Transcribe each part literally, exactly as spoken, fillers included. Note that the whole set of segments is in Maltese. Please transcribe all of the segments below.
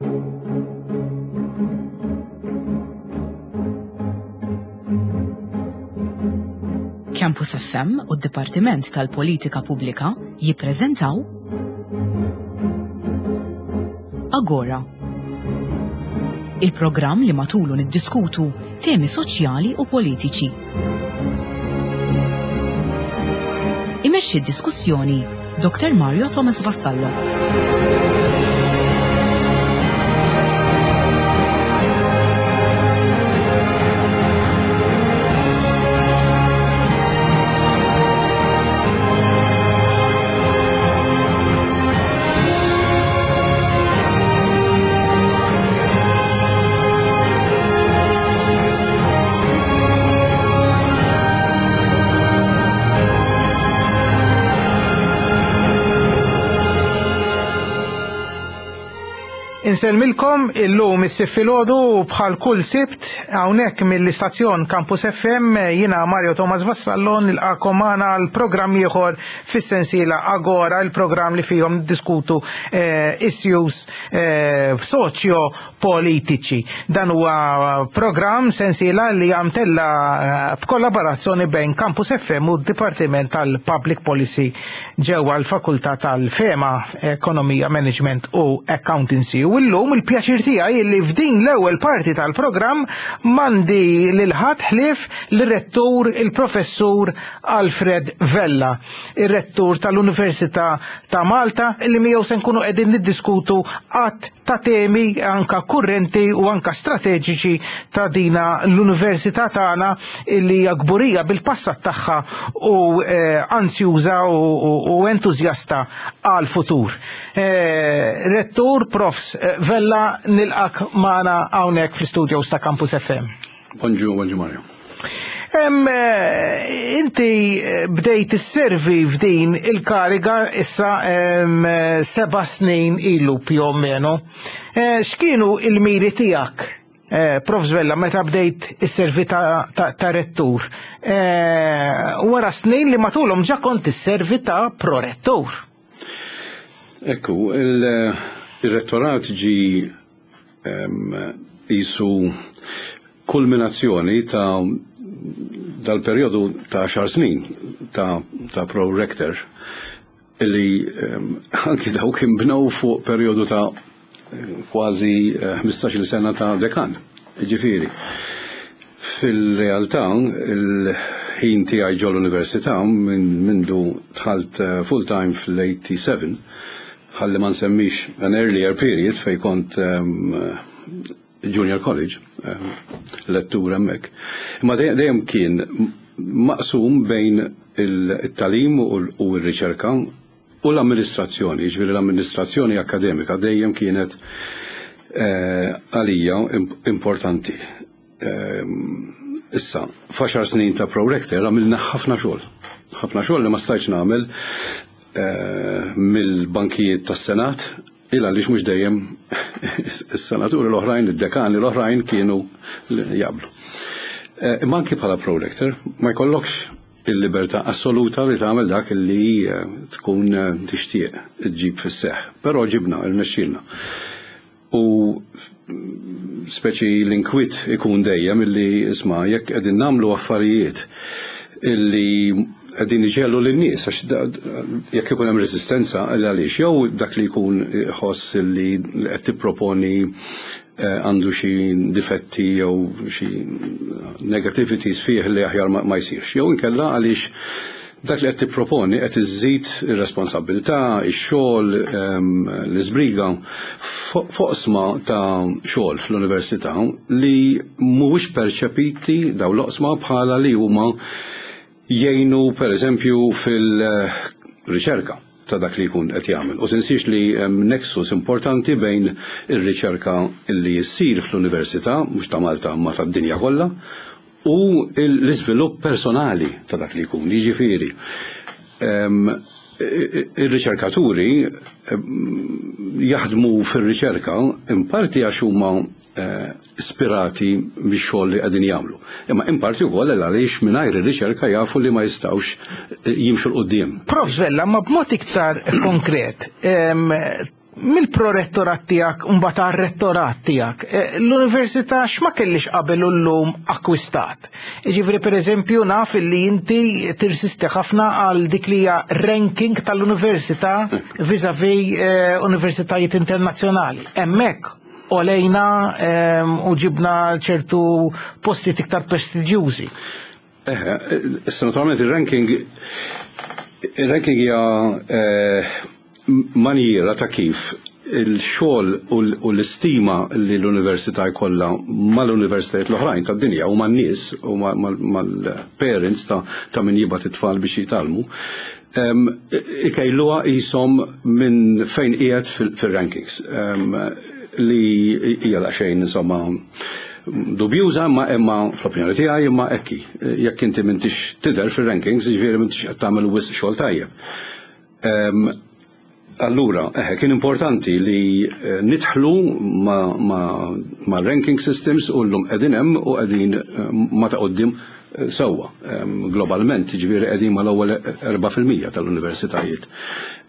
Campus F M u d-Dipartiment tal-Politika Pubblika jippreżentaw Agora. Il-programm li matulu niddiskutu temi soċjali u politiċi. Imexxi d-diskussjoni Doktor Mario Thomas Vassallo. Insellmilkom illum is-Sibt filgħodu bħal kull Sibt hawnhekk mill-istazzjon Campus F M. Jiena Mario Thomas Vassallo, nilqakom magħna għal programm ieħor fis-sensiela Agora, il-programm li fihom diskutu eh, issues eh, soċjo politiċi. Dan huwa programm sensiela li għamtella eh, b'kollaborazzjoni bejn Campus F M u d-Dipartiment tal-Public Policy ġewwa l-Fakultà tal-FEMA, Ekonomija, Management u Accountancy. U llum il-pjaċir tiegħi li f'din l-ewwel parti tal-programm m'għandi lil ħadd ħlief l-rettur, il-professur Alfred Vella, ir-rettur tal-Università ta' Malta, li miegħu se nkunu qegħdin niddiskutu għadd ta' temi anka kurrenti u anka strateġiċi ta' dina l-università tagħna illi hija kburija bil-passat tagħha u eh, ansjuża u, u, u entużjasta għal futur. Eh, Rettur Profs eh, Vella, nilqak magħna hawnhekk fl-studios ta' Campus F M. Bonġu, bonġu Mario. Em, eh, inti eh, bdejt isservi f'din il-kariga issa em, eh, seba' snin ilu più o meno. Eh, X'kienu il-miri tiegħek, eh, Prof Vella, meta bdejt isservi ta', ta, ta rettur? Eh, wara snin li matulhom ġa kont isservi ta' prorettur. Ekku, il- il-rettorat ġi em, jisu kulminazzjoni ta' dal-periodu ta' għaxar snin ta', ta' pro-rector illi um, anki daw kien bnew fuq periodu ta' kważi eh, ħmistax-il sena ta' dekan. Ġifieri, fil-realtà, il-ħin tiegħi ġol università minn mindu dħalt eh, full-time fl-sebgħa u tmenin, ħalli ma nsemmix an earlier period fej kont um, junior college, um, lettur hemmhekk. Imma dejjem dejjem kien maqsum bejn il-tagħlim u l- u r-riċerka u l-amministrazzjoni, ġifieri l-amministrazzjoni akademika dejjem kienet eh, għalija imp- importanti. Ehm, Issa, f'għaxar snin ta' pro-rector għamilna ħafna xogħol. Ħafna xogħol li ma stajtx nagħmel eh, mill-bankijiet tas-Senat, il għaliex mhux dejjem is-senaturi l-oħrajn, id-dekani l-oħrajn kienu jaqblu. Eh, Imma anki bħala pro-rector ma jkollokx il-libertà assoluta li tagħmel dak li eh, tkun eh, tixtieq ġib fis-seħ. Però ġibna, irnexxielna. U speċi l-inkwiet ikun dejjem illi isma' jekk qegħdin nagħmlu affarijiet illi qegħdin iġegħlu lin-nies, għax da- jekk ikun hemm resistenza għaliex jew dak li jkun ħoss li qed tipproponi eh, għandu xi difetti jew xi negativities fih li aħjar ma ma jsirx. Jew inkella għaliex dak li qed tipproponi qed iżżid ir-responsabilità, ix-xogħol, ehm, l-iżbriga f'oqsma ta' xogħol fl-università li mhuwiex perċepiti dawn l-oqsma bħala li huma jgħinu, per eżempju, fil-riċerka ta' dak li jkun qed jagħmel. U tinsiex li hemm nexus importanti bejn ir-riċerka li jsir fl-università, mhux ta' Malta ma tad-dinja kollha, u l-iżvilupp personali ta' dak li jkun. Jiġifieri, em, ir-riċerkaturi jaħdmu fir-riċerka in parti għax huma eh, ispirati bix-xogħol li qegħdin jagħmlu. Imma in parti wkoll għaliex mingħajr ir-riċerka jafu li ma jistgħux eh, jimxu 'l quddiem. Prof Vella, ma b'mod iktar konkret, em, Mill-prorettorat tiegħek mbagħad għar-rettorat tiegħek, eh, l-università x'ma kellix qabel u llum akkwistat? Ġifieri, pereżempju, naf li inti tirsisti ħafna għal dik li hija ranking tal-università vis-à-vis eh, universitajiet internazzjonali. Hemmhekk għolejna ehm, u ġibna ċertu postijiet iktar prestiġjużi. Eħe, issa naturalment il-ranking il-ranking hija eh, maniera ta' kif il-xogħol u l- u l-istima li l-università jkollha mal-universitajiet l-oħrajn tad-dinja u man-nies u ma- mal- mal-parents ta' ta' min jibgħat it-tfal biex jitgħallmu, em, ikejluha qishom minn fejn qiegħed fil- fil-rankings em, li hija daqsxejn, insomma, dubjuża, imma imma fl-opinjoni tiegħi imma ekki. Jekk inti m'intix tidher fir-rankings, jiġifieri m'intix qed tagħmel wisq xogħol tajjeb. Em, Allura, eħe, kien importanti li eh, nidħlu ma, ma, ma ranking systems u llum qegħdin hemm u qegħdin eh, ma ta' quddiem eh, sewwa. Em, Globalment, ġifieri qegħdin mal-ewwel erba' fil-mija tal-universitajiet.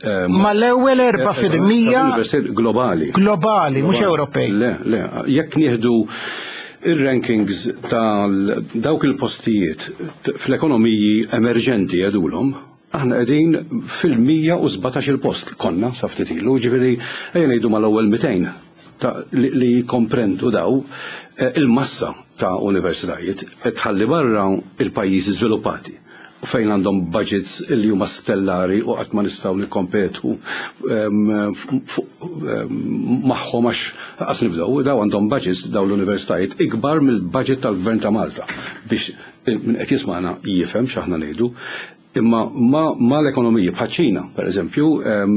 Em, Ma l-ewwel erba' fil-mija tal-universitajiet globali. Globali, mhux Ewropej. Le, le, jekk nieħdu il-rankings tal dawk il-postijiet t- fl-ekonomiji emerġenti jgħidulhom, aħna qegħdin fil-mija u sbatax il-post konna sa ftit ilu, ġifieri ejja ngħidu mal-ewwel mitejn ta' li, li jkomprendu daw eh, il-massa ta' universitajiet, qed tħalli barra il-pajjiżi żviluppati fejn għandhom budgets li huma stellari u qatt ma nistgħu nikkompetu em, fuq- em, magħhom għax qas nibdew. Daw għandhom budgets, daw l-universitajiet, ikbar mill-budget tal-Gvern ta' Malta, biex min qed jisma'na jifhem x'aħna ngħidu. Imma ma, ma l-ekonomiji bħaċ-Ċina, per eżempju, em,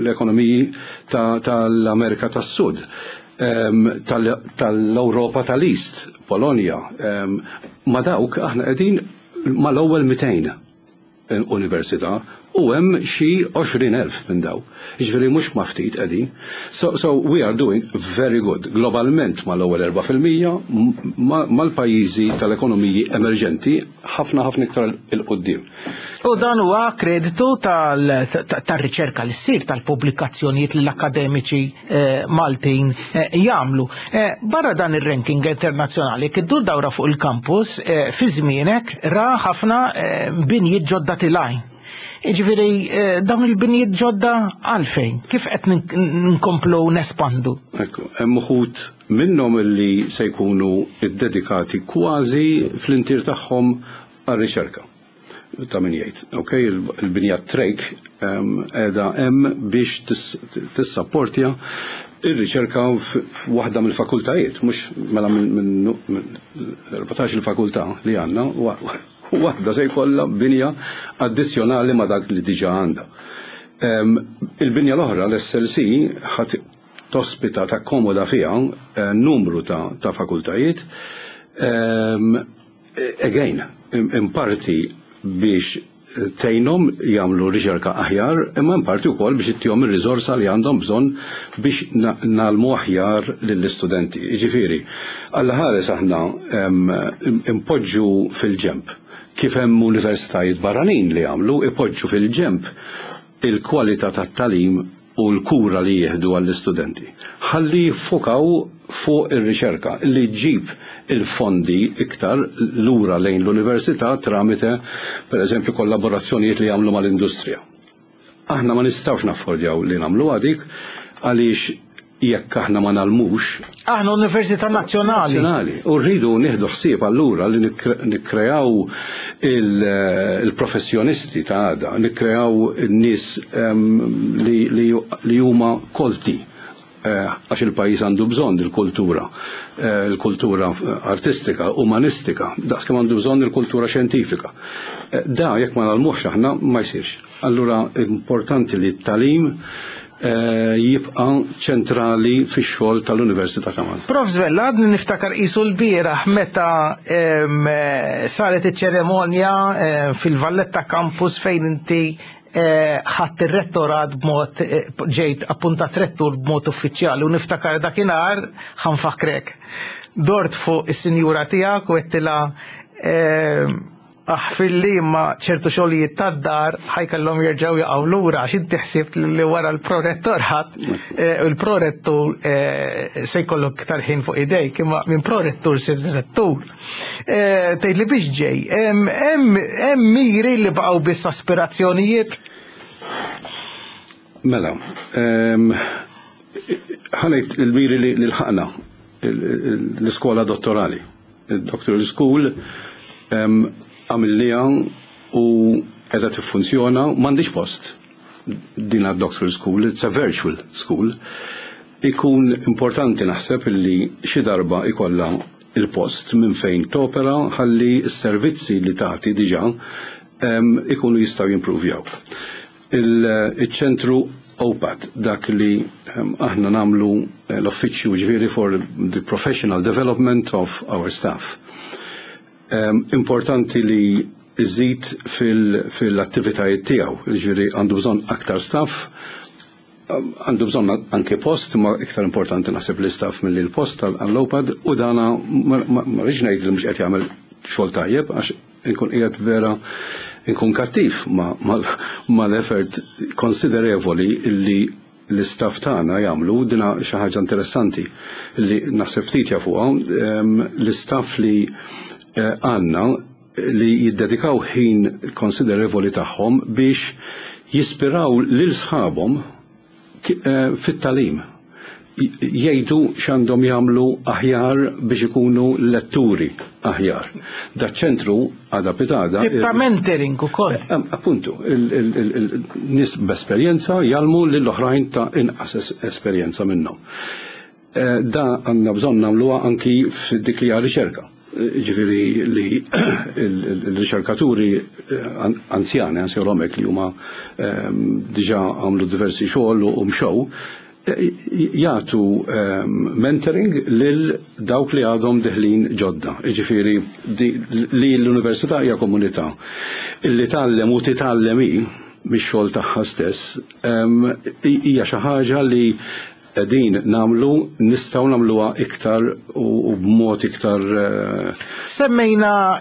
l-ekonomiji tal-Amerika tas-Sud, em, tal- tal-Europa tal-East, Polonja, em, ma dawk aħna qegħdin mal-ewwel mitejn università u hemm xi għoxrin elf minn daw. Jiġifieri mhux ma ftit qegħdin. So, so we are doing very good. Globalment mal-ewwel erba' fil-mija ma- mal-pajjiżi tal-ekonomiji emerġenti, ħafna ħafna iktar 'il quddiem. U dan huwa kreditu tal-riċerka li ssir, tal-pubblikazzjonijiet li l-akademiċi eh, Maltin eh, jagħmlu. Eh, Barra dan ir-ranking internazzjonali, kif iddur dawra fuq il-campus, eh, fi żmienek ra ħafna eh, binjiet ġodda tilgħin. Ġifieri, eh, dawn il-binjiet ġodda għalfejn? Kif qed nink- nkomplu nespandu? Ekku, hemm uħud minnhom li se jkunu iddedikati kważi fl-intier tagħhom għar-riċerka. Ta' min jgħid, ok, il- il-binja Drake qiegħda hemm biex tis- tissapportja ir-riċerka f'waħda mill-fakultajiet, mhux mela minn minn minn erbatax il-fakultà li għandna, wa- waħda se jkollha binja addizzjonali ma' dak li diġà għandha. Em, Il-binja l-oħra, l-S L C, ħat tospita, takkomoda fiha eh, numru ta', ta' fakultajiet. Um, again, in in parti biex tgħinhom jagħmlu riċerka aħjar, imma in parti wkoll biex ittihom ir-riżorsa li għandhom bżonn biex na- ngħallmu aħjar lill-istudenti. Jiġifieri, Alla ħares aħna em, impoġġu fil-ġemp kif hemm universitajiet barranin li jagħmlu, ipoġġu fil-ġemp il-kwalità tat-tagħlim u l-kura li jieħdu għall-istudenti. Ħalli jiffokaw fuq ir-riċerka li ġġib il-fondi iktar lura lejn l-università tramite, per eżempju, kollaborazzjonijiet li jagħmlu mal-industrija. Aħna ma nistgħux naffordjaw li nagħmlu dik għaliex jekk aħna ma ngħallmux Aħna Università Nazzjonali. Nazzjonali. U rridu nieħdu ħsieb allura li nikre- nikkreaw il- il-professjonisti ta' għada, nikkreaw in-nies em, li, li, li huma kolti eh, għax il-pajjiż għandu bżonn il-kultura, eh, il-kultura artistika, umanistika, daqs kemm għandu bżonn il-kultura xjentifika. Eh, Da jekk ma ngħallmuhx aħna ma jsirx. Allura importanti li t-tagħlim eh, jibqa' ċentrali fix-xogħol tal-Università ta' Malta. Prof Vella, għadni niftakar qisu l-bieraħ meta em, eh, saret iċ-ċeremonja eh, fil-Valletta Campus fejn inti eh, ħadt ir-rettorat b'mod eh, ġejt appuntat rettur b'mod uffiċjali u niftakar dakinhar, ħa nfakkrek. Dort fuq is-sinjura tiegħek u għedtilha em, Aħfirli, ma ċertu xogħlijiet tad-dar ħa jkollhom jerġgħu jaqgħu lura għax inti ħsibt li wara l-prorettorat eh, il-prorettur eh, se jkollok iktar ħin fuq idejk, imma minn prorettur sirt rettur. Eh, tgħid li biex ġej, hemm miri li baqgħu biss aspirazzjonijiet? Mela, ħa ngħid il-miri li lħaqna l-iskola dottorali, il-Doctoral School, għamilnieha u qiegħda tiffunzjona. M'għandix post din għad-Doctoral School, it's a virtual school. Ikun importanti, naħseb, li xi darba ikolla il-post minn fejn topera ħalli s-servizzi li tagħti diġà ikunu jistgħu jimprovjaw. Il-ċentru OPAD, dak li aħna nagħmlu l-uffiċċju ġifieri for the professional development of our staff. Importanti li iżid fil-attivitajiet tiegħu, ġifieri għandu bżonn aktar staff, għandu bżonn anke post, ma iktar importanti naħseb l-istaff mill l-post għall-OPAD, u dana ma rridx ngħid li mhux qed jagħmel xogħol tajjeb, għax inkun qiegħed vera inkun kattiv ma l-effort konsiderevoli illi l-istaff tagħna jagħmlu. Dina xi ħaġa interessanti li naħseb ftit jafuha l-istaff li eh, għandna li jiddedikaw ħin konsiderevoli tagħhom biex jispiraw lil sħabhom eh, fit-tagħlim, jgħidu x'għandhom jagħmlu aħjar biex ikunu letturi aħjar. Da ċentru għada pitgħada. Tip ta' mentoring ukoll. Eh, appuntu, nies b'esperjenza jgħallmu lill-oħrajn ta' inqas esperjenza minnhom. Eh, da għandna bżonn nagħmluha anki f'dik li riċerka. Ġifieri li il-riċerkaturi eh, anzjani, anzjolomek li huma diġà għamlu diversi xogħol u mxew, jagħtu ehm, mentoring lil dawk li għadhom deħlin ġodda. Ġifieri li l-università hija komunità illi tgħallem u titgħallem hi mix-xogħol tagħha stess ehm, hija xi ħaġa li din nagħmlu, nistgħu nagħmluha iktar u b'mod iktar. Eh, Semmejna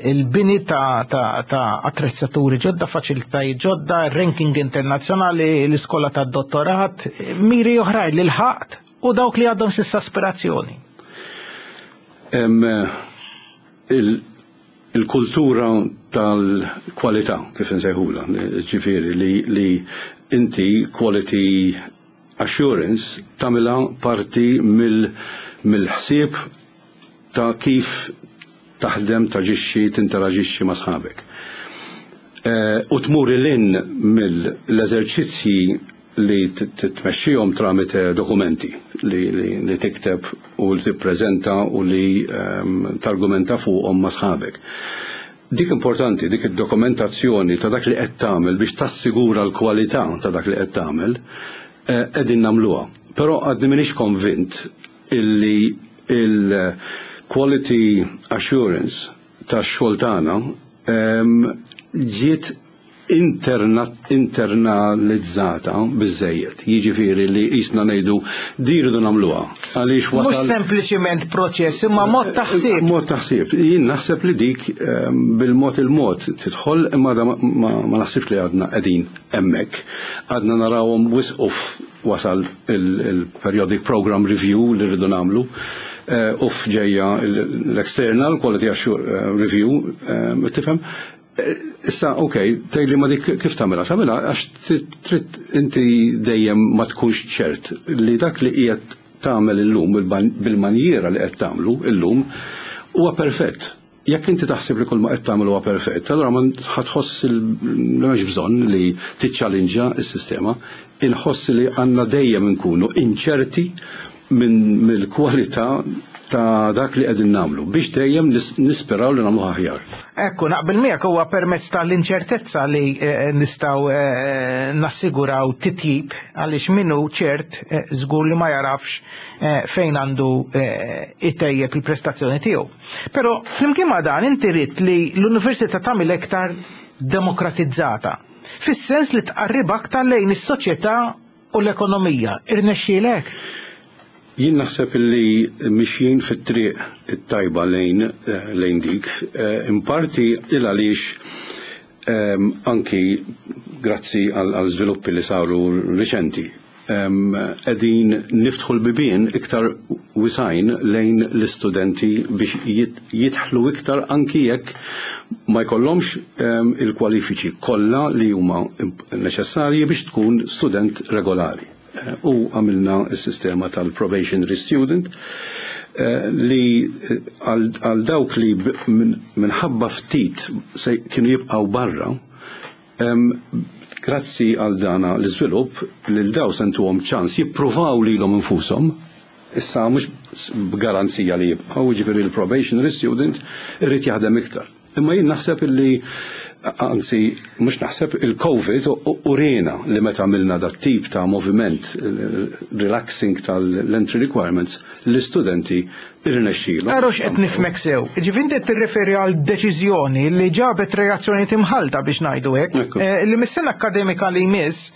il-bini ta' attrezzaturi ġodda, faċilitajiet ġodda, ranking internazzjonali, l-iskola ta' dottorat, miri oħrajn li lħaqt u dawk li għadhom s'issa aspirazzjoni. Il-kultura tal-kwalità, kif nsejħula, ġifieri li inti quality assurance tagħmilha parti mill-ħsieb ta' kif taħdem, taġixxi, tinteraġixxi ma' sħabek. Eh, u tmur lil hinn mill-eżerċizzji li titmexxihom tramite dokumenti li, li, li tikteb u li tippreżenta u li um, targumenta fuqhom ma' sħabek. Dik importanti, dik id-dokumentazzjoni ta' dak li qed tagħmel biex tassigura l-kwalità ta' dak li qed tagħmel, eh, qegħdin nagħmluha. Però għadni m'iniex konvint illi il-quality assurance tax-xogħol tagħna ġiet internalizzata biżejjed. Jiġifieri li jisna ngħidu di rridu nagħmluha. Għaliex wasal. Mhux sempliċiment proċess, imma mod taħsib. Mod taħsib. Jien naħseb li dik bil-mod il-mod tidħol, imma ma naħsibx li għadna qegħdin hemmhekk. Għadna narawhom wisq wasal il-periodic program review li rridu nagħmlu. Eh, uf ġejja l-external quality assurance review, tifhem? Issa, ok, tgħidli ma dik kif tagħmilha? Tagħmilha għax trid inti dejjem ma tkunx ċert li dak li qiegħed tagħmel illum bil-manjiera li qed tagħmlu illum huwa perfett. Jekk inti taħseb li kull ma qed tagħmel huwa perfett, allura ma ħa tħoss li m'hemmx bżonn li tiċċalinġa s-sistema. Inħoss li għandna dejjem nkunu inċerti minn mill-kwalità ta' dak li qegħdin nagħmlu biex dejjem nisperaw li nagħmlu aħjar. Ekku, naqbel miegħek, huwa permezz tal-inċertezza li eh, nistgħu eh, nassiguraw titjib, għaliex minnu ċert eh, żgur li ma jarafx fejn għandu itejjeb il-prestazzjoni tiegħu. Però flimkien ma' dan inti ridt li l-università tagħmel iktar demokratizzata, fis-sens li tqarrib aktar lejn is-soċjetà u l-ekonomija. Irnexxielek? Jien naħseb li mixjin fit-triq it-tajba lejn eh, lejn dik, eh, in parti il għaliex ehm, anki grazzi għal żviluppi li saru riċenti ehm, qegħdin niftħu l-bibien iktar wisgħin lejn l-istudenti biex jidħlu iktar anki jekk ma jkollhomx ehm, il-kwalifiċi kollha li huma neċessarji biex tkun student regolari. Eh, u għamilna s-sistema tal-probationary student eh, li eh, għal dawk li minħabba ftit se kienu jibqaw barra, grazzi għal dana l-iżvilupp lil daw se ntuhom ċans jippruvaw lilhom infushom, issa mhux b'garanzija li jibqgħu, jiġifieri l-probationary student irid jaħdem iktar. Imma jien naħseb illi, anzi, mhux naħseb, il-Covid uriena li meta għamilna dat tip ta' moviment relaxing tal-entry requirements, l-istudenti irnexxielu. Għax qed nifhmek sew. Ġifieri inti tirreferi għal deċiżjoni li ġabet reazzjoni imħallta, biex ngħidu hekk, eh, li mis-sena akademika li jmiss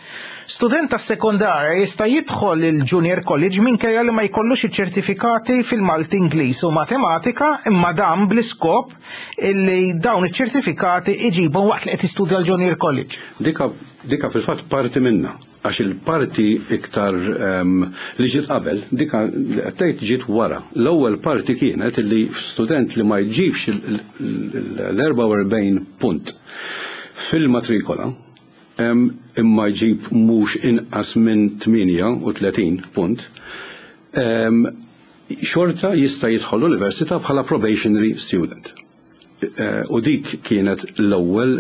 student tas sekondarja jista' jidħol il-Junior College minkejja li ma jkollux iċ-ċertifikati fil-Malti, Ingliż u Matematika, imma dan bl-iskop illi dawn iċ-ċertifikati iġibhom waqt li qed jistudja l-Junior College. Dika, dika fil-fatt parti minna, għax il-parti iktar um, li ġiet qabel, dika li qed ġiet wara. L-ewwel parti kienet li student li ma jġibx l-erbgħa u erbgħin punt fil-matrikola imma jġib mhux inqas minn tmienja u tletin punt, xorta jista' jidħol l-università bħala probationary student. Eh, u dik kienet l-ewwel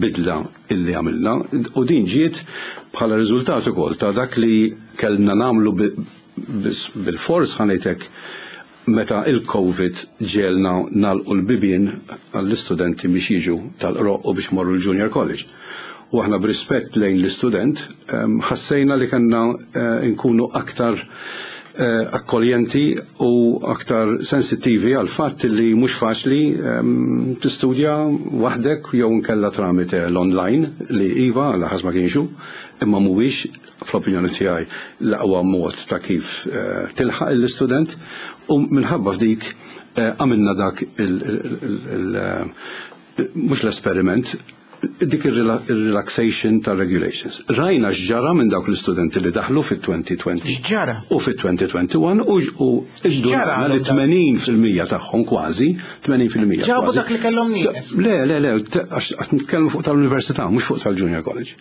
bidla illi għamilna u din ġiet bħala riżultat ukoll ta' dak li kellna nagħmlu bil-fors, ħa ngħidlek, meta il-Covid ġiegħelna nagħlqu l-bibien għall-istudenti biex jiġu tal-Qroqq u biex morru l-Junior College. U aħna b'rispett lejn l-istudent ħassejna li kellna eh, nkunu aktar eh, akkoljenti u aktar sensittivi għal fatt li mhux faċli tistudja waħdek jew nkella tramite l-online, li iva laħas ma kienxu, imma mhuwiex fl-opinjoni tiegħi l-aqwa mod ta' kif eh, tilħaq l-istudent, u minħabba f'dik għamilna dak il- mhux l-esperiment, dik il-relaxation ta' regulations. Rajna x'ġara minn dawk l-istudenti li daħlu fit-elfejn u għoxrin. X'ġara? U fit-elfejn u wieħed u għoxrin u X'ġara ġdunajna li tmenin fil-mija tagħhom kważi, tmenin fil-mija Ġabu kważi. dak li kellhom nieqes. Le, le, le, għax għax nitkellmu fuq tal-università, mhux fuq tal-junior college.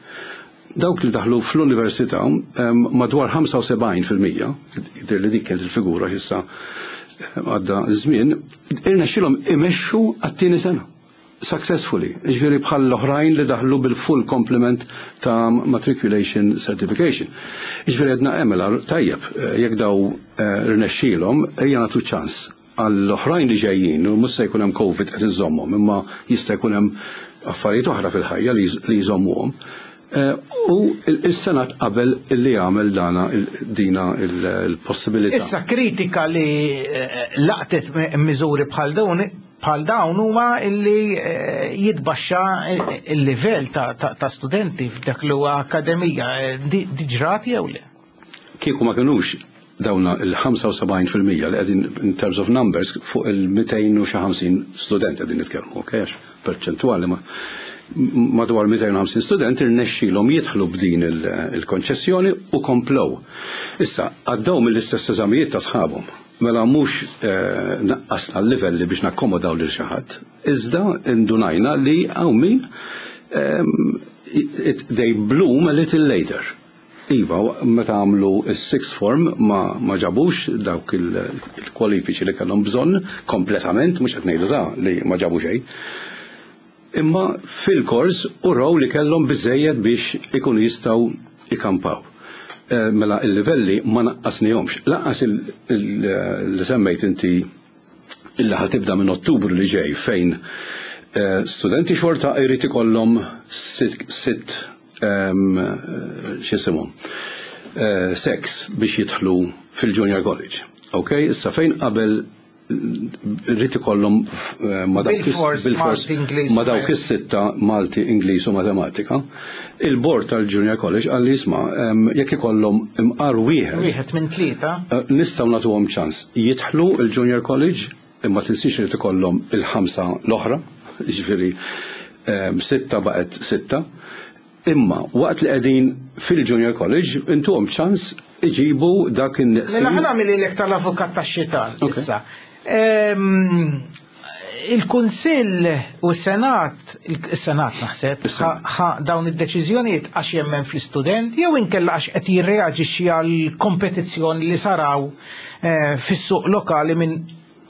Dawk li daħlu fl-università em, madwar ħamsa u sebgħin fil-mija, jidher li dik kienet il-figura, issa għadda żmien, irnexxilhom imexxu għat-tieni sena. Successfully, ġifieri bħal l-oħrajn li daħlu bil-full complement ta' matriculation certification. Ġifieri għedna emela tajjeb, eh, jekk daw eh, rnexxilhom, ejja nagħtu ċans għall-oħrajn li ġejjin, u mhux se jkun hemm Covid qed iżommhom, imma jista' jkun hemm affarijiet oħra fil-ħajja li li jżommuhom. Eh, U il-Senat qabel illi jagħmel dana il- dina il-possibilità. Issa kritika li eh, laqtet miżuri bħal dawn bħal dawn huma illi eh, jitbaxxa il-livell ta', ta, ta' studenti f'dak li huwa akademija. Eh, Di di ġrat jew le? Kieku ma kinux dawna il-ħamsa u sebgħin fil-mija li qegħdin in terms of numbers fuq il-mitejn u ħamsin student qegħdin nitkellmu, ok, għax perċentwali ma madwar mitejn u ħamsin student irnexxilhom jidħlu b'din il- il-konċessjoni u komplow. Issa, għaddew mill-istess eżamijiet ta' sħabhom. Mela mhux eh, naqqasna l-livelli biex nakkomodaw lil xi ħadd. Iżda indunajna li hawn min ehm, it- they bloom a little later. Iva, meta għamlu il-sixth form ma, ma ġabux dawk il- il-kwalifiċi li kellhom bżonn kompletament, mhux qed ngħidu ta' li ma ġabu xejn. Imma fil-kors u raw li kellhom biżejjed biex ikunu jistgħu ikampaw. Eh, Mela il-livelli ma naqqasnihomx. Lanqas il- il- li semmejt inti illi ħa tibda minn Ottubru li ġej, fejn eh, studenti xorta jrid ikollhom sitt sitt em, eh, x'isimhom eh, sex biex jidħlu fil-Junior College. Ok, issa fejn qabel Rrid ikollhom eh, ma dawk is- Bil-fors bil-fors Malti, Ingliż, ma dawk is-sitta Malti, Ingliż u Matematika. Il-board tal-Junior College qalli, "Isma', em, jekk ikollhom imqar wieħed Wieħed minn tlieta. Eh, nistgħu nagħtuhom ċans jidħlu il-Junior College, imma tinsiex li ikollhom il-ħamsa l-oħra, jiġifieri em, sitta baqgħet sitta. Imma waqt li qegħdin fil-Junior College intuhom ċans iġibu dak in-neqsin." Mela ħa nagħmillek tal-avukat tax-xitan Ok. issa. Ehm, Il-Kunsill u s-Senat, il-Senat naħseb, Is-Senat. ħa dawn id-deċiżjonijiet għax jemmen fl-istudent jew inkella għax qed jirreaġixxi għal kompetizzjoni li saraw eh, fis-suq lokali minn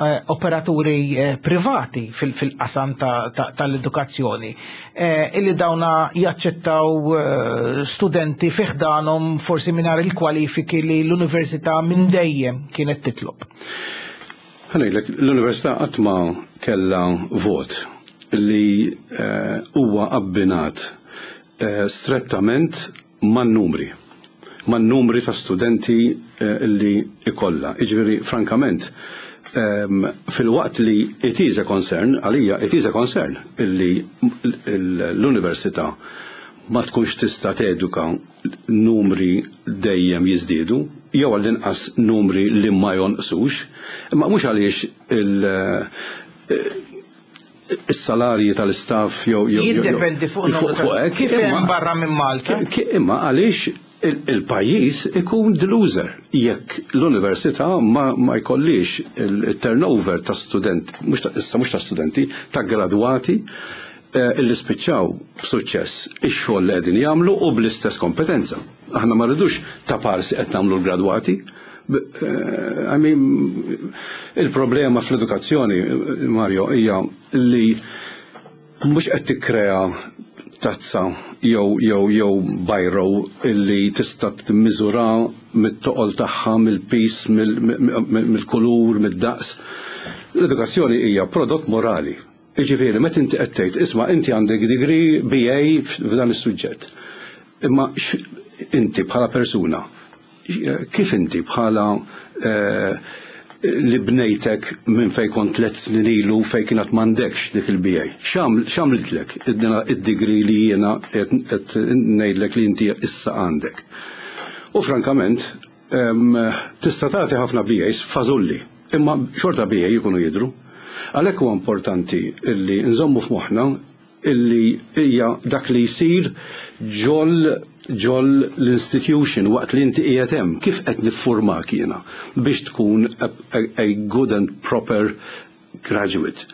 eh, operaturi eh, privati fil- fil-qasam ta- ta- tal-edukazzjoni eh, illi dawna jaċċettaw eh, studenti fi ħdanhom forsi mingħajr il-kwalifiki li l-università minn dejjem kienet titlob. Ħa ngħidlek, l-Università qatt ma kellha vot li eh, huwa abbinat eh, strettament man-numri, man-numri ta' studenti eh, li ikolla. Iġifieri, frankament, ehm, fil-waqt li it is a concern, għalija it is a concern illi l-università ma tkunx tista' teduka numri dejjem jiżdiedu, jew għall-inqas numri li ma jonqsux, imma mhux għaliex il- is-salarji tal-istaff jew jew jew- Jiddependi fuq fuq fuq hekk, kif hemm imma- barra minn Malta. Ki- Imma għaliex il- il-pajjiż ikun the loser jekk l-università ma, ma jkollix il-turnover ta' student, mhux ta' issa mhux ta' studenti, ta' gradwati eh, illi spiċċaw b'suċċess ix-xogħol li qegħdin jagħmlu u bl-istess kompetenza. Aħna ma rridux ta' parsi qed nagħmlu l-gradwati. B- eh, I mean, il-problema fl-edukazzjoni, Mario, hija li mhux qed tikkrea tazza jew jew jew bajro illi tista' timmiżura mit-toqol tagħha, mill-pis, mill-kulur, mid-daqs. L-edukazzjoni hija prodott morali. Jiġifieri, meta inti qed tgħid, "Isma', inti għandek degree B A f'dan is-suġġett." Imma x- inti bħala persuna, kif inti bħala eh, li bnejtek minn fej kont tliet snin ilu fej kienet m'għandekx dik il-B A? X'għamlitlek id-degree li jiena qed ngħidlek li inti issa għandek? U frankament, em, tista' tagħti ħafna B As fażulli, imma xorta B A jkunu jidru. Għalhekk huwa importanti illi nżommu f'moħħna illi hija dak li jsir ġol ġol l-institution waqt li inti qiegħed hemm, kif qed niffurmak jiena biex tkun a, a, a good and proper graduate.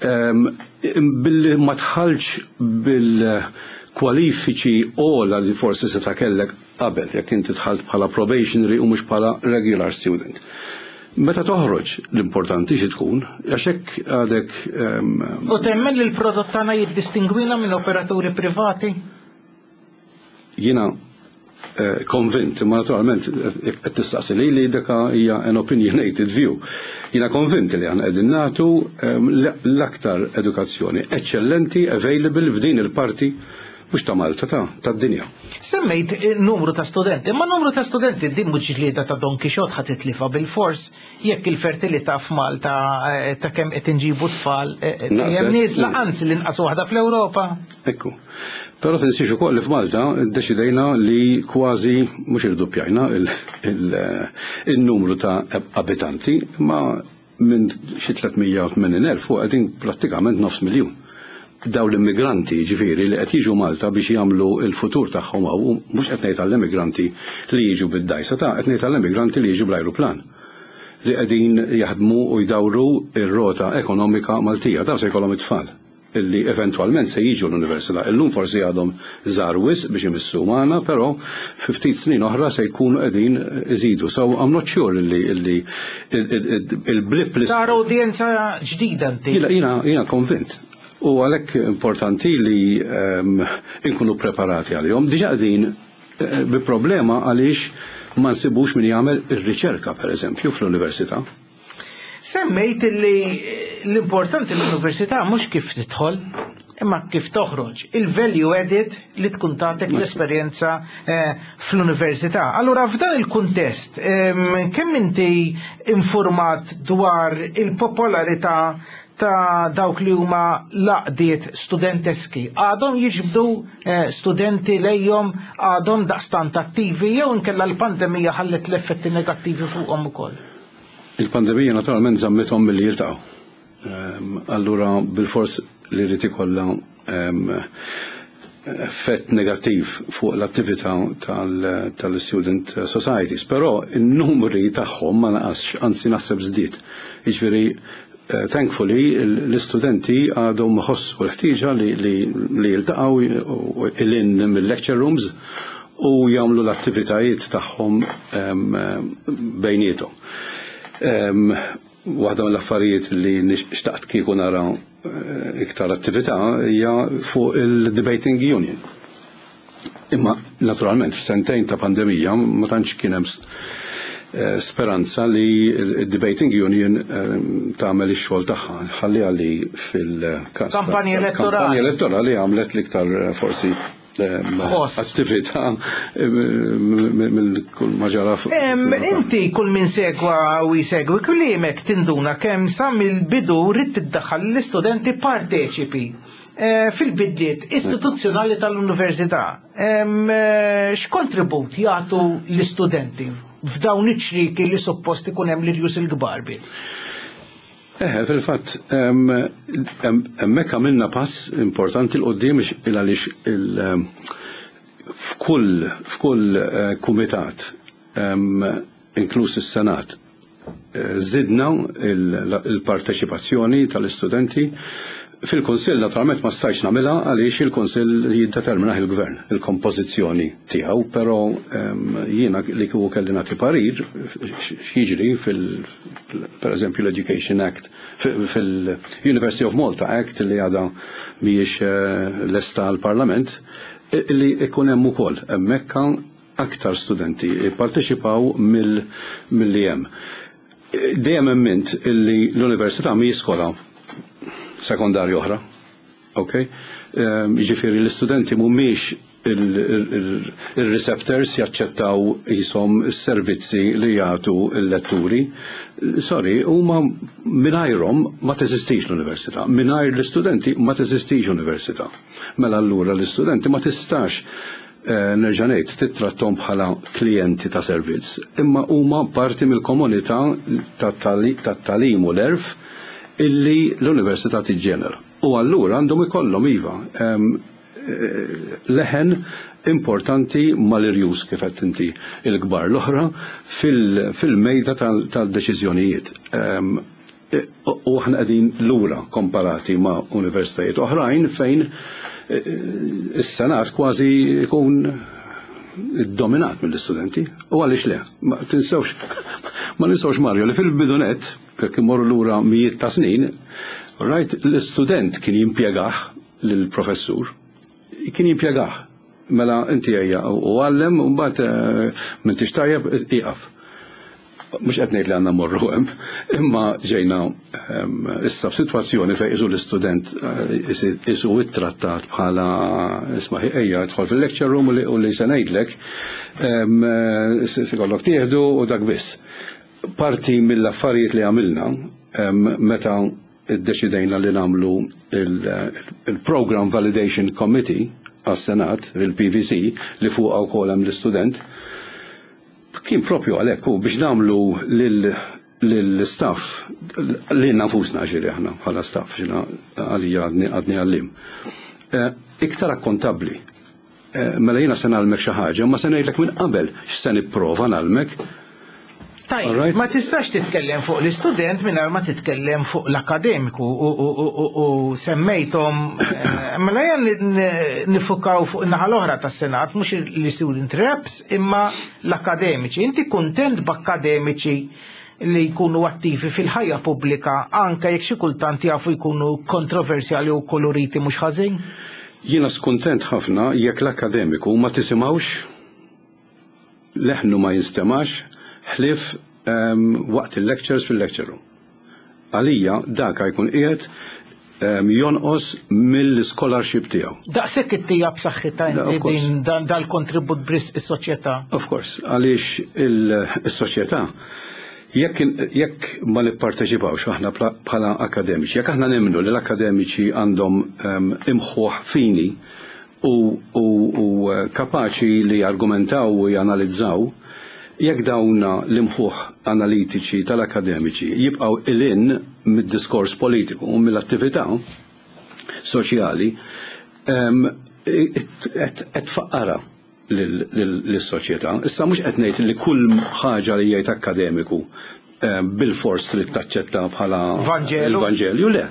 Um, billi ma tħalx bil-kwalifiċi ogħla li forsi se kellek qabel, jekk inti dħalt bħala probationary u mhux bħala regular student. Meta toħroġ l-importanti xi tkun, għax hekk għadek um, U temmen li l-prodott tagħna jiddistingwina minn operaturi privati? Jiena eh, konvint, imma naturalment eh, qed tistaqsi li li dik hija an opinionated view. Jiena konvint li aħna qegħdin nagħtu ehm, l-aktar edukazzjoni eċċellenti available f'din il-parti mhux ta' Malta, ta' tad-dinja. Semmejt eh, numru ta' studenti, ma numru ta' studenti din mhux ġlieda ta' Don Quixote ħa titlifha bil-fors jekk il-fertilità f'Malta eh, ta' kemm qed inġibu tfal eh, Naqset. hemm nieżla, anzi l-inqas waħda fl-Ewropa. Ekku. Però tinsiex ukoll li f'Malta ddeċidejna li kważi mhux irduppjajna il- il- il-numru ta' abitanti, ma minn xi tliet mija u tmenin elf u qegħdin prattikament nofs miljun. Daw l-immigranti ġifieri li qed jiġu Malta biex jagħmlu l-futur tagħhom hawn, mhux qed ngħid għall-immigranti li jiġu bid-dgħajsa ta' qed ngħid għall-immigranti li jiġu bl-ajruplan li qegħdin jaħdmu u jdawru ir-rota ekonomika Maltija. Daw se jkollhom it-tfal illi eventwalment se jiġu l-università. Illum forsi għadhom żgħar wisq biex imissu magħna, però fi ftit snin oħra se jkunu qegħdin iżidu. So I'm not sure illi illi il-blip li Tara udjenza ġdida inti. Jiena jiena jiena konvint. U għalhekk importanti li um, inkunu preparati għalihom. Diġà qegħdin eh, bi problema għaliex ma nsibux min jagħmel ir-riċerka, per eżempju, fl-università. Semmejt li l-importanti l-università mhux kif tidħol, Imma kif toħroġ il-value added li tkun tagħtek l-esperjenza eh, fl-università. Allura, f'dan il-kuntest, kemm inti informat dwar il-popolarità ta' dawk li huma l-għaqdiet studenteski? Għadhom jiġbdu eh, studenti lejhom, għadhom daqstant attivi, jew inkella l-pandemija ħallet l-effetti negattivi fuqhom ukoll? Il-pandemija naturalment żammithom milli jiltaqgħu. Allura bil-fors li rrid ikollha effett negattiv fuq l-attività tal-student societies, però il-numri tagħhom ma naqasx, anzi naħseb żdied. Jiġifieri, eh, thankfully, l-istudenti għadhom ħossu l-ħtieġa li jiltaqgħu lil hinn mill-lecture rooms u jagħmlu l-attivitajiet tagħhom bejniethom. Waħda mill-affarijiet li xtaqt kieku nara eh, iktar attività hija fuq il-debating union. Imma naturalment f'sentejn ta' pandemija ma tantx kien hemm eh, speranza li il-debating union eh, tagħmel ix-xogħol tagħha. Ħalli għalli fil-każ kampanja elettorali. Kampanja elettorali għamlet l-iktar forsi attività mill kull ma ġara. Inti kull min segwa u jsegwi kliemek tinduna kemm sa mill-bidu rrid tiddaħħal l-istudenti parteċipi eh, fil-bidliet istituzzjonali tal-università. Eh, x'kontribut jagħtu l-istudenti f'dawn iċ-ċrieki li suppost ikun hemm l-irjus il-kbar biss? Eh, fil-fatt, hemmhekk għamilna pass importanti 'l quddiem il għaliex f'kull f'kull eh, kumitat, inkluż is-Senat, eh, żidna il-parteċipazzjoni tal-istudenti. Fil-Kunsill naturalment ma stajtx nagħmilha għaliex il-Kunsill jiddetermina il-Gvern, il-kompożizzjoni tiegħu, però jiena li kieku kelli nagħti parir x'jiġri fil per eżempju l-Education Act, fil-University of Malta Act li għadha mhijiex eh, lesta l-Parlament, li ikun hemm ukoll hemmhekk aktar studenti jipparteċipaw mill-li hemm. Dejjem emmint illi l-università mhijiex skola sekondarju oħra. Ok? Ehm, jiġifieri l-istudenti mhumiex il-receptors jaċċettaw jisom is-servizzi li jagħtu l-letturi. Sorry, huma mingħajrhom ma teżistix l-università. Mingħajr l-istudenti ma teżistix università. Mela allura l-istudenti ma tistax eh, nerġa' ngħid tittrattom bħala klijenti ta' servizz, imma huma parti mill-komunità tat-tagħlim u l-għerf illi l-università tiġġenera. U allura għandhom ikollhom, iva, eh, leħen importanti mal-irjus, kif qed inti, il-kbar l-oħra fil-mejda tal-deċiżjonijiet. U aħna qegħdin lura komparati ma' universitajiet oħrajn fejn eh, is-senat kważi jkun dominat mill-istudenti. U għaliex le? Ma tinsewx, ma ninsewx, Mario, li fil-bidu nett, jekk imorru lura mijiet ta' snin, right, l-istudent kien jimpjegah lill-professur, kien jimpjegah. Mela inti ejja u għallem u mbagħad eh, m'intix tajjeb, iqaf. Mhux qed ngħid li għandna morru hemm, imma ġejna ehm, issa f'sitwazzjoni fejn isu l-istudent eh, isu ittrattat bħala isma' ejja idħol fil-lecture room u li se ngħidlek ehm, eh, se kollok tieħdu u dak biss. Parti mill-affarijiet li għamilna ehm, meta iddeċidejna li nagħmlu il-Program Validation Committee għas-Senat, il-P V C, li fuq wkoll hemm l-istudent, kien propju għalhekk u biex nagħmlu lill-staff, li nafusna ġiri aħna bħala staff, ġina għalija għadni għallim, eh, iktar akkontabli. Eh, mela jiena se ngħallmek xi ħaġa, ma se ngħidlek minn qabel x'se nipprova ngħallmek. Tajjeb, ma tistax titkellem fuq l-istudent mingħajr ma titkellem fuq l-akademiku u semmejthom. eh, mela jan nifukaw fuq in-naħa l-oħra tas-Senat, mhux l-student reps imma l-akademiċi. Inti kuntent b'akademiċi li jkunu attivi fil-ħajja pubblika, anke jekk xi kultant jafu jkunu kontroversjali u koloriti mhux ħażin? Jiena skuntent ħafna jekk l-akademiku ma tisimgħux leħnu, ma jinstemax ħlief um, waqt il-lectures fil-lecture room. Għalija daka jkun qiegħed jonqos mill-scholarship tiegħu. Daqshekk ittija b'saħħitha din dal-kontribut bris is-soċjetà. Of course, għaliex is-soċjetà jekk jekk ma nipparteċipawx aħna bħala akademiċi, jekk aħna nemmnu li l-akademiċi għandhom imħuħ fini u, u, u kapaċi li jargumentaw u janalizzaw, jekk dawna l-imħuħ analitiċi tal-akademiċi jibqaw ilin mid-diskors politiku u mill-attività soċjali, qed tfaqqara lis-soċjetà. Issa mhux qed ngħid li kull ħaġa li jgħid akademiku bil-fors li taċċetta bħala il-Vanġelu, le.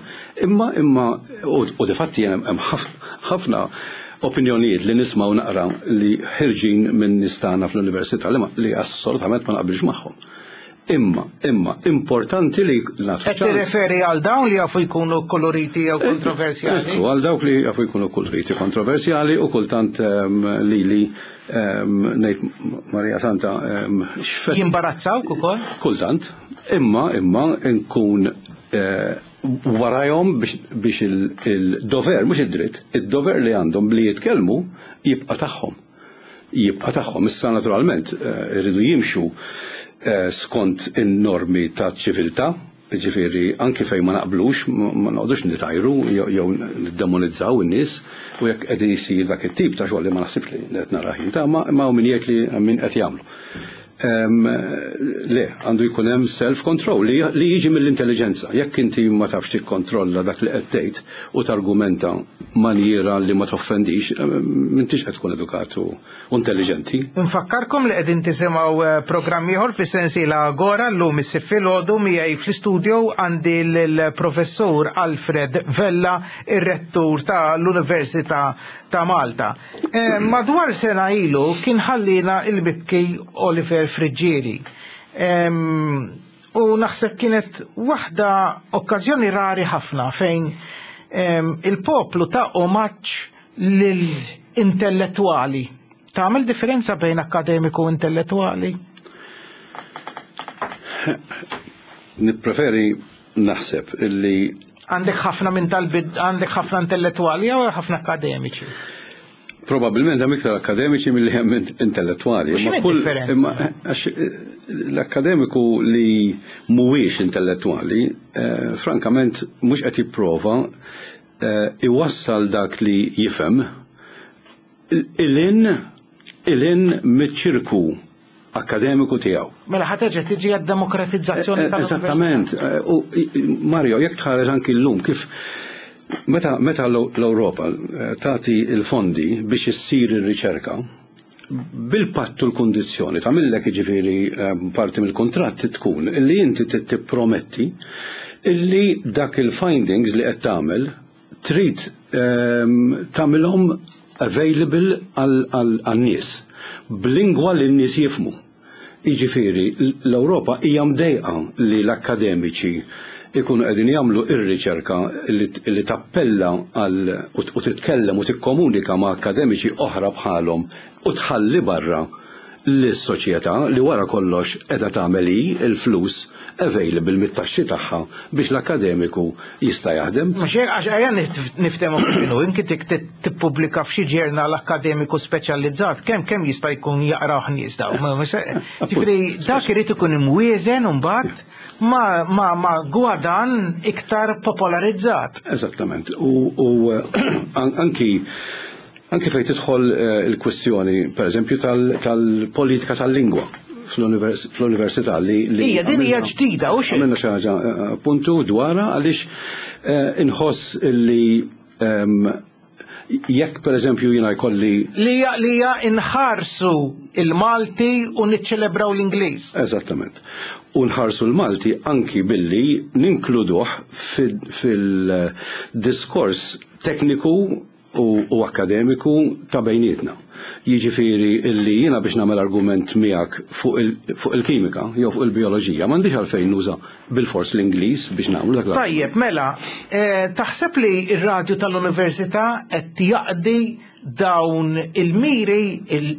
Imma imma u difatti hemm ħafna opinjonijiet li nismaw naqra li ħirġin minn nistana fl-università li, li assolutament ma naqbilx magħhom. Imma, imma, importanti li nagħtu. Qed tirreferi għal dawn li jafu jkunu koloriti jew kontroversjali? Ekku, għal dawk li jafu jkunu koloriti, kontroversjali u kultant li li ngħid Marija Santa x'fett. Jimbarazzawk ukoll? Kultant, imma imma nkun warajhom biex il-dover, mhux id-dritt, id-dover li għandhom li jitkellmu jibqa' tagħhom. Jibqa' tagħhom. Issa naturalment iridu jimxu skont in-normi ta' ċiviltà, ġifieri anki fejn ma naqblux, ma noqgħodux nitajru jew niddemonizzaw in-nies, u jekk qegħdin isir dak it-tip ta' xogħol li ma naħsibx li qed nara ħin ta' ma min jgħid li min qed jagħmlu. Le, għandu jkun hemm self-control li jiġi mill-intelligenza. Jekk inti ma tafx tikkontrolla dak li qed tgħid u targumenta maniera li ma toffendix, m'intix qed tkun edukat u intelligenti. Nfakkarkom li qegħdin tisimgħu programm ieħor fis-sensiela Agora llum is-Sibt filgħodu. Miegħi fl-istudio għandi l-professur Alfred Vella, ir-rettur tal-Università ta' Malta. Madwar sena ilu kien ħallina il-mibki Oliver Friggieri. U naħseb kienet waħda okkażjoni rari ħafna fejn il-poplu ta' omaġġ lill-intellettwali. Tagħmel differenza bejn akademiku u intellettwali? Nippreferi naħseb illi għandek ħafna minn tal-bid, għandek ħafna intellettwali jew ħafna akademiċi? Probabilment hemm iktar akademiċi milli hemm intellettwali. Imma kull imma għax l-akademiku li mhuwiex intellettwali, frankament mhux qed jipprova iwassal dak li jifhem ilin ilin miċ-ċirku akademiku tiegħu. Mela ħa terġa' tiġi għad-demokratizzazzjoni tal. Eżattament. U Mario, jekk tħares anki llum kif meta meta l-Ewropa tagħti l-fondi biex issir ir-riċerka, bil-pattu l-kundizzjoni tagħmillek, jiġifieri parti mill-kuntratt tkun illi inti tipprometti illi dak il-findings li qed tagħmel trid tagħmilhom available għan-nies b'lingwa li n-nies jifhmu. Jiġifieri l-Ewropa hija mdejqa li l-akademiċi ikunu qegħdin jagħmlu ir-riċerka li tappella għal u titkellem u tikkomunika ma' akademiċi oħra bħalhom u tħalli barra lis-soċjetà li wara kollox qiegħda tagħmel hi l-flus available mit-taxxi tagħha biex l-akademiku jista' jaħdem. Mhux hekk, għax ejja niftehmu kif inhu, inti tippubblika f'xi ġurnal akademiku speċjalizzat, kemm kemm jista' jkun jaqraw nies daw. Ġifieri dak irid ikun imwieżen imbagħad ma ma ma gwadan iktar popolarizzat. Eżattament. U, u anki anki fejn tidħol il-kwestjoni, per eżempju, tal-politika tal-lingwa fl-università li hija din hija ġdida u xejn. Għamilna xi ħaġa puntu dwarha għaliex inħoss li jekk per eżempju jiena jkolli li hija inħarsu il-Malti u niċċelebraw l-Ingliż. Eżattament. U nħarsu l-Malti anki billi ninkluduh fil-diskors tekniku u akademiku ta' bejnietna. Jiġifieri illi jiena biex nagħmel argument miegħek fuq il-kimika jew fuq il-bioloġija m'għandix għalfejn nuża bil-fors l-Ingliż biex nagħmlu dak. Tajjeb, mela, taħseb li r-radju tal-università qed jaqdi dawn il-miri,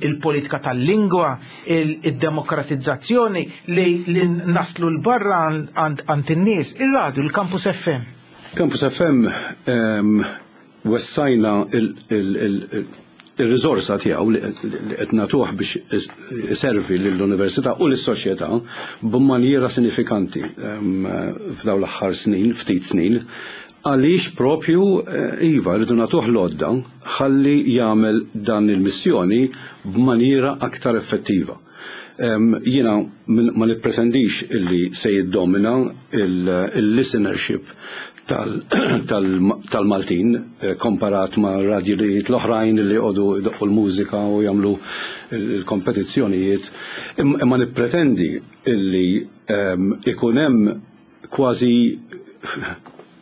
il-politika tal-lingwa, il-demokratizzazzjoni li naslu l-barra għand in-nies, ir-radju, il-Campus F M? Campus F M um, wessajna il-rizorsa tiegħu li qed nagħtuh biex iservi lill-università u lis-soċjetà b'manjiera sinifikanti f'dawn l-aħħar snin, ftit snin, għaliex propju eh, iva, rridu nagħtuh l-għodda ħalli jagħmel dan il-missjoni b'manjiera aktar effettiva. Jiena ma nippretendix illi se jiddomina il-listenership tal-Maltin eh, komparat ma' radjijiet l-oħrajn li jqogħdu jdoqqu l-mużika u jagħmlu l-kompetizzjonijiet. Imma nippretendi illi ikun hemm kważi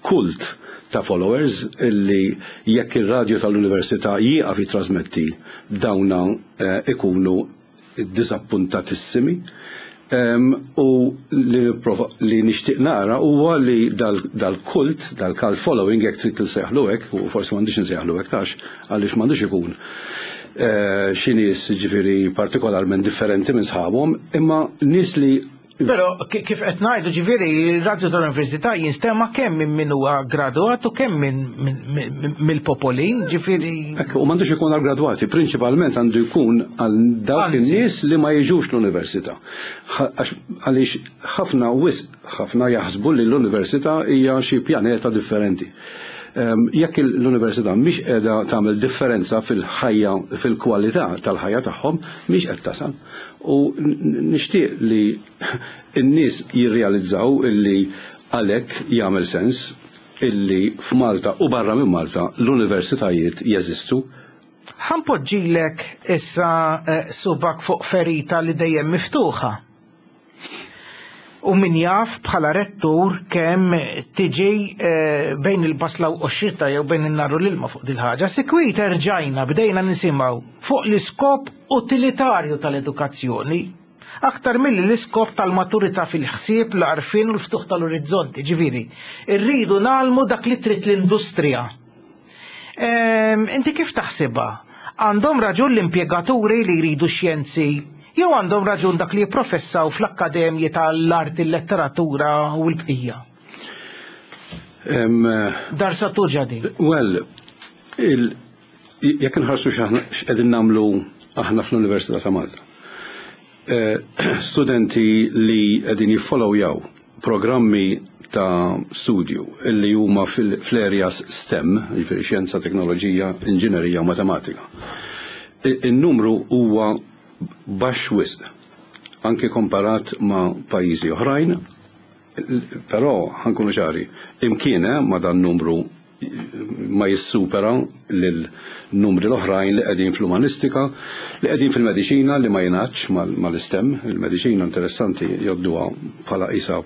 kult ta' followers illi jekk ir-radju tal-università jieqaf jitrasmetti, dawna eh, ikunu disappuntatissimi. U li, li nixtieq nara huwa li dal-kult, dal-cult following, jekk trid tinsejħlu hekk, u forsi m'għandix insejħlu hekk tax, għaliex m'għandux ikun eh, xi nies ġifieri partikolarment differenti minn sħabhom, imma nies li Però kif qed ngħidu, ġifieri ir-radju tal-università jinstema' kemm minn min huwa gradwat u kemm minn mill-popolin, ġifieri. Ekku, u m'għandux ikun għal gradwati, prinċipalment għandu jkun għal dawk in-nies li ma jiġux l-università. Għaliex ħafna wisq ħafna jaħsbu li l-università hija xi pjaneta differenti. Jekk l-università mhix qiegħda tagħmel differenza fil-ħajja, fil-kwalità tal-ħajja tagħhom, mhix qed tasal. U nixtieq li n-nies jirrealizzaw illi għalhekk jagħmel sens illi f'Malta u barra minn Malta l-universitajiet jeżistu. Ħa npoġġilek issa eh, subgħek fuq ferita li dejjem miftuħa. U min jaf bħala rettur kemm tiġi eh, bejn il-basla u x-xita jew bejn in-nar u l-ilma fuq dil-ħaġa. Sikwit erġajna bdejna nisimgħu fuq l-iskop utilitarju tal-edukazzjoni aktar milli l-iskop tal-maturità fil-ħsieb, l-għarfien u l-ftuħ tal-orizzonti. Ġifieri, irridu ngħallmu dak li trid l-industrija. Ehm, Inti kif taħsibha? Għandhom raġun l-impjegaturi li jridu xjenzi jew għandhom raġun dak li jipprofessaw fl-akkademji tal-arti, l-letteratura u l-bqija? Em, Dar sa tuġa din. Well, il, jekk nħarsu x'qegħdin nagħmlu aħna fl-Università ta' Malta. Eh, studenti li qegħdin jiffollowjaw programmi ta' studju illi huma fil-areas STEM, jiġifieri xjenza, teknoloġija, inġinerija u matematika. Il-numru huwa baxx wisq, anke komparat ma' pajjiżi oħrajn, però ħa nkunu ċari, imkien eh, ma dan numru ma jissupera lil-numri l-oħrajn li qegħdin fl-umanistika, li qegħdin fil-mediċina li ma jingħadx mal-STEM. Il-mediċina interessanti jgħodduha bħala isa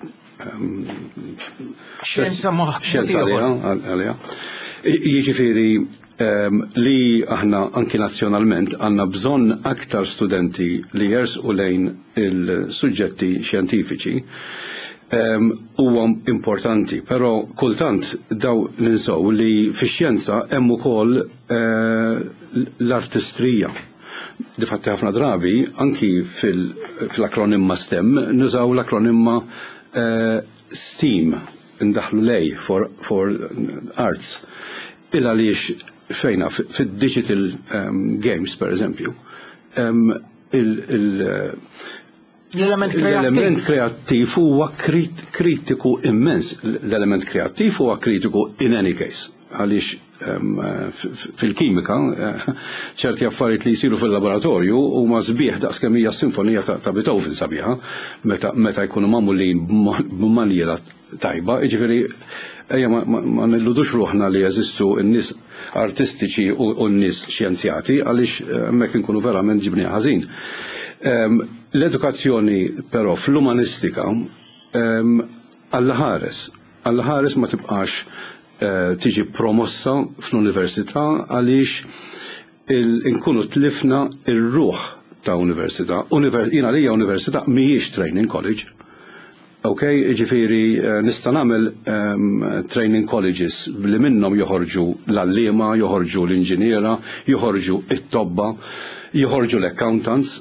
Xjenza moħ. Xjenza għaliha, għaliha. Jiġifieri em, li aħna anki nazzjonalment għandna bżonn aktar studenti li jersqu lejn il-suġġetti xjentifiċi em, huwa importanti, però kultant daw ninsow li fix-xjenza hemm ukoll eh, l-artistrija. Difatti ħafna drabi anki fil-akronimma STEM nużaw l-akronimma eh, STEAM, ndaħlu l-A for, for arts. Il għaliex fejna fil-digital um, games, per eżempju, um, il, il, L-element l-element kreattiv. Kreattiv huwa krit kritiku immens. L-element kreattiv huwa kritiku in any case. Għaliex um, fil-kimika eh, ċerti affarijiet li jsiru fil-laboratorju huma sbieħ daqs kemm hija sinfonija ta', ta' Beethoven sabiħa meta, meta jkunu magħmulin b'manjiera tajba, jiġifieri ejja ma, ma, ma nilludux ruħna li jeżistu n-nies artistiċi u, u n-nies xjenzjati, għaliex eh, hemmhekk inkunu verament ġibni ħażin. Um, L-edukazzjoni però fl-umanistika um, Alla ħares, Alla ħares ma tibqax uh, tiġi promossa fl-università, għaliex nkunu tlifna il-ruħ ta' università. Univer jina lija università mhijiex training college. Ok, ġifieri eh, nista' nagħmel um, training colleges li minnhom joħorġu l-għalliema, joħorġu l-inġiniera, joħorġu it-tobba, joħorġu l-accountants,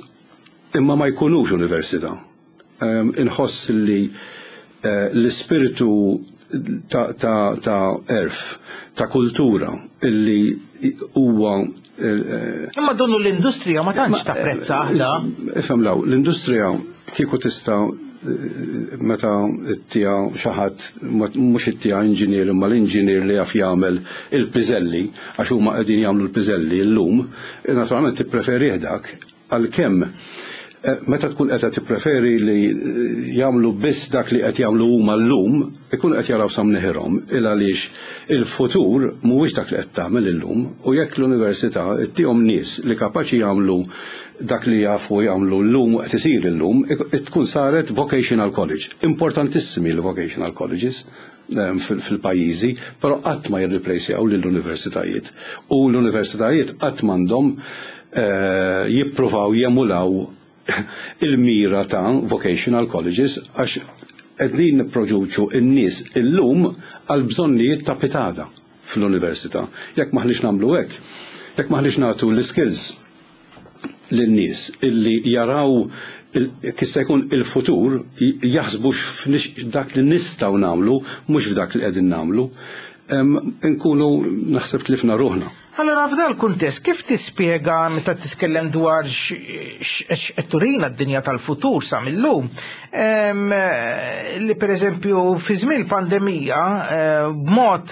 imma ma jkunux università. Um, inħoss li uh, l-ispiritu ta' ta' ta' għerf, ta' kultura illi huwa Imma donnu l-industrija ma tantx tapprezza aħna. Ifhem law, l-industrija kieku tista' meta ttiha xi ħadd, mhux ittiha inġinier, imma l-inġinier li jaf jagħmel il-piżelli, għax huma qegħdin jagħmlu l-piżelli llum, naturalment tippreferih dak, għalkemm meta tkun qed tippreferi li jagħmlu biss dak li qed jagħmlu huma llum, ikun qed jaraw sa mneħirhom, il għaliex il-futur mhuwiex dak li qed tagħmel illum, u jekk l-università ttihom nies li kapaċi jagħmlu dak li jafu jagħmlu llum u qed isir illum, tkun saret vocational college. Importantissimi l-vocational colleges fil-pajjiżi, però qatt ma jirreplacejaw lill-universitajiet. U l-universitajiet qatt m'għandhom jippruvaw jemulaw il-mira ta' vocational colleges, għax qegħdin nipproduċu n-nies illum għal bżonnijiet ta' pitgħada fl-università. Jekk maħniex nagħmlu hekk, jekk maħniex nagħtu l-skills lin-nies illi jaraw jista' jkun il-futur, jaħsbu dak li nistgħu nagħmlu, mhux f'dak li qegħdin nagħmlu, nkunu naħseb tlifna ruħna. Allora, f'dal kuntest, kif tispjega meta titkellem dwar x'qed turina d-dinja tal-futur sa mill-lum, li pereżempju fi żmien pandemija b'mod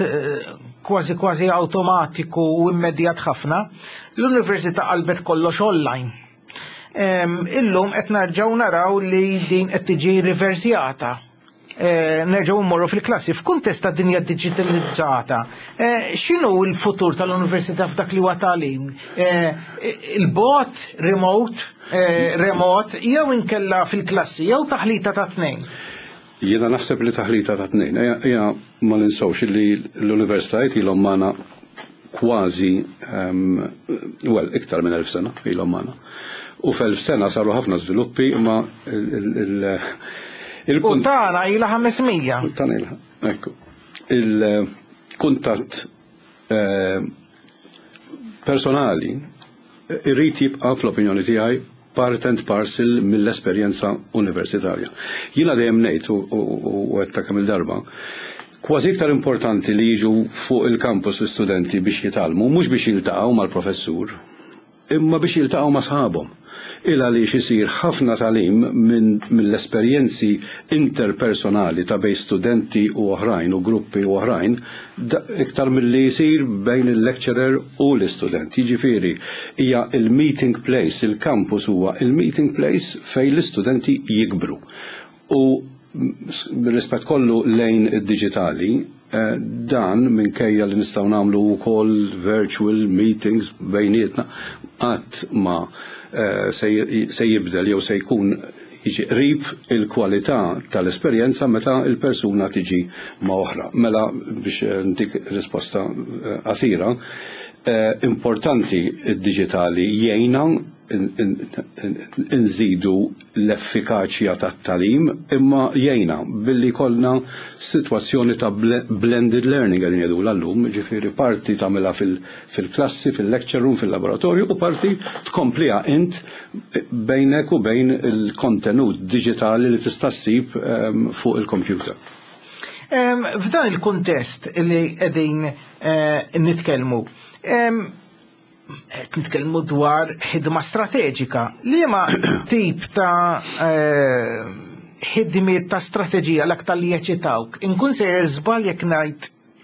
kważi kważi awtomatiku u immedjat ħafna, l-università qalbet kollox online. Illum qed nerġgħu naraw li din qed tiġi riversjata. Nerġgħu mmorru fil-klassi f'kuntest ta' dinja digitalizzata. X'inhu l-futur tal-università f'dak li huwa tagħlim? Il-bogħod, remote, remot, jew inkella fil-klassi, jew taħlita ta' tnejn? Jiena naħseb li taħlita ta' tnejn. Ejja ma ninsewx li l-universitajiet ilhom magħna kważi, well, iktar minn elf sena ilhom magħna. U f'elf sena saru ħafna żviluppi, imma il- U tagħna ilha ħames mija. Tagħna ilha, ekku. Il-kuntatt personali irrid jibqa' fl-opinjoni tiegħi part and parcel mill-esperjenza universitarja. Jiena dejjem ngħid u għedtha kemm il-darba, kważi iktar importanti li jiġu fuq il-campus l-istudenti biex jitgħallmu, mhux biex jiltaqgħu mal-professur, imma biex jiltaqgħu ma' sħabhom. Il għaliex isir ħafna tagħlim mill-esperjenzi interpersonali ta' bejn studenti u oħrajn u gruppi u oħrajn, iktar milli jsir bejn il-lecturer u l-istudent. Jiġifieri hija il-meeting place, il-campus huwa il-meeting place fejn l-istudenti jikbru. U bir-rispett kollu lejn id-diġitali, dan minkejja li nistgħu nagħmlu wkoll virtual meetings bejnietna, qatt ma se jibdel jew se jkun jiġi qrib il-kwalità tal-esperjenza meta il-persuna tiġi ma' oħra. Mela, biex ntik risposta qasira, importanti id-diġitali jgħinna nżidu l-effikaċja tat-tagħlim, imma jgħinna billi kollna sitwazzjoni ta' blended learning qegħdin jgħidu llum, ġifieri parti tagħmilha fil-klassi, fil-lecture room, fil-laboratorju, u parti tkompliha int bejnek u bejn il-kontenut diġitali li tista' ssib fuq il-computer. F'dan il-kuntest li qegħdin nitkellmu, nitkellmu dwar ħidma strateġika. Liema tip ta' ħidmiet ta' strateġija l-aktar li jeċitawk? Inkun sejjer żball jekk ngħid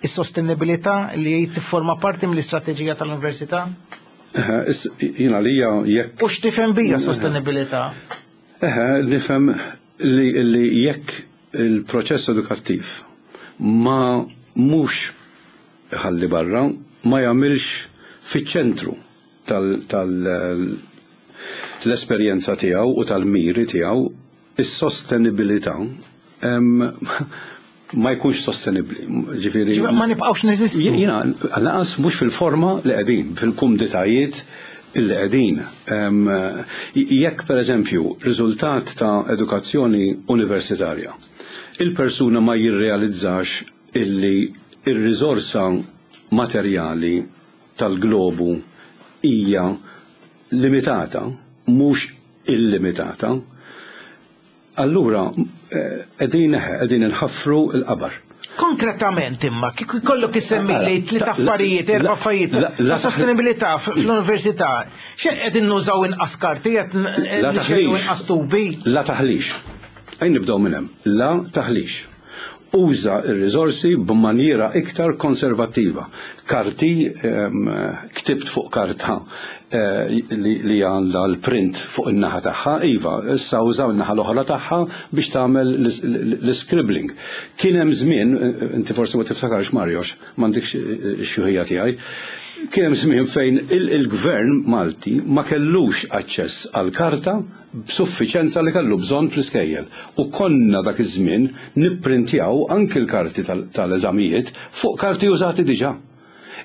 is-sostenibilità li tifforma parti mill-istrateġija tal-università? Jiena lija jekk. U x'tifhem bija sostenibilità? Eħe, nifhem li jekk il-proċess edukattiv ma mhux ħalli barra, ma jagħmilx fiċ-ċentru tal-esperjenza tiegħu u tal-miri tiegħu, is-sostenibilità ma jkunx sostenibbli. Ġifieri ma nibqgħux neżistu. Jiena lanqas mhux fil-forma li qegħdin, fil-kumditajiet illi qegħdin. Jekk pereżempju riżultat ta' edukazzjoni universitarja, il-persuna ma jirrealizzax illi ir-riżorsa materjali tal-globu hija limitata, mhux illimitata, allura qegħdin qegħdin inħaffru l-qabar. Konkretament imma, kieku jkollok issemmi li tliet affarijiet, erba' affarijiet, La sostenibilità fl-università, x'qed nużaw inqas karti, qed La nixxejru inqas tubi? La taħlix. Ejja nibdew minn hemm. La taħlix. Uża ir-riżorsi b'maniera iktar konservattiva. Karti, em, ktibt fuq karta eh, li, li għandha l-print fuq in-naħa tagħha, iva, issa użaw in-naħa l-oħra tagħha biex tagħmel l-scribbling. Kien hemm żmien, inti forsi ma tiftakarx, Mario, m'għandekx ix-xjuħija tiegħi, kien hemm żmien fejn il-gvern Malti ma kellux aċċess għal karta b'suffiċenza li kellu bżonn fl-iskejjel. U konna dak iż-żmien nipprintjaw anki l-karti tal-eżamijiet fuq karti użati diġà.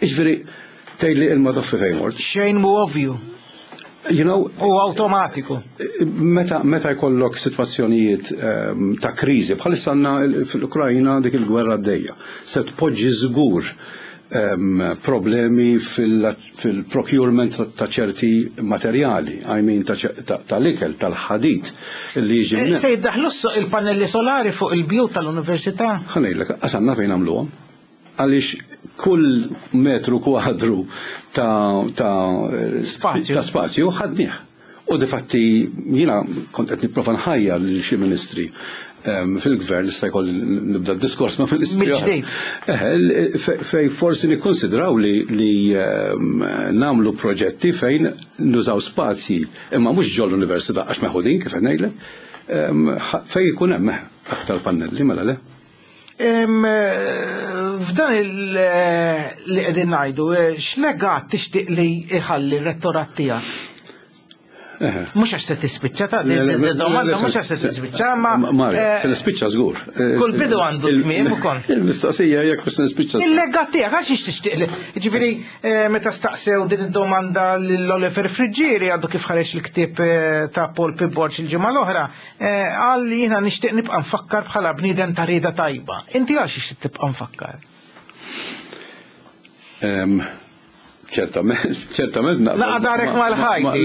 Iġifieri tgħidli ilma toffi fejn mort. Xejn mu ovvju. You know, U automatiku. Meta, meta jkollok sitwazzjonijiet um, ta' kriżi, bħalissa għandna fil-Ukrajna dik il-gwerra għaddejja, se tpoġġi żgur um, problemi fil-procurement fil ta' ċerti materjali, I mean tal-ikel, tal-ħadid li jiġi. Eh, se jiddaħlu il-pannelli solari fuq il-bjut tal-università? Ħa ngħidlek, għasanna fejn għamluhom. Għaliex kull metru kwadru ta' ta' spazju, ta' spazju ħadnieh. U difatti jiena kont qed nipprova nħajjar lil xi ministri fil-gvern, issa jkolli nibda diskors ma' ministri. Fej forsi nikkonsidraw li, li nagħmlu proġetti fejn nużaw spazji, imma mhux ġol l-università għax meħudin kif ngħidlek, fej ikun hemm aktar pannelli, mela le. F'dan li qegħdin ngħidu, x'legat tixtieq li iħalli r-rettorat tiegħek? Mhux għax se tispiċċa ta' domanda, mhux għax se tispiċċa, ma. Mario, se nispiċċa żgur. Kull bidu għandu tmiem ukoll. Il-mistoqsija jekk se nispiċċa. Il-legat tiegħek għax tixtieq li. Ġifieri meta staqsew din id-domanda lil Oliver Friggieri, għadu kif ħareġ il-ktieb ta' Paul P. Borg il-ġimgħa l-oħra, qal li jiena nixtieq nibqa' nfakkar bħala bniedem ta' rieda tajba. Inti għax tixtieq tibqa' nfakkar? Ċertament, ċertament naqbel. Laqa darek mal-ħajti.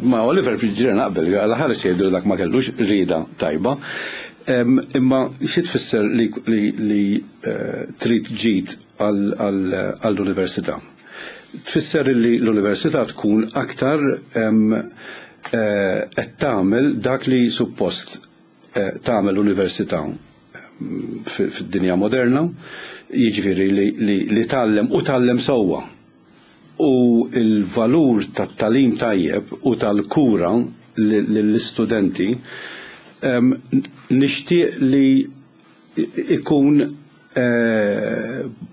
Ma Oliver Friggieri naqbel, għala ħares jgħidu dak ma kellux rida tajba. Imma xi tfisser li, li, li trid ġid għall-università? Tfisser li l-università tkun aktar qed tagħmel dak li suppost tagħmel l-università fid-dinja moderna, jiġifieri li, li, li tgħallem u tgħallem sewwa. U il-valur tat-tagħlim tajjeb u tal-kura lill-istudenti nixtieq li ikun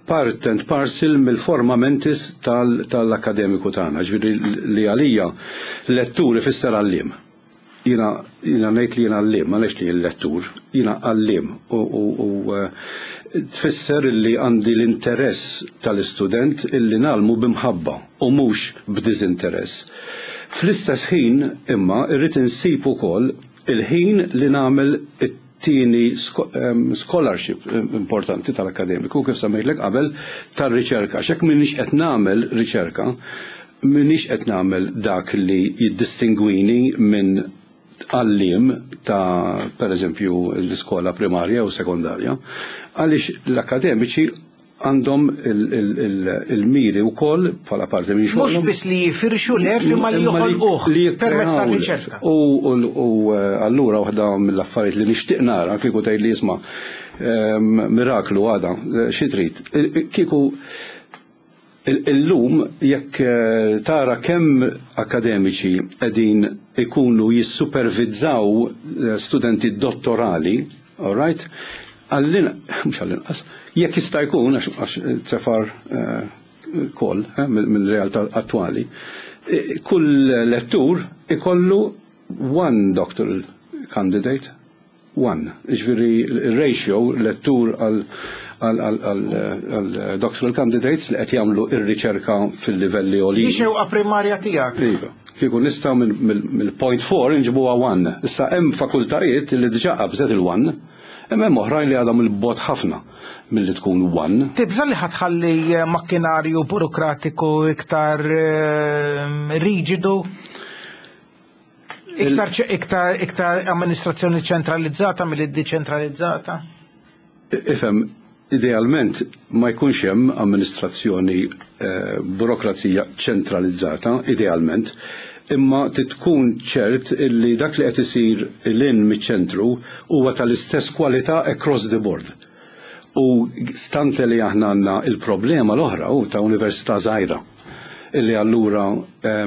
part and parcel mill-forma mentis tal-akademiku tagħna. Ġifieri li għalija lettur ifisser għalliem. Jiena jiena ngħid li jiena għalliem, ma ngħidx li jien lettur, jiena għalliem u tfisser li għandi l-interess tal-istudent illi ngħallmu b'imħabba u mhux b'diżinteress. Fl-istess ħin imma irrid insib ukoll il-ħin li nagħmel it-tieni scholarship importanti tal-akademiku, kif semmejtlek qabel, tar-riċerka. X'hekk m'iniex qed nagħmel riċerka, m'iniex qed nagħmel dak li jiddistingwini minn għalliem ta' per eżempju l-iskola primarja u sekondarja, għaliex l-akademiċi għandhom il-miri u koll bħala parti minn xogħolhom. Mhux biss li jifirxu l-għerf imma li joħolquh permezz tar-riċerka. U allura waħda mill-affarijiet li nixtieq nara kieku tgħid li jisma' miraklu għada xi trid. Kieku illum jekk tara kemm akademiċi qegħdin ikunu jissupervizzaw studenti dottorali, all right? Għallin, mhux għall-inqas, jekk jista' jkun, għax tsefar kol mill-realtà attwali, kull lettur ikollu one doctoral candidate, one. Ġifieri ratio lettur għal għal doctoral candidates li qed jagħmlu ir-riċerka fil-livelli għoljin. Di xewqa primarja tiegħek. Iva. Kieku nistgħu mill-point four inġibuha one. Issa hemm fakultajiet li diġà qabżet il-one, imma hemm oħrajn li għadhom il-bot ħafna milli tkun one. Tibża' li ħatħalli makkinarju burokratiku iktar riġidu? Iktar, iktar, iktar amministrazzjoni ċentralizzata milli deċentralizzata? Ifhem, Idealment ma jkunx hemm amministrazzjoni, eh, burokrazija ċentralizzata, idealment, imma tkun ċert illi dak li qed isir lil hinn miċ-ċentru huwa tal-istess kwalità across the board. U stante li aħna għandna il-problema l-oħra u ta' università żgħira, illi allura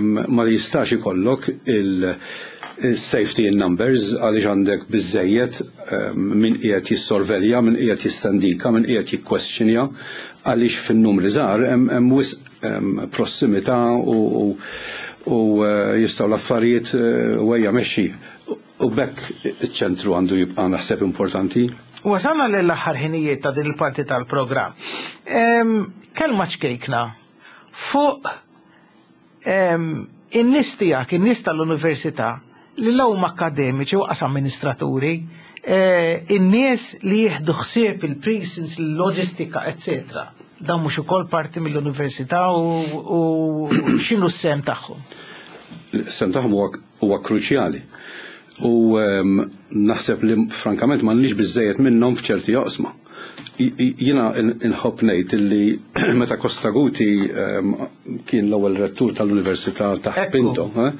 ma jistax ikollok il-safety in numbers għaliex għandek biżejjed min qiegħed jissorvelja, min qiegħed jissandika, min qiegħed jikkwestjonja, għaliex fin-numri żgħar hemm wisq prossimità u u eh, jistgħu l-affarijiet wejja mexxi. U b'hekk iċ-ċentru għandu jibqa' naħseb importanti. Wasalna l-aħħar ħinijiet ta' din il-parti tal-programm. Kelma ċkejkna fuq in-nies tiegħek, in-nies tal-università, li l akademiċi u qas amministraturi, eh, in-nies li jieħdu ħsieb il-precincts, il-loġistika, eccetera. Dan mhux ukoll parti mill-università u x'inhu s-sehem tagħhom? Is-sehem tagħhom huwa kruċjali. U naħseb li frankament m'għandniex biżejjed minnhom f'ċerti oqsma. Jiena nħobb ngħid illi meta Costaguti kien l-ewwel rettur tal-Università ta' Pinto, eh,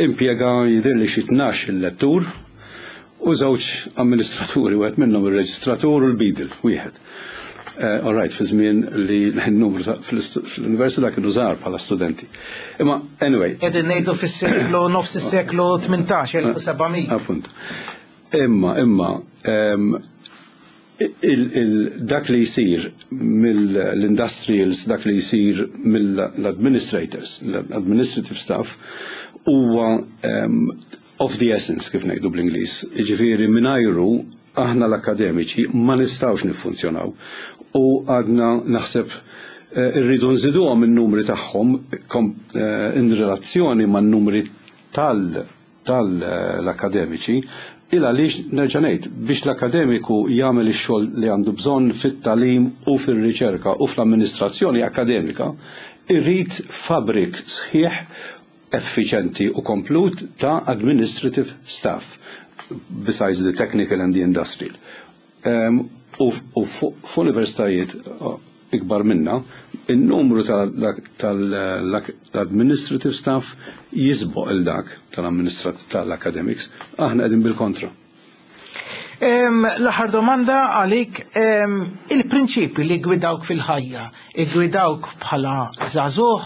impjega jidher li xi tnax il-lettur u żewġ amministraturi, wieħed minnhom ir-reġistratur u l-beadle, wieħed. Eh, all right, fi żmien li n-numru fl-università kienu żgħar bħala studenti. Imma anyway. Qegħdin ngħidu fis-seklu, nofs is-seklu tmintax, elf u seba' mija. Appunt. Imma, imma, dak li jisir mill-industrials, dak li jisir mill-administrators, l-administrative staff, huwa of the essence, kif ngħidu bl-Ingliż. Jiġifieri mingħajru aħna l-akademiċi ma nistgħux niffunzjonaw. U għadna naħseb eh, irridu nżiduhom in-numri tagħhom eh, in relazzjoni man-numri tal tal-akademiċi, il għaliex nerġa' ngħid, biex l-akademiku jagħmel ix-xogħol li għandu bżonn fit-tagħlim u fir-riċerka u fl-amministrazzjoni akademika, irrid fabrik sħiħ, effiċenti u komplut ta' administrative staff besides the technical and the industrial. Um, u f'universitajiet uh, ikbar minna, il-numru tal-administrative staff jisboq il-dak tal-academics, aħna qegħdin bil-kontra. L-aħħar domanda għalik, il-prinċipi li gwidawk fil-ħajja, gwidawk bħala żagħżugħ,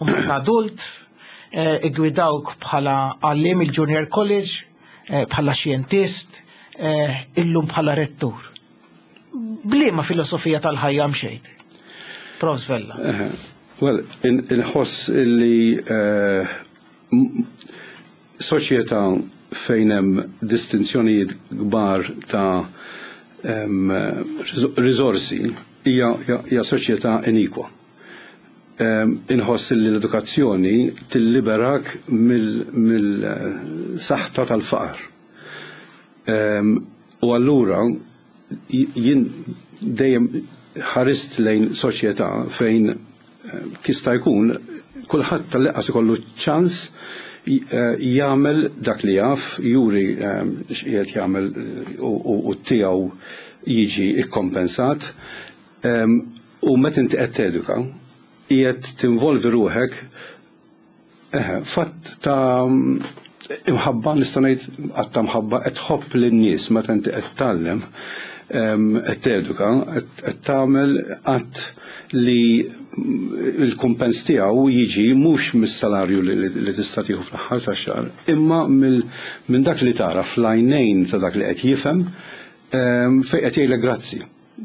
u adult, eh, gwidawk bħala għalliem il-Junior College, eh, bħala xjentist, eh, illum bħala rettur. B'liema filosofija tal-ħajja mxejt? Profs Vella. Well, inħoss illi soċjetà fejn hemm distinzjonijiet kbar ta' risorsi hija soċjetà inikwa. Inħoss li l-edukazzjoni tilliberak mill-saħta tal-faqar. U allura jien dejjem ħarist lejn soċjetà fejn jista' jkun kulħadd tal-inqas ikollu ċans jagħmel dak li jaf, juri x'qiegħed jagħmel u tiegħu jiġi ikkompensat. U meta inti qed teduka, qiegħed tinvolvi ruħek fatt ta' imħabba, nista' ngħid att ta' mħabba, qed tħobb lin-nies meta inti qed tgħallem, qed teduka, qed tagħmel att li il-kumpens tiegħu jiġi mhux mis-salarju li tista' tieħu fl-aħħar tax-xahar, imma minn dak li tara fl-għajnejn ta' dak li qed jifhem, fejn qed jgħidlek grazzi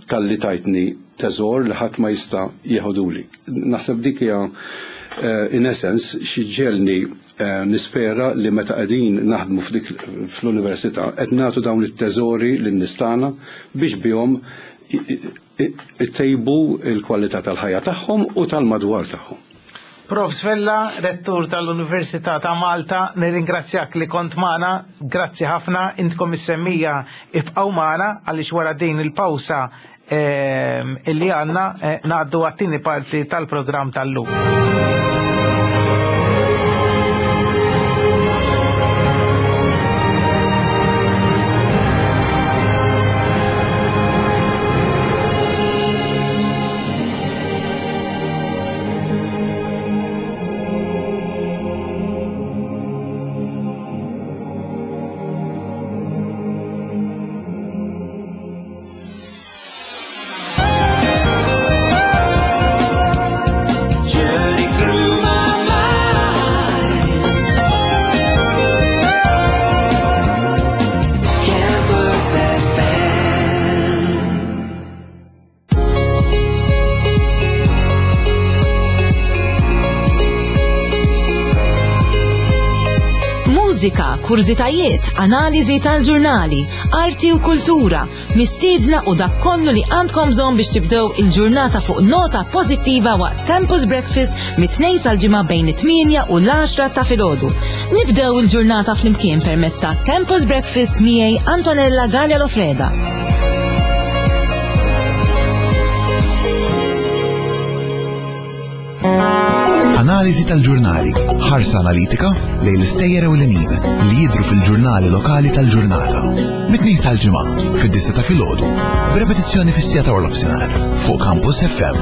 talli tajtni teżor li ħadd ma jista' jeħoduli. Naħseb dik hija eh, in essence xi ġġegħelni eh, nispera li meta qegħdin naħdmu f'dik fl-università qed nagħtu dawn it-teżori lin-nies tagħna biex bihom itejbu il-kwalità tal-ħajja tagħhom u tal-madwar tagħhom. Profs Vella, rettur tal-Università ta' Malta, nirringrazzjak li kont magħna, grazzi ħafna, intkom is-semmiegħa ibqgħu magħna għaliex wara din il-pawsa ehm, illi għandna eh, ngħaddu għat-tieni parti tal-programm tal-lum. Mużika, kurżitajiet, analiżi tal-ġurnali, arti u kultura, mistiedna u dak kollu li għandkom bżonn biex tibdew il-ġurnata fuq nota pożittiva waqt Campus Breakfast mit-Tnejn sal-Ġimgħa bejn it-tmienja u l-għaxra ta' filgħodu. Nibdew il-ġurnata flimkien permezz ta' Campus Breakfast miegħi Antonella Galea Lofreda. Analiżi tal-ġurnali, ħarsa analitika lejn l-istejjer ewlenin li jidhru fil-ġurnali lokali tal-ġurnata. Mit-Tnejn sal-Ġimgħa, fid-disgħa ta' filgħodu, b'repetizzjoni fis-siegħa ta' nofsinhar fuq Campus F M.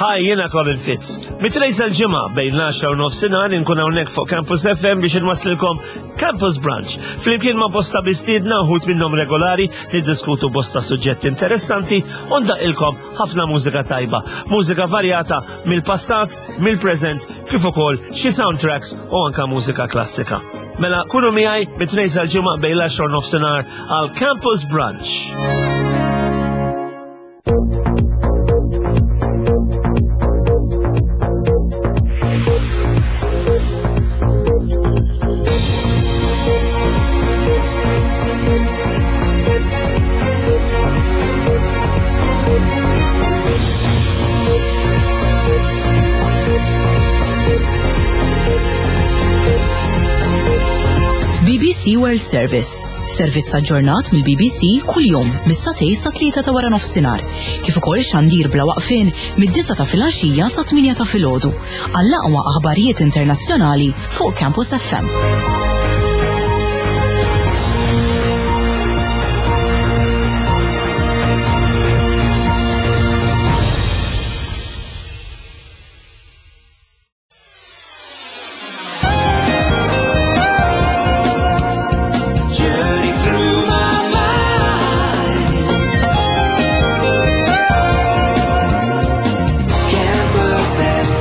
Hi, jiena Colin Fitz. Mit-Tnejn sal-Ġimgħa bejn l-għaxra u nofsinhar inkun hawnhekk fuq Campus F M biex inwaslilkom Campus Brunch. Flimkien ma' bosta mistiedna, uħud minnhom regolari, niddiskutu bosta suġġetti interessanti u ndaqqilkom ħafna mużika tajba. Mużika varjata mill-passat, mill-preżent, kif ukoll xi soundtracks u anka mużika klassika. Mela, kunu miegħi mit-Tnejn sal-Ġimgħa bejn l-għaxra u nofsinhar għal Campus Brunch. B B C World Service. Servizz aġġornat mill-B B C kuljum mis-sagħtejn sa tlieta ta' wara nofsinhar. Kif ukoll xandir bla waqfien mid-disgħa ta' filgħaxija sa tmienja ta' filgħodu. Għall-aqwa aħbarijiet internazzjonali fuq Campus F M. Journey through my mind. Campus F M.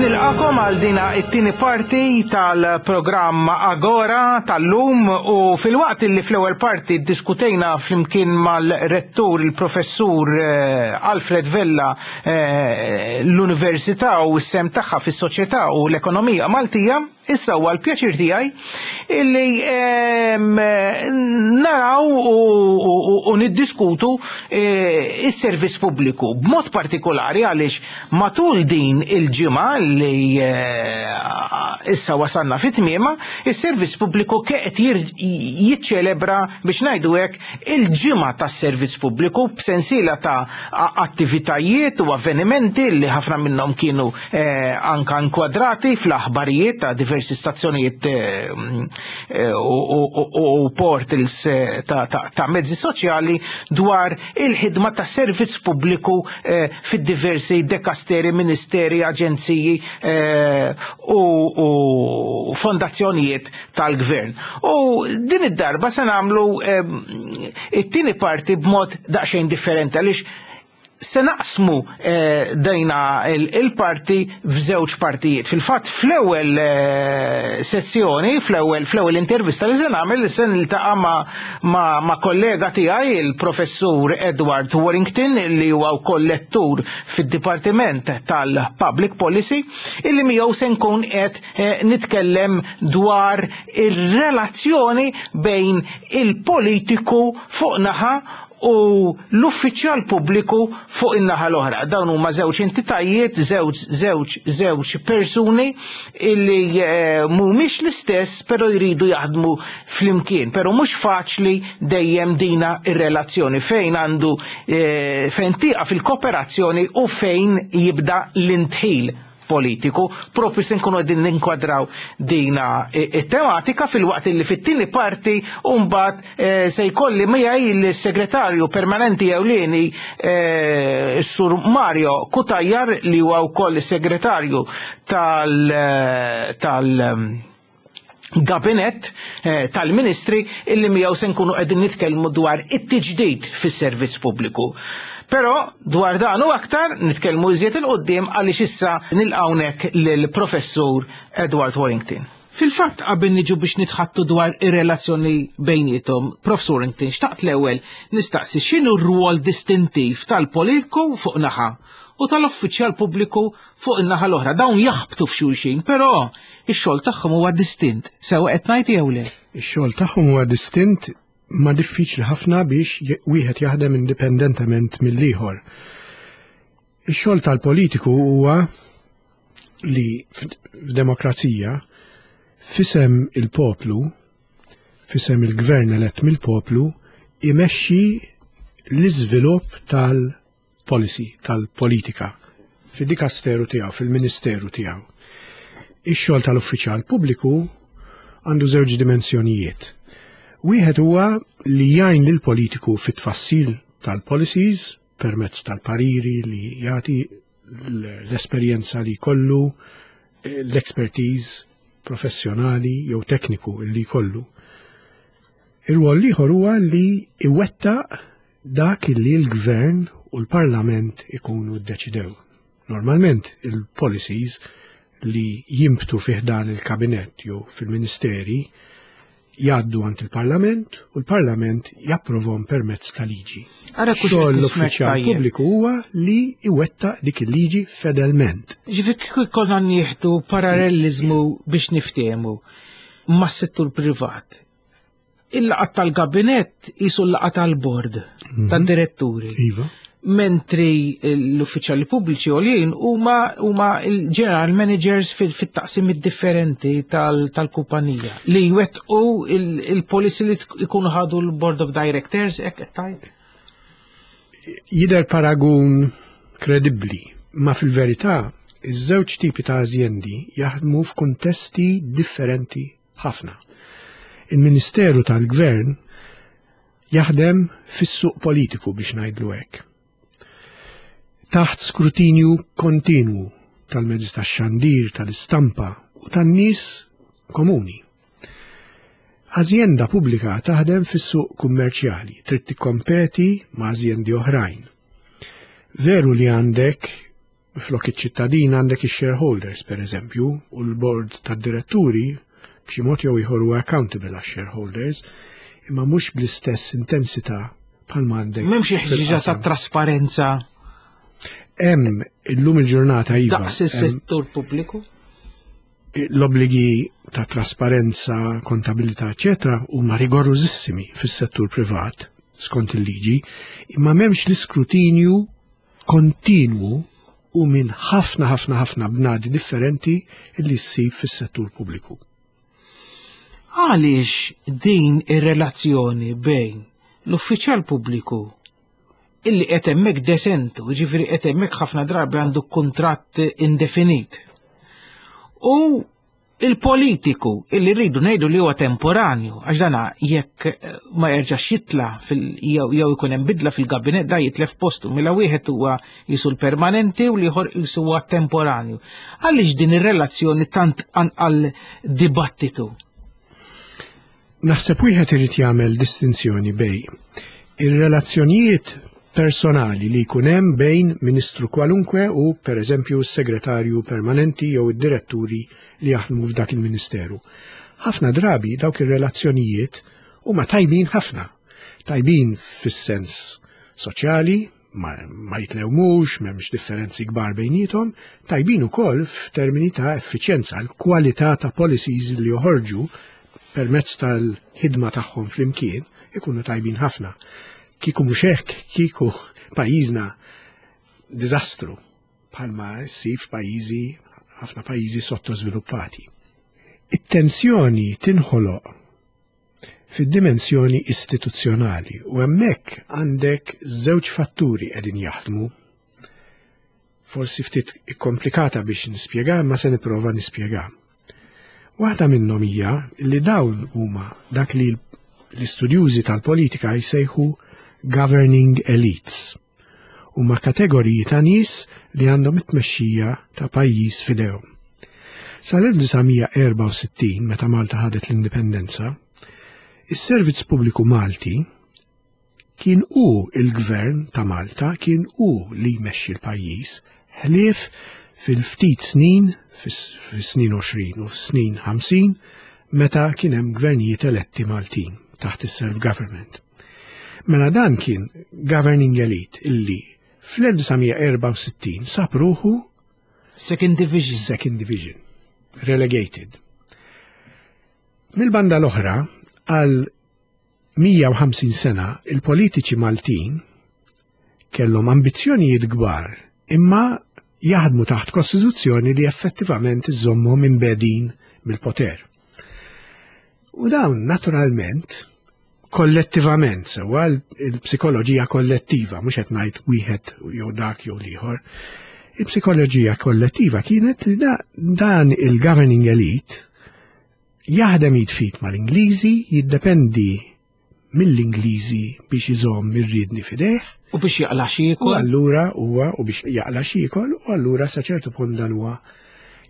Nilqagħkom għal dina it-tieni parti tal-programm Agora tal-lum u filwaqt li fl-ewwel parti diskutejna flimkien mal-rettur il-professur eh, Alfred Vella eh, l-Università u s-sehem tagħha fis-soċjetà u l-ekonomija Maltija, issa huwa l-pjaċir tiegħi illi ehm, naraw u- u u niddiskutu eh, is-servizz pubbliku b'mod partikolari għaliex matul din il-ġimgħa li eh, issa wasalna fit tmiema, is-servizz pubbliku qed jiċċelebra, biex ngħidu hekk, il-ġimgħa tas-servizz pubbliku b'sensiela ta' a- attivitajiet u avvenimenti li ħafna minnhom kienu eh, anka inkwadrati fl-aħbarijiet ta' diversi stazzjonijiet eh, eh, u, u, u, u portals eh, ta', ta, ta' mezzi soċjali dwar il-ħidma ta' servizz pubbliku eh, fid-diversi dekasteri, ministeri, aġenziji eh, u, u fondazzjonijiet tal-gvern. U din id-darba se nagħmlu eh, it-tieni parti b'mod daqsxejn differenti għaliex se naqsmu eh, dejna il-parti f'żewġ partijiet. Fil-fatt fl-ewwel eh, sezzjoni, fl-ewwel fl-ewwel intervista li se nagħmel, se niltaqa' ma, ma, ma kollega tiegħi, il-professur Edward Warrington, li huwa wkoll lettur fid-Dipartiment tal-Public Policy, illi miegħu se nkun qed eh, nitkellem dwar ir-relazzjoni bejn il-politiku fuq naħa u l-uffiċjal pubbliku fuq in-naħa l-oħra. Dawn huma żewġ entitajiet, żewġ żewġ żewġ persuni illi eh, mhumiex l-istess, però jridu jaħdmu flimkien, però mhux faċli dejjem dina ir-relazzjoni fejn għandu eh, fejn tieqaf il-kooperazzjoni u fejn jibda l-indħil politiku. Propju se nkunu qegħdin ninkwadraw dina it-tematika, filwaqt li fit-tieni parti mbagħad eh, se jkolli miegħi l-segretarju permanenti ewlieni, eh, Sur Mario Cutajar, li huwa wkoll is-segretarju tal tal gabinett eh, tal-ministri, illi miegħu se nkunu qegħdin nitkellmu dwar it-tiġdid fis-servizz pubbliku. Però dwar dan u aktar nitkellmu iżjed 'il quddiem, għaliex issa nilqawnek lill-Professur Edward Warrington. Fil-fatt, qabel niġu biex nitħaddtu dwar ir-relazzjoni bejnietom, Professor Warrington, xtaqt l-ewwel nistaqsi x'inhu r-rwol distintiv tal-politiku fuq naħa u tal-uffiċjal pubbliku fuq in-naħa l-oħra. Dawn jaħbtu f'xulxin, però ix-xogħol tagħhom huwa distint. Sewa qed ngħid jew le? Ix-xogħol tagħhom huwa distint, ma diffiċli ħafna biex wieħed jaħdem indipendentement mill-ieħor. Ix-xogħol tal-politiku huwa li f'demokrazija, f'isem il-poplu, f'isem il-gvern elett mill-poplu, imexxi l-iżvilupp tal-policy, tal-politika, fid-dikasteru tiegħu, fil-ministeru tiegħu. Ix-xogħol tal-uffiċjal pubbliku għandu żewġ dimensjonijiet. Wieħed huwa li jgħin lil politiku fit-tfassil tal-policies permezz tal-pariri li jagħti, l-esperjenza li jkollu, l-expertise professjonali jew tekniku li jkollu. Ir-rwol l-ieħor huwa li iwettaq dak li l-gvern u l-parlament ikunu ddeċidew. Normalment il-policies li jimbtu fi ħdan il-kabinett jew fil-ministeri jgħaddu għand il-parlament u l-parlament japprovhom permezz ta' liġi. Ara kux Xogħol qed nismek l-uffiċjal tajjeb. pubbliku huwa li iwettaq dik il-liġi fedelment. Ġifieri kieku konna nieħdu parallelizmu biex niftehmu mas-settur privat. Il-laqgħa tal-gabinett jisu l-laqgħa tal-bord tad-diretturi. Iva. Mentri l-uffiċjali pubbliċi għoljin huma huma il-general managers fil- fit-taqsimiet differenti tal- tal-kumpanija li jwettqu il- il-policy li tkunu ikunu ħadu l-board of directors, hekk qed tgħid? Jider paragun kredibbli, ma fil-verità iż-żewġ tipi ta' azjendi jaħdmu f'kuntesti differenti ħafna. Il-Ministeru tal-Gvern jaħdem fis-suq politiku, biex ngħidlu hekk. Taħt skrutinju kontinwu tal-mezzi tax-xandir, tal-istampa u tan-nies komuni. Azjenda pubblika taħdem fis-suq kummerċjali, trid tikkompeti ma' azjendi oħrajn. Veru li għandek flok iċ-ċittadin għandek ix-shareholders, per eżempju, u l-board tad-diretturi b'xi mod jew ieħor huwa accountable għax-shareholders, imma mhux bl-istess intensità bħalma għandek M'hemmx ħtiġa ta' fil-qasam. trasparenza Hemm illum il-ġurnata, iva. daqs hemm is-settur pubbliku? L-obbligi ta' trasparenza, kontabilità, eccetera, huma rigorużissimi fis-settur privat skont il-liġi, imma m'hemmx l-iskrutinju kontinwu u minn ħafna ħafna ħafna bnadi differenti li ssib fis-settur pubbliku. Għaliex din ir-relazzjoni bejn l-uffiċjal pubbliku illi qed hemmhekk de sentu, ġifieri qed hemmhekk ħafna drabi għandu kuntratt indefinit, u il-politiku illi rridu ngħidu li huwa temporanju, għax dana jekk eh, ma jerġax jitla fil jew jew ikun hemm bidla fil-gabinett, da jitlef postu, mela wieħed huwa jisu l-permanenti u l-ieħor jisu huwa temporanju. Għaliex din ir-relazzjoni tant anqal dibattitu? Naħseb wieħed irid jagħmel distinzjoni bejn ir-relazzjonijiet personali li jkun hemm bejn ministru kwalunkwe u, per eżempju, s-segretarju permanenti jew id-diretturi li jaħdmu f'dak il-ministeru. Ħafna drabi dawk ir-relazzjonijiet huma tajbin ħafna. Tajbin fis-sens soċjali, ma, ma jitlewmux, m'hemmx differenzi kbar bejnietom, tajbin ukoll f'termini ta' effiċjenza, l-kwalità ta' policies li joħorġu permezz tal-ħidma tagħhom flimkien ikunu tajbin ħafna. Kieku mhux hekk, kieku pajjiżna diżastru bħalma ssib f'pajjiżi, ħafna pajjiżi sottosviluppati. It-tensjoni tinħoloq fid-dimensjoni istituzzjonali u hemmhekk għandek żewġ fatturi qegħdin jaħdmu. Forsi ftit komplikata biex nispjega, ma se nipprova nispjega. Waħda minnhom hija li dawn huma dak li l-istudjużi tal-politika jsejħu governing elites. Huma kategoriji ta' nies li għandhom it-tmexxija ta' pajjiż f'idejhom. Sal-elf disa' mija erbgħa u sittin, meta Malta ħadet l-indipendenza, is-Servizz Pubbliku Malti kien hu il-gvern ta' Malta, kien hu li jmexxi l-pajjiż, ħlief fil-ftit snin, fis-snin għoxrin u snin ħamsin, meta kien hemm gvernijiet eletti Maltin taħt is-self-government. Mela dan kien governing elite illi fl-elf disa' mija erbgħa u sittin sab ruħu Second division. Second division, relegated. Mil-banda l-oħra, għal mija u ħamsin sena il-politiċi Maltin kellhom ambizzjonijiet kbar, imma jaħdmu taħt kostituzzjoni li effettivament iżommhom imbegħdin mill-poter. U dawn naturalment kollettivament, sewwa, il-psikoloġija kollettiva, mhux qed ngħid wieħed jew dak jew l-ieħor, il-psikoloġija kollettiva kienet li da, dan il-governing elite jaħdem id f'id mal-Ingliżi, jiddependi mill-Ingliżi biex iżomm ir-riedni f'idejh. U biex jaqla' U x'jiekol. allura huwa u biex jaqla' x'jiekol, u allura sa ċertu punt dan huwa,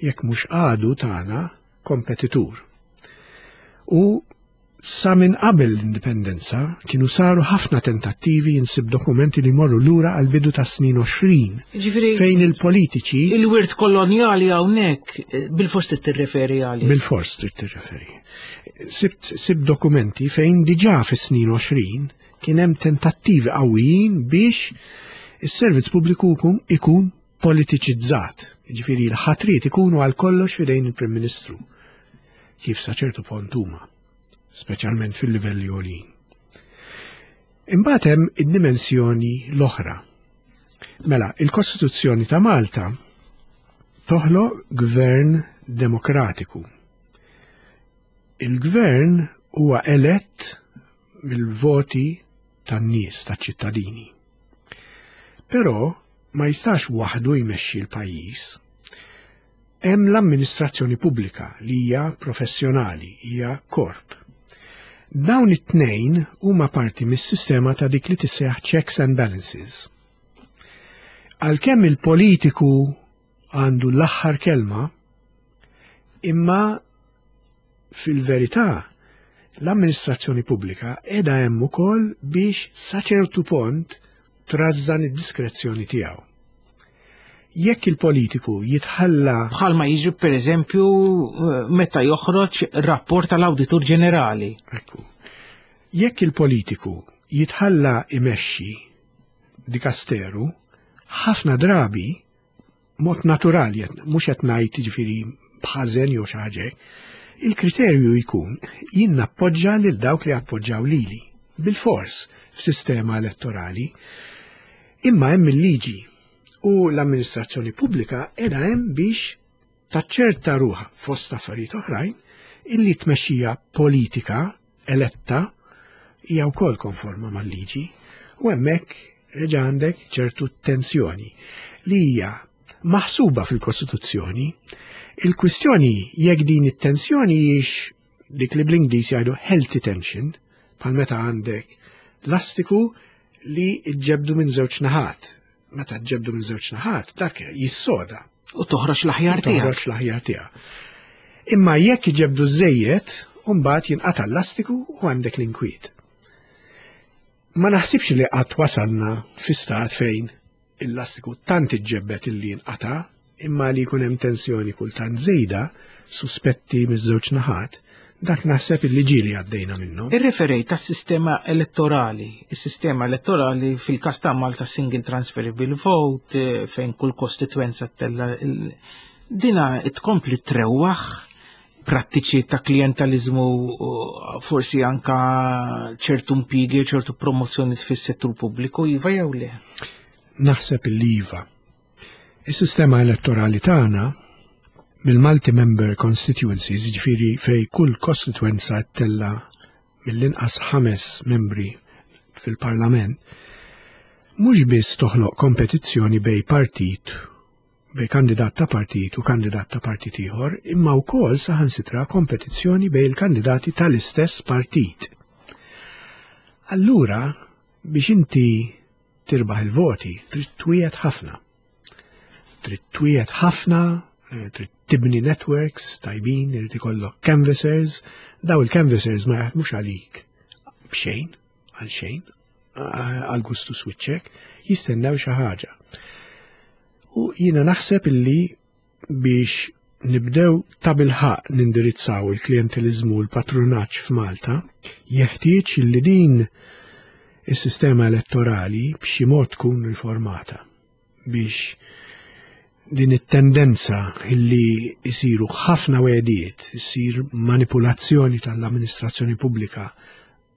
jekk mhux għadu tagħna, kompetitur. U sa minn qabel l-indipendenza kienu saru ħafna tentattivi, insib dokumenti li morru lura għal bidu ta' snin għoxrin Ġifieri fejn il-politiċi il-wirt kolonjali hawnhekk eh, bil-fors tirreferi għalih. Bil-fors trid tirreferi. Sibt, sibt dokumenti fejn diġà fis-snin għoxrin kien hemm tentattivi qawwijin biex is-servizz pubbliku ikun, ikun politiċizzat. Ġifieri l-ħatriet ikunu għal kollox f'idejn il-Prim Ministru. Kif sa ċertu punt huma, speċjalment fil-livelli għoljin. Imbagħad hemm id-dimensjoni l-oħra. Mela, il-Kostituzzjoni ta' Malta toħloq gvern demokratiku. Il-gvern huwa elett mill-voti tan-nies, taċ-ċittadini. Però ma jistax waħdu jmexxi l-pajjiż. Hemm l-amministrazzjoni pubblika li hija professjonali, hija korp. Dawn it-tnejn huma parti mis-sistema ta' dik li tissejjaħ checks and balances. Għalkemm il-politiku għandu l-aħħar kelma, imma fil-verità l-amministrazzjoni pubblika qiegħda hemm ukoll biex sa ċertu punt trażżan id-diskrezzjoni tiegħu. Jekk il-politiku jitħalla Bħalma jiġri, per eżempju, eh, meta joħroġ rapport tal-Awditur Ġenerali. Ekku. Jekk il-politiku jitħalla imexxi dikasteru, ħafna drabi mod naturali, mhux qed ngħid jiġifieri b'ħażen jew xi ħaġa, il-kriterju jkun jien nappoġġa lil dawk li appoġġaw lili. Bil-fors f'sistema elettorali. Imma hemm il-liġi u l-amministrazzjoni pubblika qiegħda hemm biex taċċerta ruħha, fost affarijiet oħrajn, illi tmexxija politika eletta hija wkoll konforma mal-liġi, u hemmhekk reġa' għandek ċertu tensjoni li hija maħsuba fil-Kostituzzjoni. Il-kwistjoni jekk din it-tensjoni hijiex dik li bl-Ingliż jgħidu healthy tension, bħal meta għandek lastiku li ġġebdu minn żewġ naħat. Meta ġġebdu minn żewġ naħat, dak jissoda. U toħroġ l-aħjar tiegħek. Toħroġ l-aħjar tiegħek. Imma jekk iġebdu żejjed, mbagħad jinqata' l-lastiku u għandek l-inkwiet. Ma naħsibx li qatt wasalna fi stat fejn il-lastiku tant iġġebbet illi jinqata', imma li jkun hemm tensjoni kultant żejda, suspetti miż-żewġ naħat, dak naħseb illi ġieli għaddejna minnu. Irreferejt tas-sistema elettorali. Is-sistema elettorali fil-każ ta' Malta, single transferable vote, eh, fejn kull kostituenza tella il- dina tkompli trewwaħ Prattiċi ta' klientalizmu, forsi anka ċertu impjiegi, ċertu promozzjoni fis-settur pubbliku, iva jew le? Naħseb il-iva. Is-sistema elettorali tagħna mill-multi-member constituencies, ġifieri fej kull kostituenza ttella' mill-inqas ħames membri fil-parlament, mhux biss toħloq kompetizzjoni bej partit, bej kandidat ta' partit u kandidat ta' partit ieħor, imma wkoll saħansitra kompetizzjoni bej il-kandidati tal-istess partit. Allura, biex inti tirbaħ il-voti, trid twiegħed ħafna. Trid twiegħed ħafna, eh, trid tibni networks tajbin, irid ikollok canvassers, daw il-canvassers ma jaħdmux għalik b'xejn, għal xejn, għal gustu switchek, jistennew xi ħaġa. U jiena naħseb illi biex nibdew ta' bilħaq nindirizzaw il-klientelizmu u l-patrunaġġ f'Malta, jeħtieġ illi din is-sistema elettorali b'xi mod tkun riformata biex din it-tendenza illi jisiru ħafna wegħdiet, isir manipulazzjoni tal-amministrazzjoni pubblika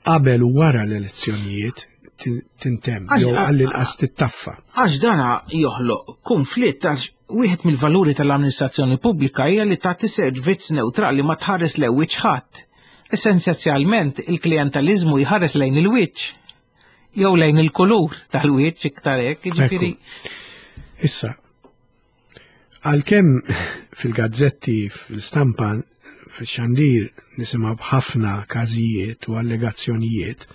qabel u wara l-elezzjonijiet tintemm jew għall-inqas tittaffa. Għax dana joħloq konflitt, għax wieħed mill-valuri tal-amministrazzjoni pubblika hija li tagħti servizz neutrali, ma tħares lejn wiċċ ħadd. Essenzjalment il-klientalizmu jħares lejn il-wiċċ jew lejn il-kulur tal-wiċċ iktar hekk, jiġifieri. Issa, għalkemm fil-gazzetti, fil-stampa, fil-xandir nisimgħu b'ħafna każijiet u allegazzjonijiet,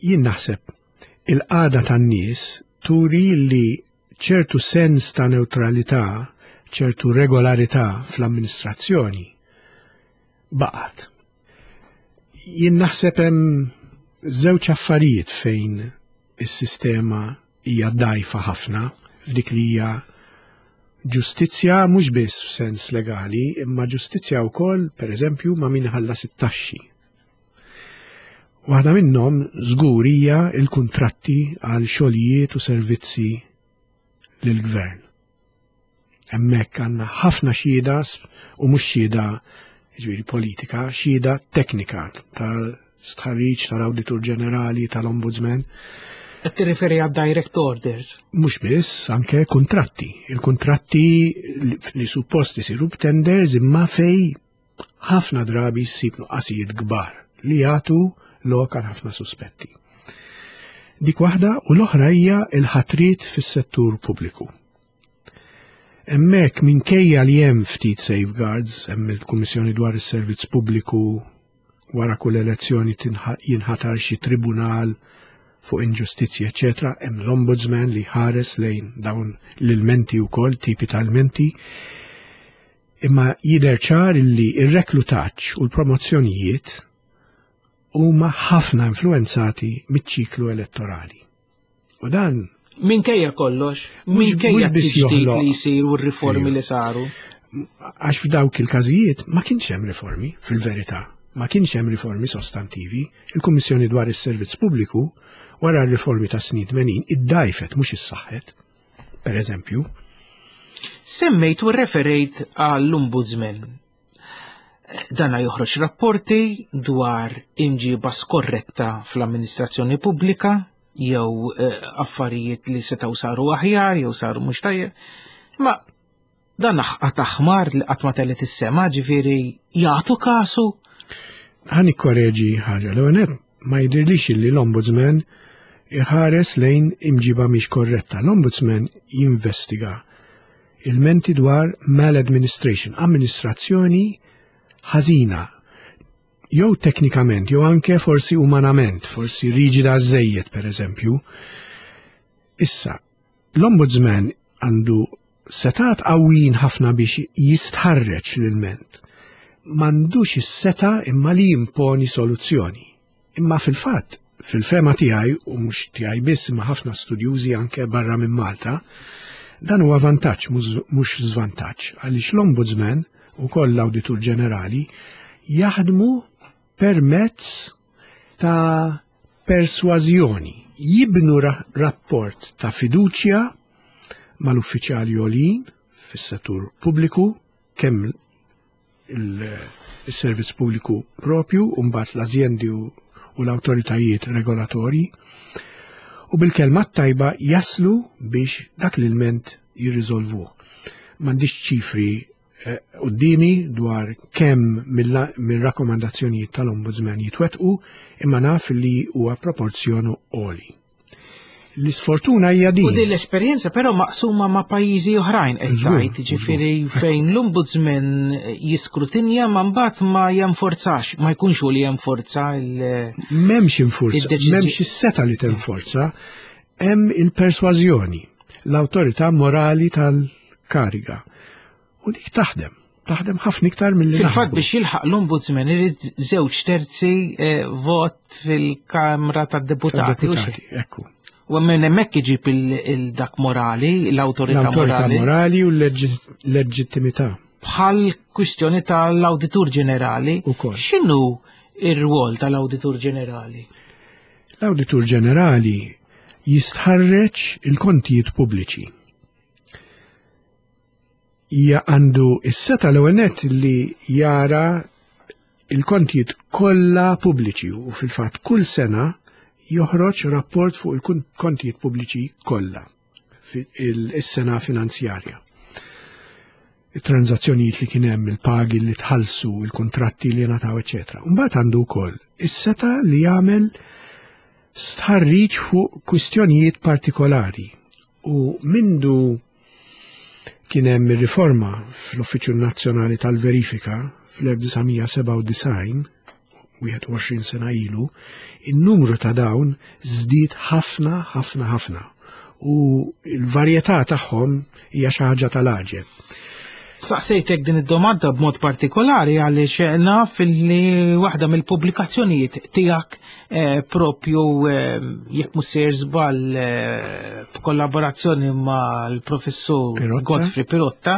jien naħseb il-qagħda tan-nies turi li ċertu sens ta' neutralità, ċertu regolarità fl-amministrazzjoni baqgħet. Jien naħseb hemm żewġ affarijiet fejn is-sistema hija dgħajfa ħafna f'dik li hija ġustizzja, mhux biss f'sens legali, imma ġustizzja wkoll, pereżempju, ma' min iħallas it-taxxi. Waħda minnhom żgur hija l-kuntratti għal xogħlijiet u servizzi lill-gvern. Hemmhekk għandna ħafna xhieda, u mhux xhieda ġifieri politika, xhieda teknika tal-stħarriġ tal-Awditur Ġenerali, tal-Ombudsman. Qed tirriferi għad direct orders? Mhux biss, anke kuntratti. Il-kuntratti li suppost isiru b'tenders imma fej ħafna drabi ssib nuqqasijiet kbar li jagħtu lok għal ħafna suspetti. Dik waħda, u l-oħra hija l-ħatriet fis-settur pubbliku. Hemmhekk, minkejja li hemm ftit safeguards, hemm il-Kummissjoni dwar is-Servizz Pubbliku, wara kull elezzjoni jinħatar xi tribunal fuq inġustizzji, eċetera, hemm l-Ombudsman li ħares lejn dawn l-ilmenti wkoll, tipi ta' ilmenti. Imma jidher ċar illi ir-reklutaġġ u l-promozzjonijiet huma ħafna influenzati miċ-ċiklu elettorali. U dan minkejja kollox, minkejja t-tiġdid li jsir u r-riformi li saru. Għax f'dawk il-każijiet ma kienx hemm riformi, fil-verità. Ma kienx hemm riformi sostantivi. Il-Kummissjoni dwar is-Servizz Pubbliku wara r-riformi ta' snin tmenin iddajfet, mhux issaħħet, per eżempju. Semmejt u referejt għall-Ombudsman. Dana joħroġ rapporti dwar imġiba skorretta fl-amministrazzjoni pubblika jew eh, affarijiet li setgħu saru aħjar jew saru mhux tajjeb. Ma dan aħqat aħmar li qatt ma telgħet is-sema, ġifieri jagħtu kasu. Ħa nikkoreġi ħaġa, l ma jidhirlix li l-Ombudsman iħares lejn imġiba mhix korretta. L-Ombudsman jinvestiga ilmenti dwar maladministration, amministrazzjoni ħażina, jew teknikament, jew anke forsi umanament, forsi riġida żejjed, per eżempju. Issa, l-Ombudsman għandu setgħat qawwijin ħafna biex jistħarreġ l-ilment. M'għandux is-setgħa imma li jimponi soluzzjoni. Imma fil-fatt, fil-fehma tiegħi, u mhux tiegħi biss imma ħafna studjużi anke barra minn Malta, dan huwa vantaġġ mhux żvantaġġ, għaliex l-Ombudsman u koll l-Awditur Ġenerali jaħdmu permezz ta' persważjoni, jibnu rapport ta' fiduċja mal-uffiċjali għoljin fis-settur pubbliku, kemm il-servizz pubbliku propju, u mbagħad l-azjendi u l-awtoritajiet regolatorji, u bil-kelma tajba jaslu biex dak l-ilment jirriżolvuh. M'għandix ċifri quddiemi dwar kemm mill-rakkomandazzjonijiet tal-Ombudsman jitwettqu, imma naf li huwa proporzjon għoli. L-isfortuna hija din. U din l-esperjenza però maqsuma ma' pajjiżi oħrajn qed tgħid, jiġifieri fejn l-Ombudsman jiskrutinja ma mbagħad ma jenforzax, ma jkunx hu li jenforza il M'hemmx infurza, m'hemmx is-setgħa li tenforza, hemm il-persważjoni, l-awtorità morali tal-kariga. U dik taħdem, taħdem ħafna iktar mill-li. Fil-fatt biex jilħaq l-Ombudsman irid żewġ terzi vot fil-Kamra tad-Deputati. Ekku. U minn hemmhekk iġib il-dak morali, l-awtorità morali. L-awtorità morali u l-leġittimità. Bħal kwistjoni tal-Awditur Ġenerali. X'inhu ir-rwol tal-Awditur Ġenerali? L-Awditur Ġenerali jistħarreġ il-kontijiet pubbliċi. Hija għandu is-seta l-ewwel nett li jara il-kontijiet kollha pubbliċi u fil-fatt kull sena joħroġ rapport fuq il-kontijiet pubbliċi kollha is-sena finanzjarja. Il-transazzjonijiet li kien hemm, il-pagi li tħallsu, il-kontratti li ngħataw, eċetera. Mbagħad għandu wkoll is-seta li jagħmel stħarriġ fuq kwistjonijiet partikolari u mindu kien hemm ir-riforma fl-Uffiċċju Nazzjonali tal-Verifika fl-elf disa' mija sebgħa u disgħin, wieħed u għoxrin sena ilu, in-numru ta' dawn żdied ħafna, ħafna, ħafna. U l-varjetà tagħhom hija xi ħaġa tal-għaġeb. Saqsejtek din id-domanda b'mod partikolari għaliex naf li waħda mill-pubblikazzjonijiet tiegħek, eh, propju, eh, jekk mhux sejjer żball, eh, b'kollaborazzjoni mal-professur Pirotta. Godfrey Pirotta,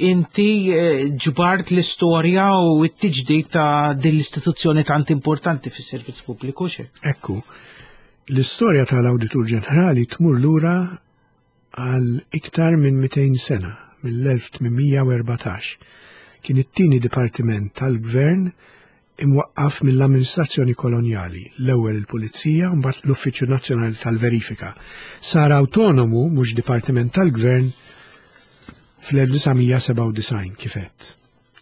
inti, eh, ġbart l-istorja u t-tiġdid ta' din l-istituzzjoni tant importanti fis-servizz pubbliku, xe? Ekku, l-istorja tal-Awditur Ġenerali tmur lura għal iktar minn mitejn sena, mill-elf tmien mija u erbatax. Kien it-tieni dipartiment tal-gvern imwaqqaf mill-amministrazzjoni kolonjali, l-ewwel il-Pulizija u mbagħad l-Uffiċċju Nazzjonali tal-Verifika. Sar autonomu, mhux dipartiment tal-gvern, fl-elf disa' mija sebgħa u disgħin kif għedt,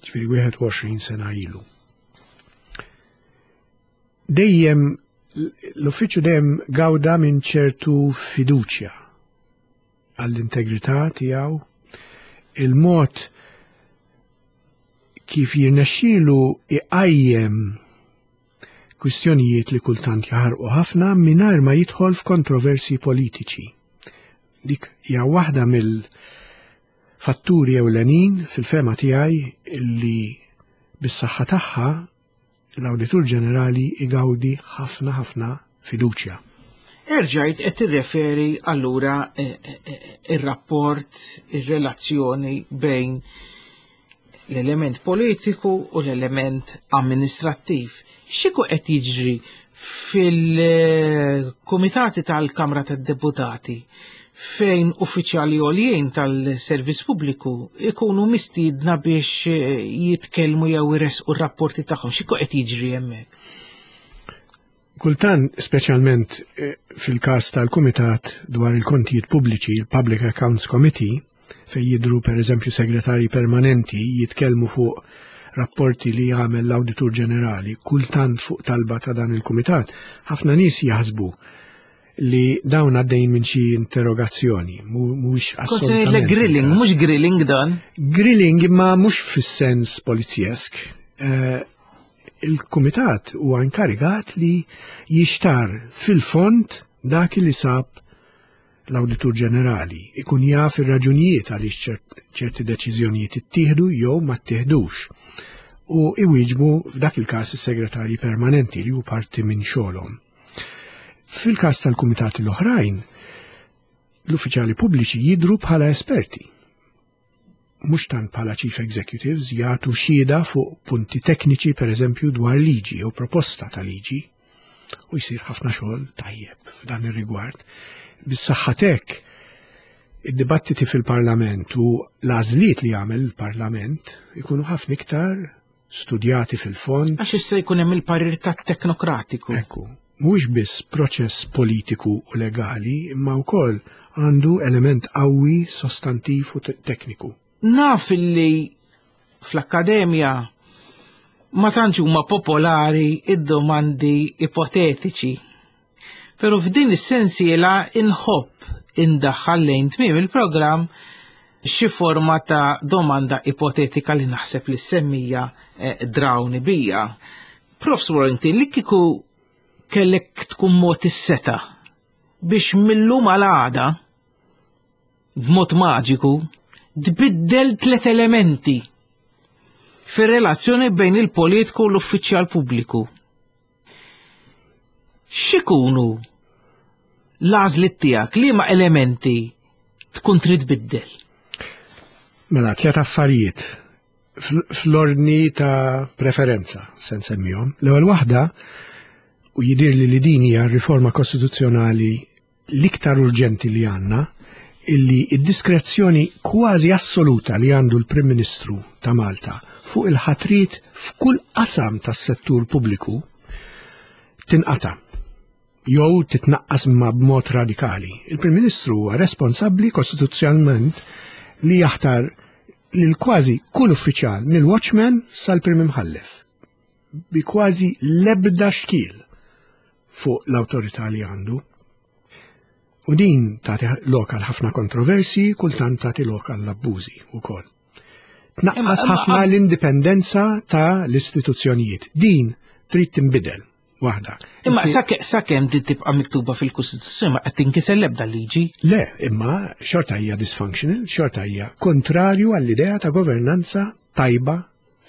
ġifieri wieħed u għoxrin sena ilu. Dejjem l-uffiċċju dejjem gawda minn ċertu fiduċja għall-integrità tiegħu, il-mod kif jirnexxielu iqajjem kwistjonijiet li kultant jaħarqu ħafna mingħajr ma jidħol f'kontroversi politiċi. Dik hija waħda mill-fatturi ewlenin fil-fehma tiegħi li bis-saħħa tagħha l-Awditur Ġenerali igawdi ħafna ħafna fiduċja. Erġajt qed tirreferi allura, eh, eh, eh, ir-rapport, ir-relazzjoni bejn l-element politiku u l-element amministrattiv. X'iku qed jiġri fil-kumitati tal-Kamra tad-Deputati fejn uffiċjali għoljien tal-servizz pubbliku ikunu mistiedna biex, eh, jitkellmu jew iresqu r-rapporti tagħhom? X'iku qed jiġri hemmhekk? Kultant, speċjalment, eh, fil-każ tal-Kumitat dwar il-kontijiet pubbliċi, il-Public Accounts Committee, fejn jidru per eżempju segretari permanenti jitkellmu fuq rapporti li jagħmel l-Awditur Ġenerali, kultant fuq talba ta' dan il-Kumitat, ħafna nies jaħsbu li dawn għaddejn minn xi interrogazzjoni, mu-, mhuwiex Kont se ngħidlek assolutament grilling, il-każ. mhux grilling dan. Grilling imma mhux fis-sens polizjesk. Eh, il-Kumitat huwa inkarigat li jixtar fil-fond dak li sab l-Awditur Ġenerali, ikun jaf ir-raġunijiet għaliex ċert-, ċerti deċiżjonijiet ittieħdu jew ma ttieħdux. U iwieġbu f'dak il-każ is-segretarji permanenti li hu parti minn xogħolhom. Fil-każ tal-kumitati l-oħrajn, l-uffiċjali pubbliċi jidhru bħala esperti. Mhux tant bħala chief executives jagħtu xhieda fuq punti tekniċi, per eżempju, dwar liġi jew proposta ta' liġi, u jsir ħafna xogħol tajjeb f'dan ir-rigward. Bis-saħħa tek Id-dibattiti fil-Parlament u l-għażliet li jagħmel il-Parlament ikunu ħafna iktar studjati fil-fond. Għax issa jkun hemm il-parir tat-teknokratiku. Ekku, mhuwiex biss proċess politiku u legali, imma wkoll għandu element qawwi sostantiv u tekniku. Naf li fl-akkademja ma tantx huma popolari id-domandi ipotetiċi. Pero f'din is-sensiela inħobb indaħħal lejn tmiem il-programm xi forma ta' domanda ipotetika li naħseb li semmija eh, drawni bija. Profs Warrington, li kieku kellek tkun mod is-seta biex millum għal għada b'mod maġiku tbiddel tliet elementi fir-relazzjoni bejn il-politiku u l-uffiċjal pubbliku. X'ikunu l-għażliet tiegħek, liema elementi tkun trid tbiddel? Mela, tliet affarijiet fl-ordni ta' preferenza, se nsemmihom. L-ewwel waħda, u jidirli li din hija riforma kostituzzjonali l-iktar urġenti li għandna, illi id-diskrezzjoni kważi assoluta li għandu l-Prim Ministru ta' Malta fuq il-ħatrit f'kull qasam tas-settur pubbliku tinqata' jew titnaqqas ma b'mod radikali. Il-Prim Ministru huwa responsabbli kostituzzjonalment li jaħtar lil kważi kull uffiċjal mill-watchman sal-Prim Imħallef bi kważi l-ebda xkiel fuq l-awtorità li għandu. U din tagħti lok għal ħafna kontroversi, kultant tagħti lok għal abbużi wkoll. Tnaqqas ħafna l-indipendenza ta' l-istituzzjonijiet. Din trid tinbidel waħda. Imma sakemm din tibqa' miktuba fil-Kostituzzjoni ma qed tinkiser l-ebda liġi. Le, imma xorta hija dysfunctional, xorta hija kontrarju għall-idea ta' governanza tajba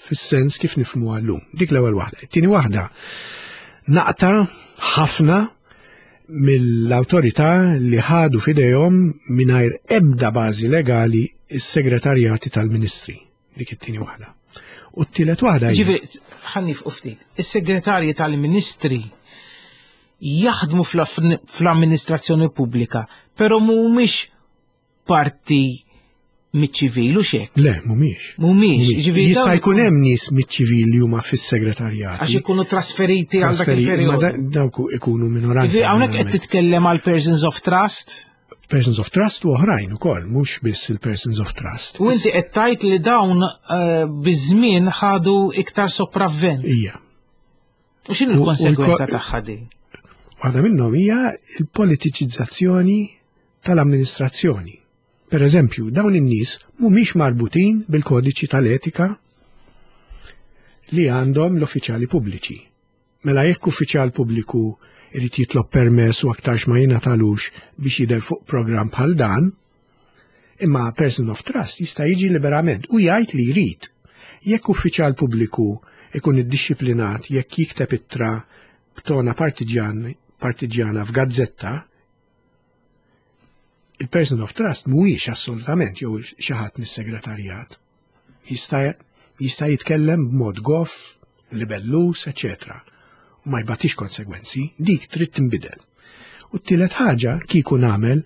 fis-sens kif nifhmu llum. Dik l-ewwel waħda. It-tieni waħda naqta' ħafna mill-awtorità li ħadu f'idejhom mingħajr ebda bażi legali is-segretarjati tal-ministri. Dik it-tieni waħda. U t-tielet waħda. Ġifieri, ħa nieqfu ftit. Is-segretarji tal-ministri jaħdmu fl-amministrazzjoni pubblika, però mhumiex parti miċ-ċivil u xek. Le, mhumiex. Mhumiex. Ġifieri jista' jkun hemm nies miċ-ċivil li huma fis-segretarjat. Għax ikunu trasferiti għal dak il-perjodu. Dawk ikunu minoranza. Ġifieri hawnhekk qed titkellem għal persons of trust? Persons of trust u oħrajn ukoll, mhux biss il-persons of trust. U inti qed tgħid li dawn eh, biż-żmien ħadu iktar sopravvent. Ija. U x'inhu l-konsegwenza tagħha din? Waħda minnhom hija l-politiċizzazzjoni tal-amministrazzjoni. Per eżempju, dawn in-nies mhumiex marbutin bil-kodiċi tal-etika li għandhom l-uffiċjali pubbliċi. Mela jekk uffiċjal pubbliku irid jitlob permess u aktarx ma jingħatalux biex jidher fuq programm bħal dan, imma person of trust jista' jiġi liberament u jgħid li jrid. Jekk uffiċjal pubbliku ikun iddixxiplinat jekk jikteb ittra b'tona partiġjan partiġjana f'gazzetta, il-person of trust mhuwiex assolutament jew xi ħadd mis-segretarjat. Jista' jista' jitkellem b'mod goff, libellus, eċetera. U ma jbatix konsegwenzi, dik trid tinbidel. U t-tielet ħaġa kieku nagħmel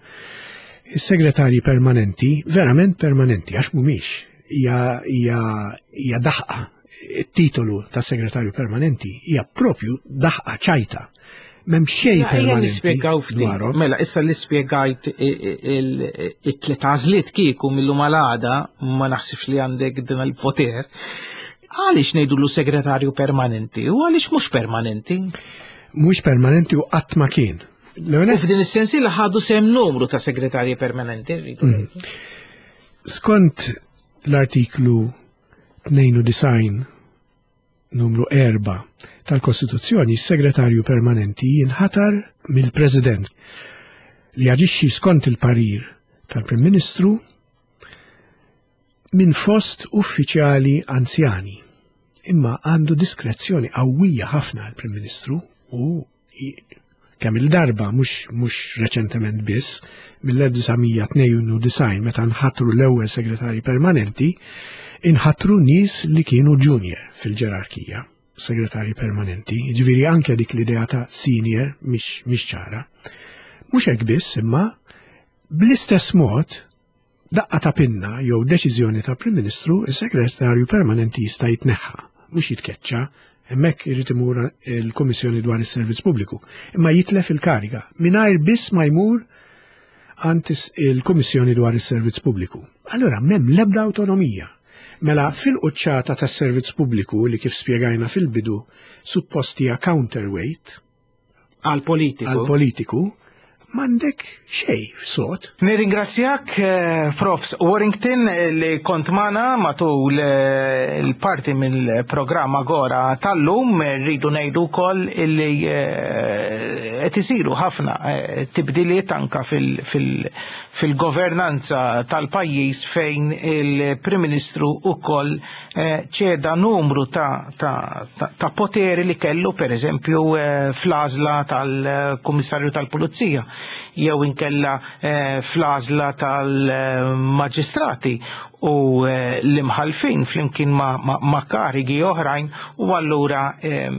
is-segretarji permanenti, verament permanenti, għax mhumiex, hija hija hija daħqa. It-titolu ta' segretarju permanenti hija propju daħqa ċajta. M'hemm xejn Ejja permanenti nispjegaw ftit. dwarhom. Mela, issa li spjegajt it-tliet għażliet kieku mill-lum għal għada, ma naħsibx li għandek din il-poter. Għaliex ngħidulu segretarju permanenti u għaliex mhux permanenti? Mhux permanenti u qatt ma kien. U f'din is-sensi li ħadu sem numru ta' segretarji permanenti. rridu ngħidu. Skont l-artiklu tnejn u disgħin numru erbgħa tal-Kostituzzjoni, s-segretarju permanenti jinħatar mill-President li jaġixxi skont il-parir tal-Prim Ministru minn fost uffiċjali anzjani. Imma għandu diskrezzjoni qawwija ħafna l-Prim Ministru u kemm il-darba mhux mhux reċentement biss mill-elf disa' mija tnejn u disgħin meta nħatru l-ewwel segretarji permanenti, inħatru nies li kienu junior fil-ġerarkija, segretarji permanenti, ġifieri anke dik l-idea ta' senior mhix mhix ċara. Mhux hekk biss, imma bl-istess mod Daqqa ta' pinna jew deċiżjoni ta' Prim Ministru, is-Segretarju Permanenti jista' jitneħħa, mhux jitkeċċa, hemmhekk irid imur il-Kummissjoni dwar is-Servizz Pubbliku, imma jitlef il-kariga mingħajr biss ma jmur għand il-Kummissjoni dwar is-Servizz Pubbliku. Allura m'hemm l-ebda awtonomija. Mela fil-quċċata tas-servizz pubbliku li kif spjegajna fil-bidu suppost hija counterweight għal politiku. Għal politiku m'għandek xejn sod. Nirringrazzjak eh, Profs Warrington li kont magħna matul eh, il-parti mill-programm Agora tal-lum. Rridu ngħidu wkoll illi eh, qed isiru ħafna tibdiliet anka fil-governanza tal-pajjiż fejn il-Prim Ministru ukoll ċeda numru ta', ta, ta, ta poteri li kellu, per eżempju, fl-għażla tal-Kummissarju tal-Pulizija jew inkella eh, fl-għażla tal-maġistrati u eh, l-imħalfin flimkien ma, ma, ma karigi oħrajn, u allura eh,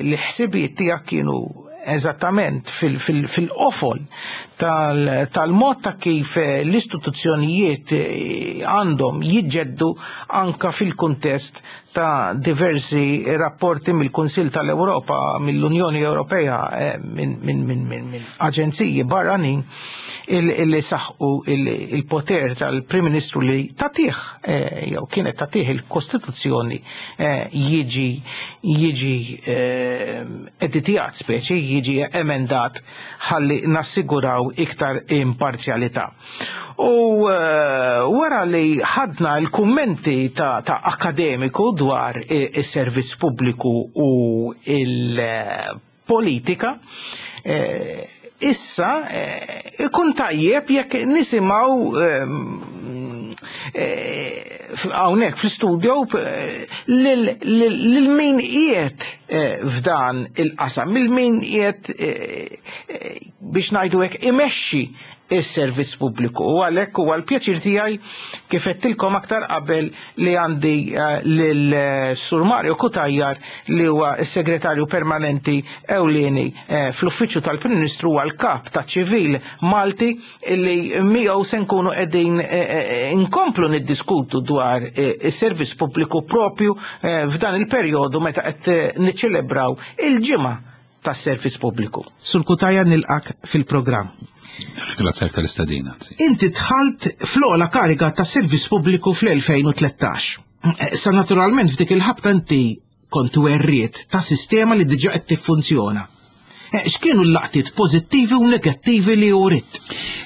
l-ħsibijiet tiegħek kienu eżattament fil-qofol tal-mod ta' kif l-istituzzjonijiet għandhom jiġġeddu anka fil-kuntest ta' diversi rapporti mill-Kunsill tal-Ewropa, mill-Unjoni Ewropea, minn min, min, min, min aġenziji barranin illi saħqu il-poter tal-Prim Ministru li tatih jew kienet tatih il-Kostituzzjoni jiġi jiġi editjat, speċi jiġi emendat ħalli nassiguraw iktar imparzjalità. U wara li ħadna l-kummenti ta', ta akademiku dwar is-servizz pubbliku u il-politika, issa ikun tajjeb jekk nisimgħu hawnhekk fl-istudio lil min qiegħed f'dan il-qasam, lil min qiegħed biex ngħidu hekk imexxi is-servizz pubbliku. U għalhekk huwa l-pjaċir tiegħi kif għedtilkom aktar qabel li għandi lil Sur Mario Cutajar li huwa s-segretarju permanenti ewlieni fl-Uffiċċju tal-Prim Ministru, huwa l-kap ta' ċivil Malti, li miegħu se nkunu qegħdin inkomplu niddiskutu dwar is-servizz pubbliku propju f'dan il-perjodu meta qed niċċelebraw il-ġimgħa tas-servizz pubbliku. Sur Cutajar, nilqak fil-programm. Grazie tal-istedina. Inti dħalt fl-ogħla kariga ta' servizz pubbliku fl-elfejn u tlettax. Sa naturalment f'dik il-ħabta inti kont werriet ta' sistema li diġà qed tiffunzjona. X'kienu l-laqtiet pożittivi u negattivi li uriet?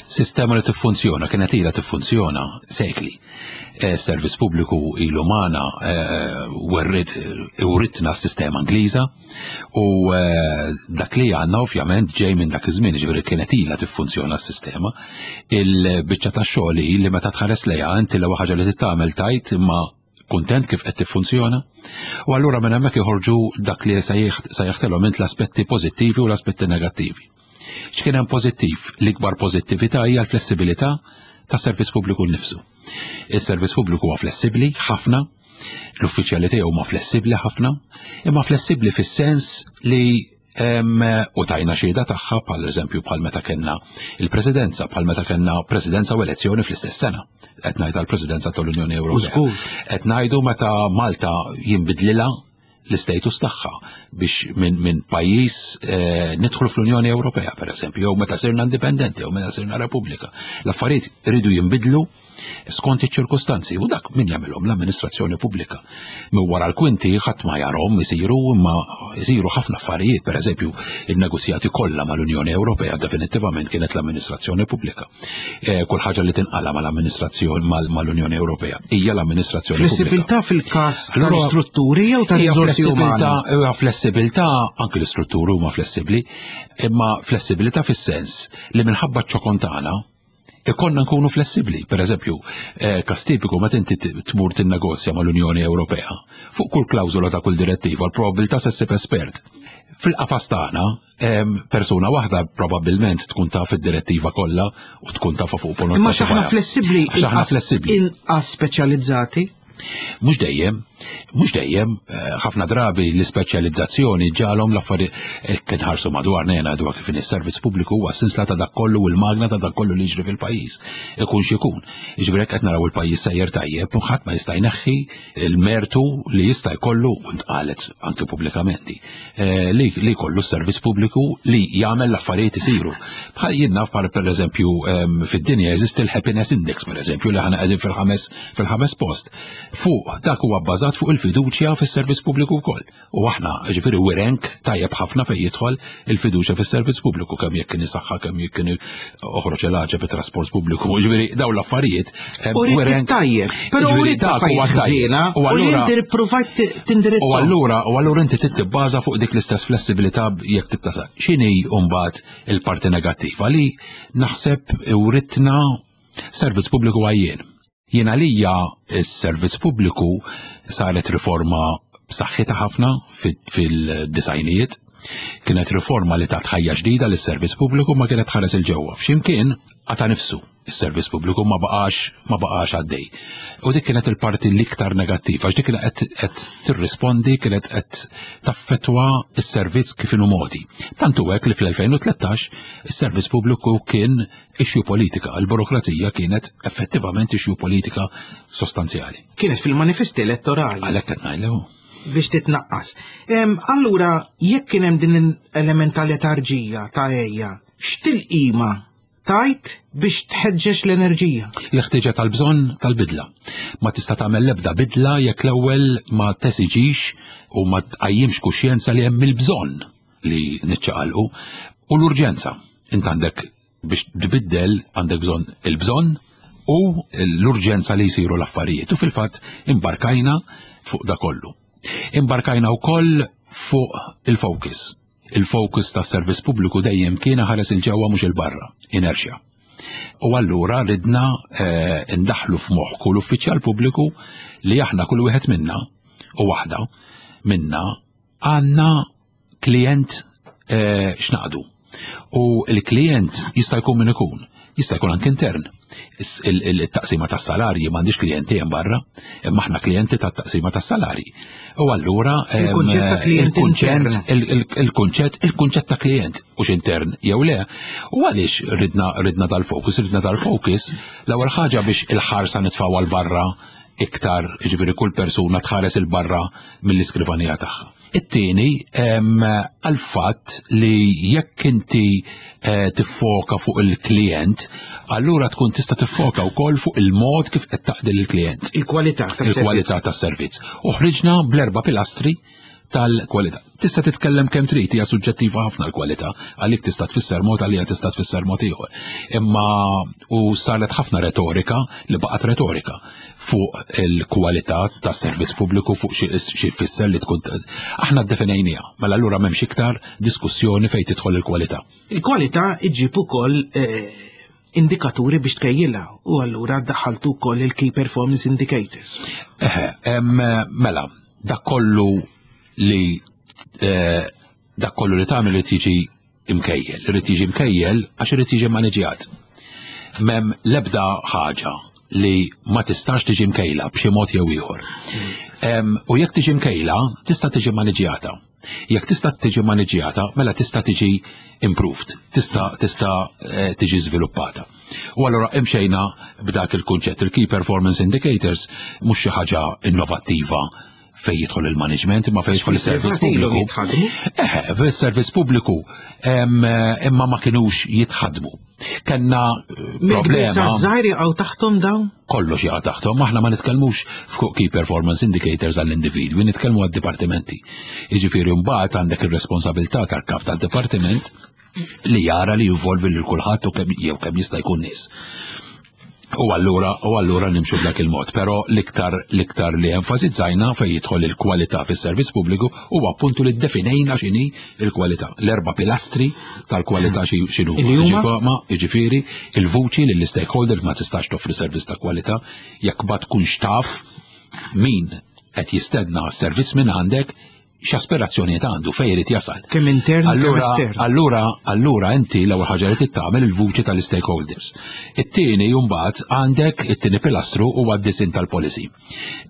Sistema li tiffunzjona, kienet ilha tiffunzjona sekli. Servizz pubbliku ilu magħna, werriet uritna s-sistema Ingliża u dak li għandna ovvjament ġej minn dak iż-żmien, ġifieri kienet ilha tiffunzjona s-sistema. Il-biċċa tax-xogħol hi li meta tħares lejha inti l-ewwel ħaġa li titgħamel tajt imma kuntent kif qed tiffunzjona. U allura minn hemmhekk joħorġu dak li sejjaħtilhom int l-aspetti pożittivi u l-aspetti negattivi. X'kien hemm pożittiv? L-ikbar pożittività hija l-flessibilità tas-servizz pubbliku nnifsu. Is-servizz pubbliku huwa flessibbli ħafna, l-uffiċjali tiegħu huma flessibbli ħafna, imma flessibbli fis-sens li u tajna xhieda tagħha bħal eżempju bħal meta kellna il-presidenza, bħal meta kellna presidenza u elezzjoni fl-istess sena. Qed ngħid għall-presidenza tal-Unjoni Ewropea. Qed ngħidu meta Malta jinbidlilha l-istatus tagħha biex minn min pajjiż eh, nidħlu fl-Unjoni Ewropea, per eżempju, jew meta sirna indipendenti, jew meta sirna Repubblika. L-affarijiet iridu jinbidlu skont iċ-ċirkustanzi u dak min jagħmilhom l-amministrazzjoni pubblika. Min wara l-kwinti ħadd ma jarhom isiru, imma isiru ħafna affarijiet, per eżempju, in-negozjati kollha mal-Unjoni Ewropea definittivament kienet l-amministrazzjoni pubblika. Eh, kull ħaġa li tinqala mal-amministrazzjoni mal-Unjoni Ewropea hija l-amministrazzjoni pubblika. Flessibilità fil-każ tal-istrutturi jew tal-riżorsi umani? Hija flessibilità, anke l-istrutturi huma flessibbli, imma flessibilità fis-sens li minħabba ċ-ċokon tagħna ikonna nkunu flessibli. Per eżempju, eh, każ tipiku meta inti tmur tinnegozja mal-Unjoni Ewropea fuq kull klawżola ta' kull direttiva, l-probabilità se ssib espert. Fil-qafas tagħna, persuna waħda probabbilment tkun taf id-direttiva kollha u tkun tafha fuq ponot. Imma x'aħna flessibbli, Għax aħna flessibbli. Inqas speċjalizzati? Mhux dejjem. Mhux dejjem, eh, ħafna drabi l-ispeċjalizzazzjoni ġalhom l-affarijiet eh, kien ħarsu madwar nejna dwar kif is-servizz pubbliku huwa sinsla ta' dak kollu u l-magna ta' dak kollu li jiġri fil-pajjiż. Ikun x'ikun. Jiġifieri hekk qed naraw il-pajjiż sejjer tajjeb u ħadd ma jista' jneħħi il-mertu li jista' jkollu u ntqalet anke pubblikament eh, li li jkollu s-servizz pubbliku li jagħmel l-affarijiet isiru. Bħal jien naf bħal pereżempju em, fid-dinja jeżisti l-happiness index pereżempju li aħna qegħdin fil-ħames fil-ħames post. Fuq dak huwa bbażat fuq il-fiduċja fis-servizz pubbliku wkoll. U aħna ġifieri we rank tajjeb ħafna fejn jidħol il-fiduċja fis-servizz pubbliku kemm jekk kien saħħa kemm jekk kien oħroġ il-ħaġa fit-trasport pubbliku. Ġifieri dawn l-affarijiet em, U we rank- tajjeb, però Ġifieri u rrid dak huwa affarijiet tajjeb. ħżiena U u li allura- inti provajt U tindirizzhom. allura, u allura inti tibbaża fuq dik l-istess flessibilità jekk tittasa. X'inhi mbagħad il-parti negattiva li naħseb uritna servizz pubbliku għajjien. Jien għalija s-servizz pubbliku saret riforma b'saħħitha ħafna fil-disgħinijiet. Kienet riforma li tat ħajja ġdida lis-servizz pubbliku ma kienet ħares il-ġewwa. F'ximkien qata nifsu is-servizz pubbliku ma baqax ma baqax għaddej. U dik kienet il-parti l-iktar negattiva, għax dik kienet qed qed tirrispondi, kienet qed taffetwa s-servizz kif inhu moti. Tantu hekk li fl-elfejn u tlettax is-servizz pubbliku kien issue politika, il-burokrazija kienet effettivament issue politika sostanzjali. Kienet fil-manifesti elettorali. Għalhekk qed ngħidlu. Biex titnaqqas. Em, Allura, jekk kien hemm din l-element ta' letarġija ta' ejja, x'tilqima tajt biex tħeġġeġ l-enerġija? L-ħtieġa tal-bżonn tal-bidla. Ma tista' tagħmel l-ebda bidla jekk l-ewwel ma tesiġix u ma tqajjimx kuxjenza li hemm il-bżonn li niċċaqalqu u l-urġenza. Int għandek biex tbiddel għandek bżonn il-bżonn u l-urġenza li jsiru l-affarijiet. U fil-fatt imbarkajna fuq da kollu. Imbarkajna wkoll fuq il-focus. Il-focus tas servizz pubbliku dejjem kien ħares il-ġewwa mhux il-barra, inertia. U allura ridna eh, ndaħlu f'moħħ kull uffiċjal pubbliku li aħna kull wieħed minna u waħda minna għandna klient eh, x'naqdu. U l-klient jista' jkun min ikun, jista' jkun anke intern. Is- il- il- Il-taqsima tas-salarji m'għandix klijenti hemm barra, imma aħna klijenti tat-taqsima tas-salarji. U allura em, Il-kunċett ta' klient il-kunċett intern. il- il- il-kunċett il-kunċett ta' klient u intern jew le. U għaliex ridna ridna dal-focus, ridna dal-focus l-ewwel ħaġa biex il-ħarsa nitfgħu għal barra iktar, ġifieri kull persuna tħares il-barra mill-iskrivanija tagħha. It-tieni em, għal-fatt li jekk inti eh, tiffoka fuq il-klient, allura tkun tista' tiffoka wkoll fuq il-mod kif qed taqdi lill-klient. Il-kwalità tas-servizz. Il-kwalità tas-servizz. U ħriġna bl-erba' pilastri tal-kwalità. Tista' titkellem kemm trid, hija suġġettiva ħafna l-kwalità, għalik tista' tfisser mod għalija tista' tfisser mod ieħor. Imma u saret ħafna retorika li baqgħet retorika fuq il-kwalità tas-servizz pubbliku, fuq xi xi tfisser li tkun. Aħna ddefinejniha, mela allura m'hemmx iktar diskussjoni fejn tidħol il-kwalità. Il-kwalità iġġib ukoll eh, indikaturi biex tkejjilha u allura daħħaltu wkoll il-Key Performance Indicators. Eħe, em, mela, dak kollu li eh, dak kollu li tagħmel irid jiġi imkejjel, irid jiġi imkejjel għax irid jiġi maniġjat. M'hemm l-ebda ħaġa li ma tistax tiġi mkejla b'xi mod jew ieħor. Em, U jekk tiġi mkejla, tista' tiġi maniġjata. Jekk tista' tiġi maniġjata, mela tista' tiġi improved, tista' tista' eh, tiġi żviluppata. U allura imxejna b'dak il-kunċett. Il-Key Performance Indicators mhux xi ħaġa innovattiva fej jidħol il-management, imma fej jidħol il-servizz Fil-privat ilhom pubbliku. jitħadmu. Eħe, fis-servizz pubbliku em, imma ma kinux jitħadmu. Kenna eh, Mill-kbir problema. saż-żgħir jaqgħu taħthom dawn? Kollox jaqa' taħthom, aħna ma nitkellmux fuq key performance indicators għall-individwi, nitkellmu għad-dipartimenti. Jiġifieri mbagħad għandek ir-responsabilità tal-kap tad-dipartiment li jara li jinvolvi lil kulħadd u kemm jew kemm jista' jkun nies. U allura u allura nimxu b'dak il-mod, però l-iktar l-iktar li enfasizzajna fejn jidħol il-kwalità fis-servizz pubbliku huwa appuntu li ddefinejna x'inhi il-kwalità. L-erba' pilastri tal-kwalità xi- x'inhu. Li huma? Ġifa- ma jiġifieri il-vuċi lill stakeholder ma tistax toffri servizz ta' kwalità jekk ma tkunx taf min qed jistenna s-servizz minn għandek. X'aspirazzjonijiet għandu, fejn irid jasal. Kemm intern, kemm Allura, estern. allura, allura inti l-ewwel ħaġa li trid tagħmel il-vuċi tal-stakeholders. It-tieni mbagħad għandek it-tieni pilastru huwa d-disinn tal-policy.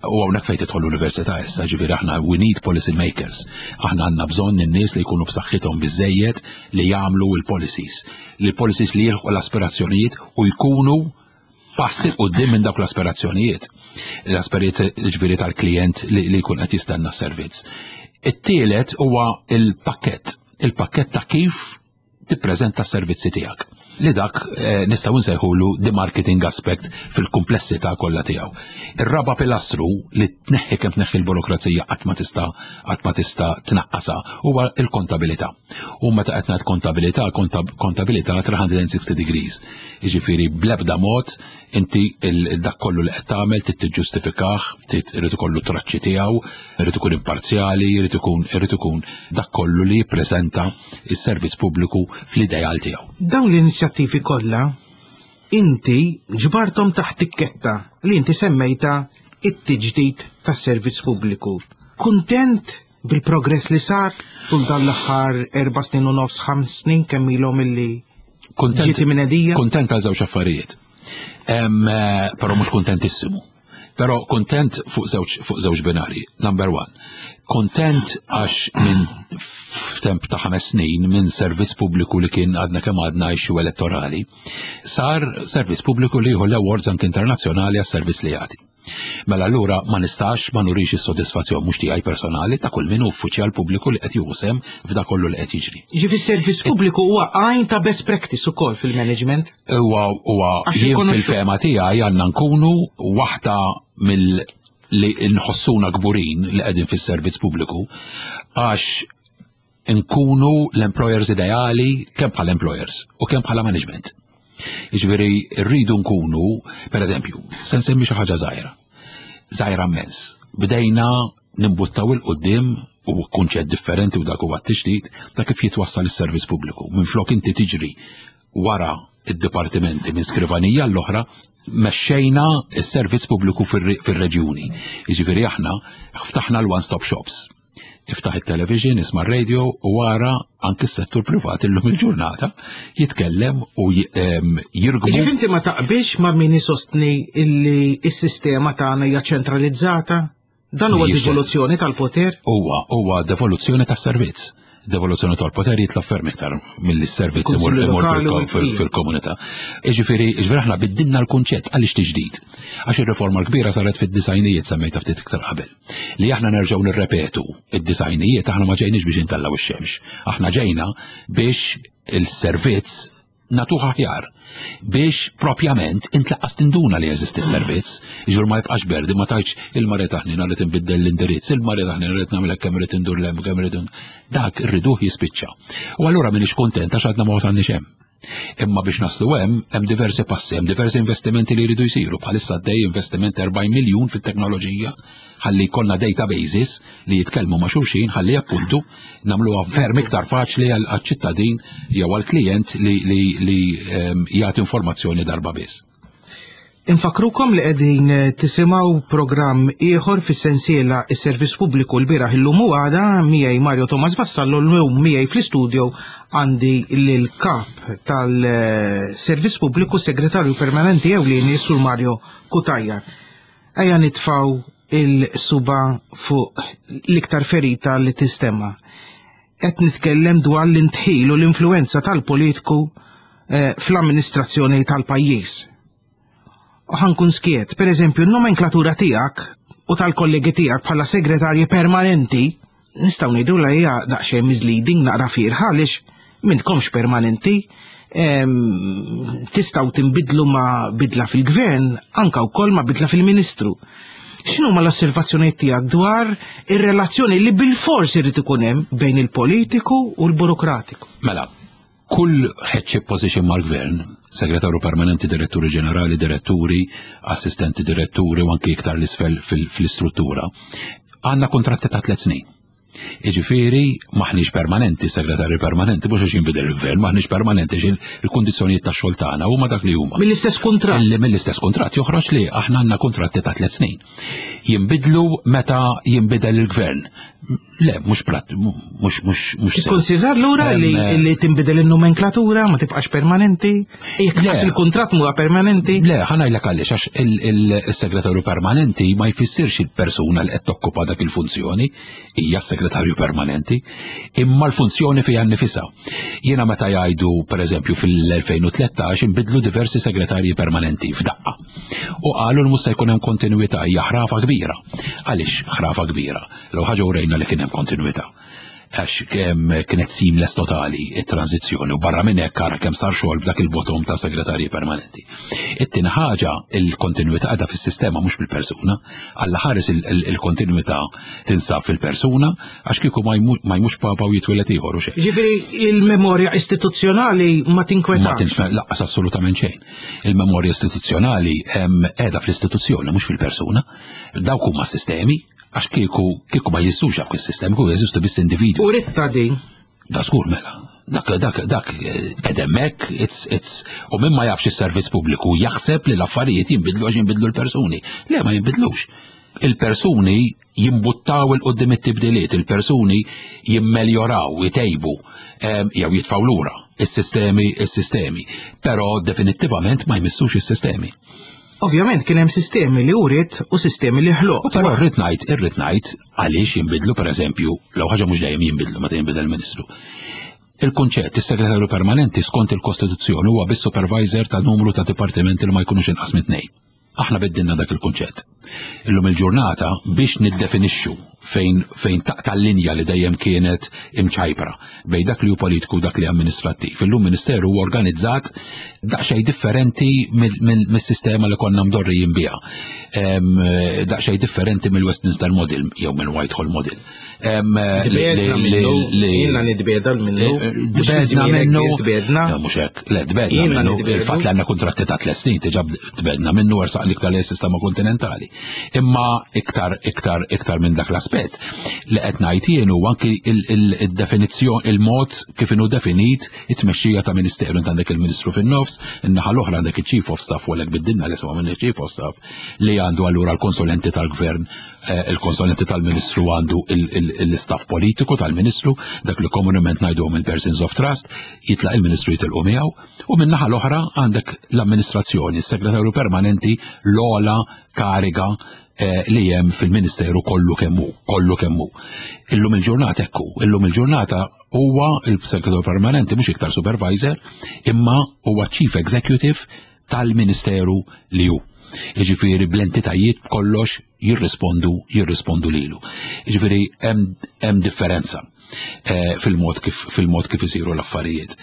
U hawnhekk fejn tidħol l-università issa, ġifieri aħna we need policy makers. Aħna għandna bżonn in-nies li jkunu b'saħħithom biżejjed li jagħmlu l-policies. Li policies li jilħqu l-aspirazzjonijiet u jkunu passi quddiem minn dawk l-aspirazzjonijiet. L-aspirazzjonijiet, ġifieri, tal-klient li, li jkun qed jistenna s-servizz. It-tielet huwa il-pakket, il-pakket ta' kif tippreżenta s-servizzi tiegħek. Li dak eh, nistgħu nsejħulu the marketing aspect fil-komplessità kollha tiegħu. Ir-raba pilastru li tneħħi kemm tneħħi l-burokrazija qatt ma tista' qatt ma tista' tnaqqasha huwa l-kontabilità. U meta qed ngħid kontabilità, kontab- kontabilità three hundred sixty degrees. Jiġifieri bl-ebda mod inti il- dak kollu li qed tagħmel trid tiġġustifikah, trid irid ikollu traċċi tiegħu, irid ikun imparzjali, irid ikun irid ikun dak kollu li jippreżenta is-servizz pubbliku fl-ideal tiegħu. Dawn l-inizjattivi kollha inti ġbartom taħt tikketta li inti semmejta it-tiġdid tas-servizz pubbliku. Kuntent bil-progress li sar tul dan l-aħħar erba' snin u nofs, ħames snin, kemm ilhom illi Kontent, ġieti mnedija? Kontent għal żewġ affarijiet. Em, eh, Però mhux kontentissimu. Però kontent fuq żewġ fuq żewġ binari. Number one. Kontent għax minn f'temp ta' ħames snin minn servizz pubbliku li kien għadna kemm għadna issue elettorali, sar servizz pubbliku li jieħu l-awards anke internazzjonali għas-servizz li jagħti. Mela allura ma nistax ma nurix is-sodisfazzjon mhux tiegħi personali, ta' kull min hu uffiċjal pubbliku li qed jieħu sehem f'dak kollu li qed jiġri. Ġifi servizz pubbliku huwa għajn ta' best practice ukoll fil-management. Huwa huwa Għax jien rikonoxxu- fil-fehma tiegħi għandna nkunu waħda mill li nħossuna kburin li qegħdin fis-servizz pubbliku, għax nkunu l-employers ideali kemm bħala employers u kemm bħala management. Jiġifieri rridu nkunu, per eżempju, se nsemmi xi ħaġa żgħira. Żgħira immens. Bdejna nimbuttaw 'il quddiem u kunċett differenti, u dak huwa t-tiġdid ta' kif jitwassal is-servizz pubbliku. Minflok inti tiġri wara id-dipartimenti minn skrivanija l-oħra, mexxejna s-servizz pubbliku fir-reġjuni. Jiġifieri aħna ftaħna l-one-stop shops. Iftaħ il-television, isma' radio u wara anke s-settur privat illum il-ġurnata jitkellem u jirgbu. Ġifieri inti ma taqbilx ma' min isostni illi s-sistema tagħna hija ċentralizzata? Dan huwa devoluzzjoni tal-poter? Huwa huwa devoluzzjoni tas-servizz. Devoluzzjoni tal-poter jitla ferm iktar mill-servizz imur fil-komunità. Ġifieri, ġifieri aħna biddilna l-kunċett. Għaliex tiġdid? Għax ir-riforma l-kbira saret fid-disgħinijiet, semmejta ftit iktar qabel. Li aħna nerġgħu nirrepetu id-disgħinijiet, aħna ma ġejniex biex intellaw ix-xemx. Aħna ġejna biex il-servizz nagħtuh aħjar, biex propjament inti lanqas tinduna li jeżisti s-servizz, ġur ma jibqax berdi, ma tgħidx il-mare taħni rrid inbiddel l-indirizz, il-mare taħni rrid nagħmel kemm rrid indur lem, kemm rrid, dak irriduh jispiċċa. U allura m'iniex kontent għax għadna ma wasalniex hemm. Imma biex naslu hemm, hemm diversi passi, hemm diversi investimenti li jridu jsiru. Bħalissa għaddej investiment erbgħin miljun fit-teknoloġija ħalli jkollna databases li jitkellmu ma' xulxin, ħalli appuntu nagħmluha ferm iktar faċli għal-ċittadin jew għal-klient li, li, li ehm, jagħti informazzjoni darba biss. Infakrukom li qegħdin tisimgħu programm ieħor fis-sensiela is-Servizz Pubbliku l-bieraħ, illum u għada, miegħi Mario Thomas Vassallo. Llum miegħi fl-istudio għandi l-kap tal-Servizz Pubbliku, Segretarju Permanenti Ewlieni, Sur Mario Cutajar. Ejja nitfaw il-suba fuq l-iktar ferita li tistemma. Qed nitkellem dwar l-indħil u l-influenza tal-politiku eh, fl-amministrazzjoni tal-pajjiż. U ħa nkun skjett, per eżempju, n-nomenklatura tiegħek u tal-kollegi tiegħek bħala segretarji permanenti, nistgħu ngħidu la hija daqsxejn misleading, naqra fiergħa, għaliex m'intkomx permanenti, em, tistgħu tinbidlu ma' bidla fil-gvern, anka wkoll ma' bidla fil-ministru. X'inhu ma l-osservazzjonijiet tiegħek dwar ir-relazzjoni li bil-fors irid ikun hemm bejn il-politiku u l-burokratiku? Mela, kull headship position mal-gvern, segretarju permanenti, diretturi ġenerali, diretturi, assistenti diretturi u anki iktar l-isfel fil-istruttura, għandna kontratti ta' tliet snin. Iġifieri, maħniex permanenti, segretarju permanenti, mhux għax jinbidel il-gvern, maħniex permanenti għax il-kundizzjonijiet ta' xogħol tagħna huma dak li huma. Mill-istess kuntratt. Mill-istess kuntratt joħroġ li aħna għandna kontratti ta' tliet snin. Jinbidlu meta jinbidel il-gvern. Le, mhux prat, mhux mhux mhux. Tikkonsidra allura li, li tinbidel in-nomenklatura, ma tibqax permanenti? Jekk Le. għax il-kuntratt huwa permanenti? Le, ħa ngħidlek għaliex, għax il-segretarju permanenti ma jfissirx il-persuna li qed tokkupa dak il-funzjoni, hija s-segretarju permanenti, imma l-funzjoni fiha nnifisha. Jiena meta jgħidu, pereżempju, fil-elfejn u tlettax inbidlu diversi segretarji permanenti f'daqqa. U qalu li mhux se jkun hemm kontinuità, hija ħrafa kbira. Għaliex ħrafa kbira? L ħaġa urejna li kien hemm kontinuità, għax kemm kienet seamless totali it-tranzizzjoni, u barra minn hekk ara kemm sar xogħol f'dak il-bottom ta' segretarji permanenti. It-tieni ħaġa, il-kontinuità qiegħda fis-sistema, mhux bil-persuna. Alla ħares il-kontinuità tinsab fil-persuna, għax kieku ma jmu- ma jmux papa u jitwieled ieħor u xejn. Ġifieri il-memorja istituzzjonali ma Ma tinkwetax. tinx lanqas, assolutament xejn. Il-memorja istituzzjonali hemm qiegħda fl-istituzzjoni, mhux fil-persuna. Dawk huma sistemi, għax kieku kieku ma jeżistux dawk is-sistemi, kieku jeżistu biss individwi. U ritta din. Da żgur mela. Dak, dak, dak, edemmek, it's, it's, u min ma jafx is-servizz pubbliku jaħseb li l-affarijiet jinbidlu għax jinbidlu l-persuni. Le, ma jinbidlux. Il-persuni jimbuttaw 'il quddiem it-tibdiliet, il-persuni jimmeljoraw, jtejbu, em, jew jitfaw lura is-sistemi, is-sistemi. Però definittivament ma jmissux is-sistemi. Ovvjament kien hemm sistemi li urid u sistemi li ħloq. U però rrid ngħid, irrid ngħid għaliex jinbidlu, pereżempju, l ħaġa mhux dejjem jinbidlu meta jinbidel ministru. Il-kunċett, is-segretarju permanenti skont il-Kostituzzjoni huwa biss supervisor ta' numru ta' dipartimenti li ma jkunux inqas minn tnejn. Aħna biddilna dak il-kunċett. Illum il-ġurnata biex niddefinixxu fejn fejn taqta' l-linja li dejjem kienet imċajpra bejn dak li hu politiku u dak li amministrattiv. Illum ministeru huwa organizzat daqsxejn differenti mill- mill- mis-sistema li konna mdorrijin biha. Em, Daqsxejn differenti mill-Westminster Model jew mill Whitehall Model. Em, li- Tbiegħedna li- minnu, li- jiena nitbiegħda minnu. Mhux fi Tbiegħedna żmienek minnu. biss tbiegħedna. Le, mhux hekk. Le, tbiegħedna Jiena minnu. nitbiegħdu. Il-fatt li għandna kontratti ta' tliet snin diġà tbiegħedna minnu, ersaq iktar li sistema kontinentali. Imma iktar, iktar, iktar minn dak l-aspett li qed ngħid jien huwa anki il-definizzjoni, il-mod kif inhu definit it-tmexxija ta' ministeru. Int għandek il-Ministru fin-nofs, in-naħa l-oħra għandek il-Chief of Staff, u għalhekk biddilna li isma' minn Chief of Staff, li għandu allura l-konsulenti tal-gvern, eh, il-konsulenti tal-Ministru, għandu l-istaff politiku tal-Ministru, dak li komunement ngħiduhom il-persons of trust, jitlaq il-Ministru jitilqu miegħu, u min-naħa l-oħra għandek l-amministrazzjoni, il-segretarju permanenti, l-ogħla kariga eh, li hemm fil-Ministeru kollu kemm hu, kollu kemm hu. Illum il-ġurnata ekku, illum il-ġurnata huwa il-segretarju permanenti mhux iktar supervisor, imma huwa Chief Executive tal-Ministeru li hu. Jiġifieri bl-entitajiet kollox jirrispondu jirrispondu lilu. Jiġifieri hemm hemm differenza eh, fil-mod kif fil-mod kif isiru l-affarijiet.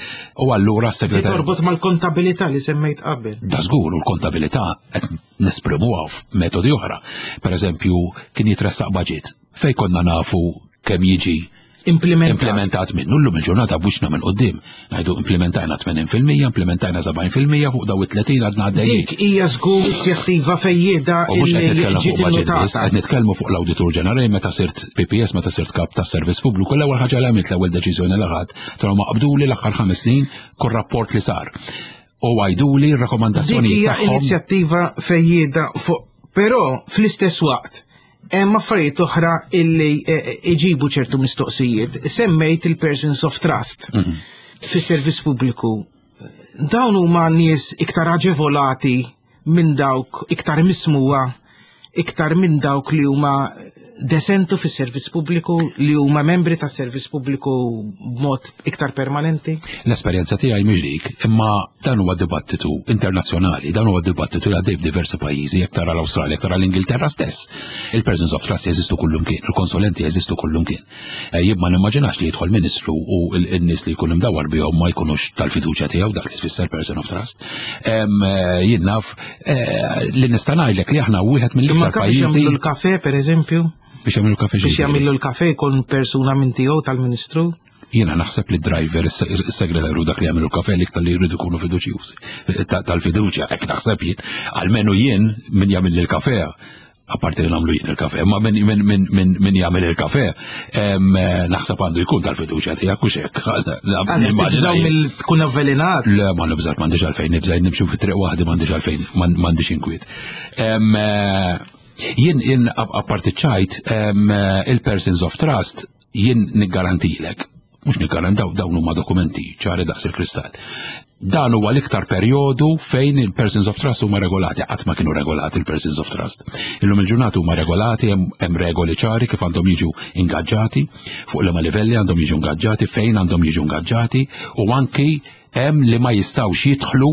U allura Li s-segretarju torbot mal-kontabilità li semmejt qabel. Da żgur, u l-kontabilità qed nesprimuha f'metodi oħra. Per eżempju, kien jitressaq budget fej konna nafu kemm jiġi Implementat. implementat minnu. Llum il-ġurnata b'wiċċna minn quddiem. Ngħidu implementajna tmenin fil-mija, implementajna sebgħin fil-mija, fuq daw it-tletin għadna għaddejjin. Dik hija żgur inizjattiva fejjieda U mhux qed illi nitkellmu ġiet fuq budget biss, innotata. qed nitkellmu fuq l-Awditur Ġenerali. Meta sirt P P S, meta sirt kap tas servizz pubbliku, l-ewwel ħaġa li għamilt, l-ewwel deċiżjoni li ħadt, tra ma qabduli l-aħħar ħames snin kull rapport li sar. U għajduli Dik r-rakkomandazzjonijiet hija tagħhom. inizjattiva fejjieda fuq, però fl-istess waqt hemm affarijiet oħra illi eh, iġibu ċertu mistoqsijiet. Semmejt il-persons of trust Mhm. fis-servizz pubbliku. Dawn huma nies iktar aġevolati minn dawk iktar mismuwa, iktar minn dawk li huma desentu fis-servizz pubbliku, li huma membri tas-servizz pubbliku b'mod iktar permanenti. L-esperjenza tiegħi mhix dik, imma dan huwa dibattitu internazzjonali, dan huwa dibattitu li għaddej f'diversi pajjiżi, jekk tara l-Awstralja, jekk tara l-Ingilterra stess. Il-persons of trust jeżistu kullumkien, il-konsulenti jeżistu kullumkien. Eh, Jien ma nimmaġinax li jidħol ministru u n-nies li jkun imdawar bihom ma jkunux tal-fiduċja tiegħu, dak li tfisser person of trust. Em, eh, Jien naf eh, li nista' ngħidlek li aħna wieħed Imma mill-iktar anke biex pajjiżi jagħmlu l-kafe, per eżempju, biex jagħmlu kafe biex ġifieri. jagħmlu l-kafe jkun persuna minn tiegħu tal-Ministru. Jiena naħseb li driver, is-segretarju, dak li jagħmlu kafe l-iktar li jridu jkunu fiduċjużi. Ta- Tal-fiduċja, hekk naħseb jien. Almenu jien min jagħmel il-kafe, apparti li nagħmlu jien il-kafe, ma min, min, min, min, min jagħmel il-kafe, em, eh, naħseb għandu jkun tal-fiduċja tiegħek u xek. Għaliex tibżaw mill tkun avvelenat. Le, ma nibżax, m'għandix għalfejn nibżaj, nimxu fi triq waħdi, m'għandix għalfejn, m'għandix inkwiet. Em, eh, Jien jien apparti ċajt il-persons of trust jien niggarantilek, mhux niggarantaw, dawn huma dokumenti ċari daqs il-kristall. Dan huwa l-iktar perjodu fejn il-persons of trust huma regolati, qatt ma kienu regolati il-persons of trust. Illum il-ġurnata huma regolati, hemm regoli ċari kif għandhom jiġu ingaġġati, fuq liema livelli għandhom jiġu ingaġġati, fejn għandhom jiġu ingaġġati, u anki hemm li ma jistgħux jidħlu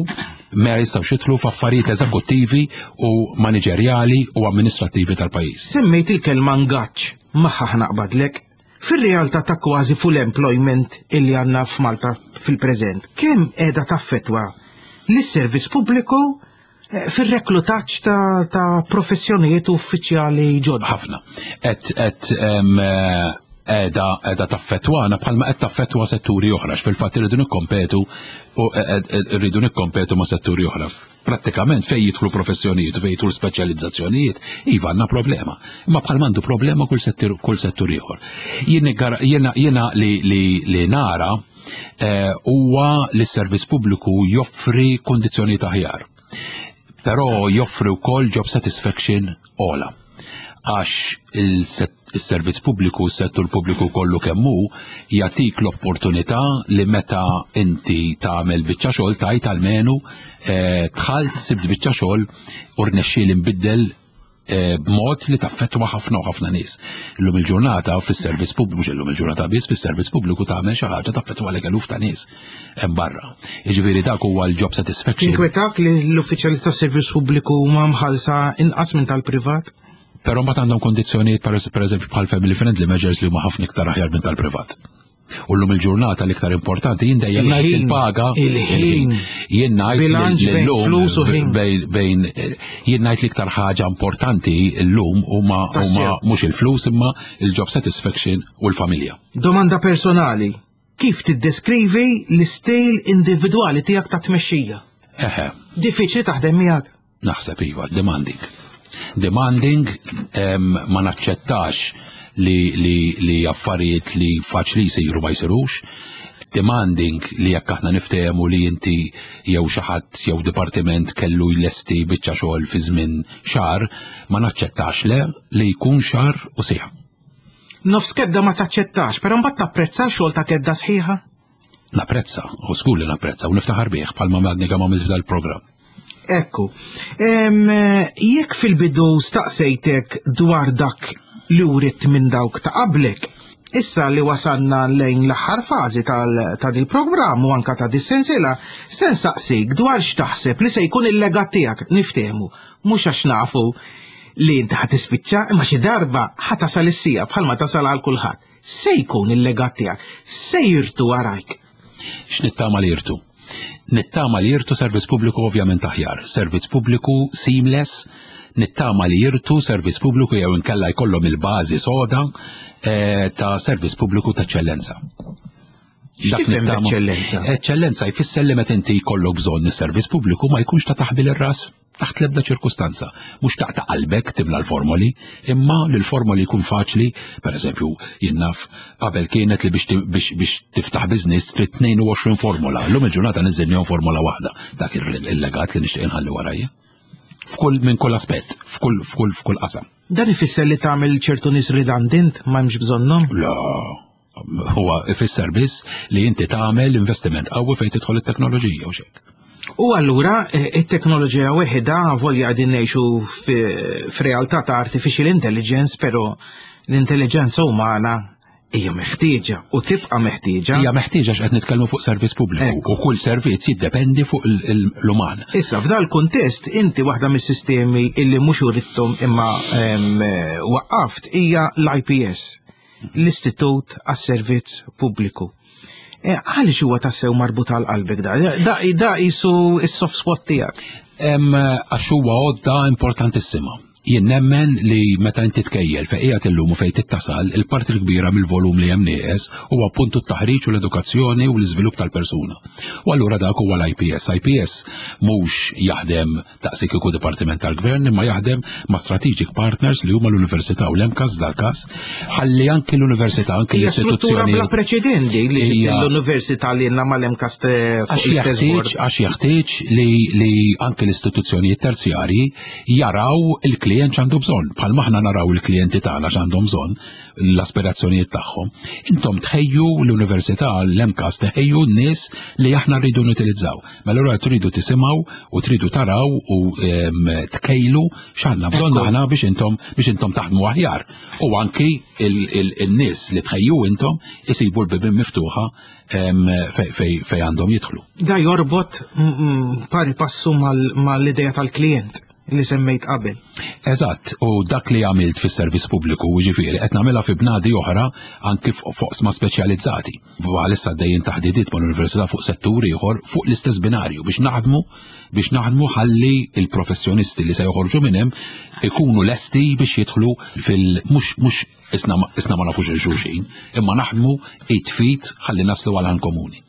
ma jistgħux jidħlu f'affarijiet eżekuttivi u maniġerjali u amministrattivi tal-pajjiż. Semmejt il-kelma ngaġġ, magħha naqbadlek. Fil-realtà ta' kważi full employment illi għandna f'Malta fil-preżent, kemm qiegħda taffettwa lis-servizz pubbliku eh, fil-reklutaġġ ta', ta professjonijiet uffiċjali ġodda? Ħafna. Et, et, qiegħda qiegħda taffettwana bħalma qed taffettwa setturi oħra, fil-fatt irridu nikkompetu u rridu nikkompetu ma' setturi oħra. Prattikament fejn jidħlu professjonijiet u fejn jidħlu speċjalizzazzjonijiet, iva għandna problema. Imma bħal m'għandu problema kull settur kull settur ieħor. Jiena jiena li li li nara eh, huwa li s-servizz pubbliku joffri kondizzjonijiet aħjar. Però joffri wkoll job satisfaction ogħla, għax il-servizz pubbliku, s-settur pubbliku kollu kemm hu, jagħtik l-opportunità li meta inti tagħmel biċċa xogħol tajt almenu eh, dħalt, sibt biċċa xogħol u rnexxieli nbiddel eh, b'mod li taffettwa ħafna u ħafna nies. Illum il-ġurnata fis-servizz pubbliku, mhux illum il-ġurnata biss, fis-servizz pubbliku tagħmel xi ħaġa taffettwa lek eluf ta' nies hemm barra. Jiġifieri dak huwa l-job satisfaction. Tinkwetak li l-uffiċjali tas-servizz pubbliku huma mħallsa inqas minn tal-privat? Però mbagħad għandhom kondizzjonijiet, per eżempju bħal family friendly measures, li huma ħafna iktar aħjar minn tal-privat. U llum il-ġurnata l-iktar importanti, jien dejjem ngħid il-paga. Il-ħin. Jien ngħid Bilanċ bejn flus u ħin. Bejn jien ngħid l-iktar ħaġa importanti llum huma huma mhux il-flus imma il-job satisfaction u l-familja. Domanda personali. Kif tiddeskrivi l-istil individwali tiegħek ta' tmexxija? Eħe. Diffiċli taħdem miegħek? Naħseb iva, demanding. Demanding, ma naċċettax li, li, li affarijiet li faċli jsiru ma jsirux. Demanding li jekk aħna niftehmu li inti jew xi ħadd jew dipartiment kellu jlesti biċċa xogħol fi żmien xahar, ma naċċettax le li jkun xahar u siegħa. Nofs kedda ma taċċettax, però mbagħad tapprezza xogħol ta' kedda sħiħa? Napprezza, u żgur li napprezza, u niftaħar bih bħalma għadni kemm għamilt dal-programm. Ekku, jekk fil-bidu staqsejtek dwar dak li writt minn dawk ta' qablek, issa li wasalna lejn l-aħħar fażi ta' dil-programm u anka ta' dis-sensiela, se nsaqsik dwar x'taħseb li se jkun il-legat tiegħek. Niftehmu, mhux għax nafu li inti ħa tispiċċa, imma xi darba ħa tasal is-siegħa bħalma tasal għal kulħadd. Se jkun il-legat tiegħek, se jirtu warajk? X'nittama li jirtu? Nittama li jirtu servizz pubbliku ovvjament aħjar, servizz pubbliku seamless, nittama li jirtu servizz pubbliku jew inkella jkollhom il-bażi soda eh, ta' servizz pubbliku ta' eċċellenza. Dak eċċellenza? Eċċellenza jfisser li meta inti jkollok bżonn is-servizz pubbliku ma jkunx ta' taħbil ir-ras taħt l-ebda ċirkustanza. Mhux taqta' qalbek timla l-formoli, imma li l-formoli jkun faċli, per eżempju, jien naf qabel kienet li biex biex tiftaħ business trid tnejn u għoxrin formola. Llum il-ġurnata niżilnihom formola waħda. Dak il-legat li nixtieq inħalli warajja. F'kull minn kull aspett, f'kull f'kull f'kull qasam. Dan ifisser li tagħmel ċertu nies redundant, ma hemmx bżonnhom? La, huwa ifisser biss li inti tagħmel investiment qawwi fejn tidħol it-teknoloġija u xek. U allura eh, it-teknoloġija weħida, volja qegħdin ngħixu f'realtà ta' artificial intelligence, però l-intelligenza umana hija meħtieġa u tibqa' meħtieġa. Hija meħtieġa x'qed nitkellmu fuq servizz pubbliku u kull servizz jiddependi fuq l-uman. Issa f'dal kuntest inti waħda mis-sistemi illi mhux urittom imma waqqaft hija l-I P S, l-Istitut għas-Servizz Pubbliku. E, għaliex huwa tassew marbut għal qalbek da? Da, da jisu is-soft spot tiegħek. Għax huwa għodda importantissima. Jien nemmen li meta inti tkejjel fejn qiegħed illum u fejn tittasal, il-parti l-kbira mill-volum li hemm nieqes huwa appuntu t-taħriġ u l-edukazzjoni u l-iżvilupp tal-persuna. U allura dak huwa l-I P S. I P S mhux jaħdem daqsik kieku dipartiment tal-gvern, imma jaħdem ma' strategic partners li huma l-Università u l-MCAST dal-każ, ħalli anki l-Università, anki Hija struttura bla l-istituzzjonijiet. preċedenti li ġiet Hija- l-Università li jenna mal-MCAST fuq Għax l-istess jeħtieġ board. Għax jeħtieġ li, li anke l-istituzzjonijiet terzjarji jaraw il-kliem il-klient x'għandu bżonn, bħalma aħna naraw il-klijenti tagħna x'għandhom bżonn, l-aspirazzjonijiet tagħhom. Intom tħejju l-università, l-M CAST tħejju n-nies li aħna rridu nutilizzaw. Mela allura tridu tisimgħu u tridu taraw u em, tkejlu x'għandna bżonn aħna biex intom biex intom taħdmu aħjar. U anki il-nies li tħejju intom isibu l-bibien miftuħa em, fej fej fej għandhom jidħlu. Da jorbot mm, mm, pari passu mal- mal-idea tal-klient li semmejt qabel. Eżatt, u dak li għamilt fis-servizz pubbliku, ġifieri, qed nagħmilha fi bnadi oħra anki fuq speċjalizzati. Bħalissa għaddejjin taħdidiet mal-università fuq setturi ieħor fuq l-istess binarju biex naħdmu biex naħdmu ħalli il-professjonisti li se joħorġu minn hemm ikunu lesti biex jidħlu fil mhux mhux isna isna ma nafux il-xulxin, imma naħdmu id f'id ħalli naslu għal komuni.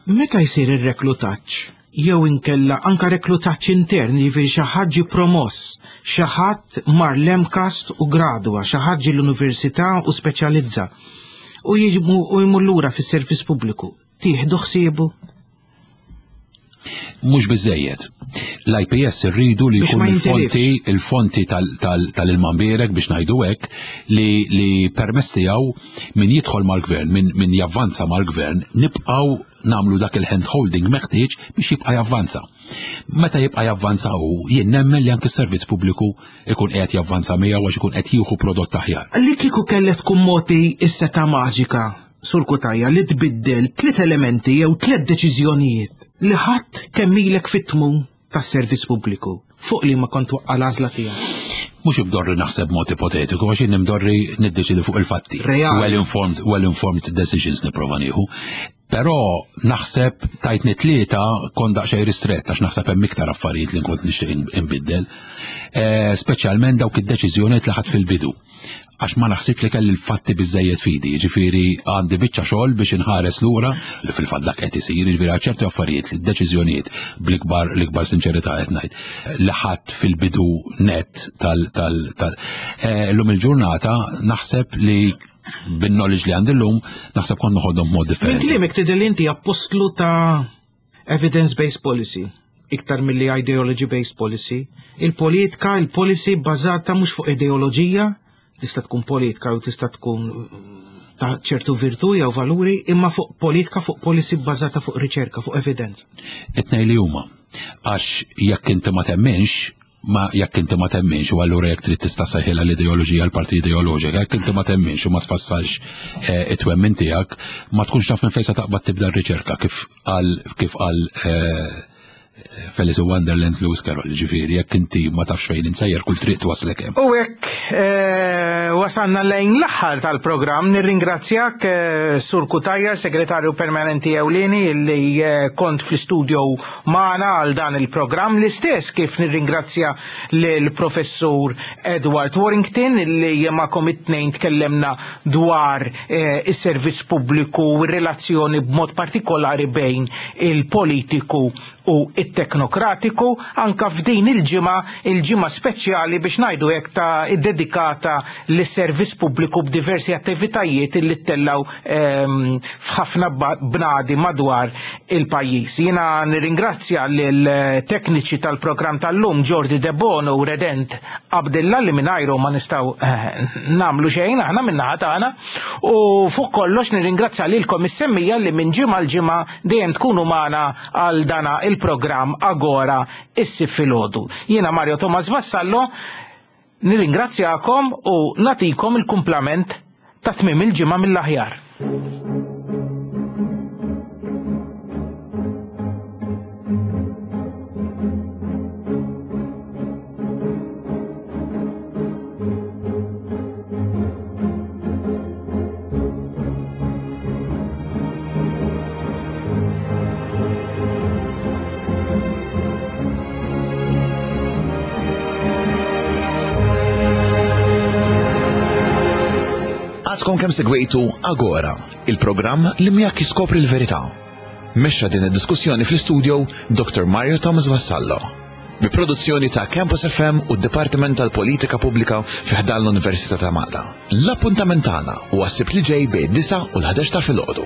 Meta jsir ir-reklutaġġ, jew inkella anka reklutaġġ intern, jiġifieri xi ħadd ġie promoss, xi ħadd mar l-M CAST u gradwa, xi ħadd ġie l-università u speċjalizza u jiġmu u jmur lura fis-servizz pubbliku. Tieħdu ħsiebu? Mhux biżejjed. L-I P S irridu li Biex jkun ma il-fonti il-fonti tal-ilma mbierek biex ngħidu hekk li, li permess tiegħu min jidħol mal-gvern, min, min javvanza mal-gvern, nibqgħu nagħmlu dak il-hand holding meħtieġ biex jibqa' javvanza. Meta jibqa' javvanza hu, jien nemmen li anke s-servizz pubbliku ikun qiegħed javvanza miegħu għax ikun qed jieħu prodott aħjar. Li kieku kellet tkun mogħti is-setgħa maġika, Sur Cutajar, li tbiddel tliet elementi jew tliet deċiżjonijiet li ħadd kemm ilek fit-tmun tas-servizz pubbliku, fuq li ma kont waqqa l-għażla tiegħek. Mhux imdorri naħseb mod ipotetiku, għax jien imdorri niddeċidi fuq il-fatti. Reali. Well-informed, well-informed decisions nipprova nieħu. Però naħseb tajtni tlieta kont daqsxejn ristrett għax naħseb hemm iktar affarijiet li nkont nixtieq inbiddel. Eh, Speċjalment dawk id-deċiżjonijiet li ħadt fil-bidu. Għax ma naħsibx li kelli l-fatti biżejjed f'idi, ġifieri għandi biċċa xogħol biex inħares lura li fil-fatt dak qed isir, ġifieri għal ċerti affarijiet li d-deċiżjonijiet bl-ikbar l-ikbar sinċerità qed ngħid li ħadd fil-bidu net tal tal tal eh, llum il-ġurnata naħseb li bin-knowledge li għandi llum naħseb kont noħodhom b'mod Minn differenti. kliemek tidher li inti appostlu ta' evidence-based policy, iktar milli ideology-based policy. Il-politika, il-policy bbażata mhux fuq ideoloġija, tista' tkun politika u tista' tkun mm, ta' ċertu virtu jew valuri, imma fuq politika, fuq policy bbażata fuq riċerka, fuq evidenza. It-tnejn li huma. Għax jekk inti ma temminx, ma jekk inti ma temminx u allura jekk trid tista' sejħilha l-ideoloġija l-parti ideoloġika, jekk inti ma temminx u ma tfassalx eh, it-twemmin tiegħek, ma tkunx taf minn fejn se taqbad tibda r-riċerka kif qal kif qal eh, Felice Wonderland Lewis Carroll, ġifieri, jekk inti ma tafx fejn insejjer kull triq twaslek hemm. U hekk eh, wasanna lejn l-aħħar tal-programm. Nirringrazzjak eh, Sur Cutajar, Segretarju Permanenti Ewlieni li eh, kont fl-studio magħna għal dan il-programm. L-istess kif nirringrazzja lill-Professur Edward Warrington li magħkom it-tnejn tkellemna dwar eh, is-servizz pubbliku u r-relazzjoni b'mod partikolari bejn il-politiku u it-teknokratiku anka f'din il-ġimgħa, il-ġimgħa speċjali biex ngħidu hekk ta' dedikata lis-servizz pubbliku b'diversi attivitajiet li ttellaw ehm, f'ħafna ba- bnadi madwar il-pajjiż. Jiena nirringrazzja lil tekniċi tal-programm tal-lum Jordi De Bono u Redent Abdilla li mingħajru ma nistgħu eh, nagħmlu xejn aħna min-naħa tagħna u fuq kollox nirringrazzja lilkom is-semmiegħa li minn ġimgħa l-ġimgħa dejjem tkunu magħna għal dana il-programm Agora is-Sibt filgħodu. Jiena Mario Thomas Vassallo nirringrazzjakom u nagħtikom il-kumplament ta' tmiem il-ġimgħa mill-aħjar. Għadkom kemm segwejtu Agora, il-programm li miegħek jiskopri l-verità. Mexxa din id-diskussjoni fl-istudio Doctor Mario Thomas Vassallo. Bi produzzjoni ta' Campus F M u d-Dipartiment tal-Politika Pubblika fi ħdan l-Università ta' Malta. L-appuntament tagħna huwa s-Sibt li ġej bejn disgħa u l-ħdax ta' filgħodu.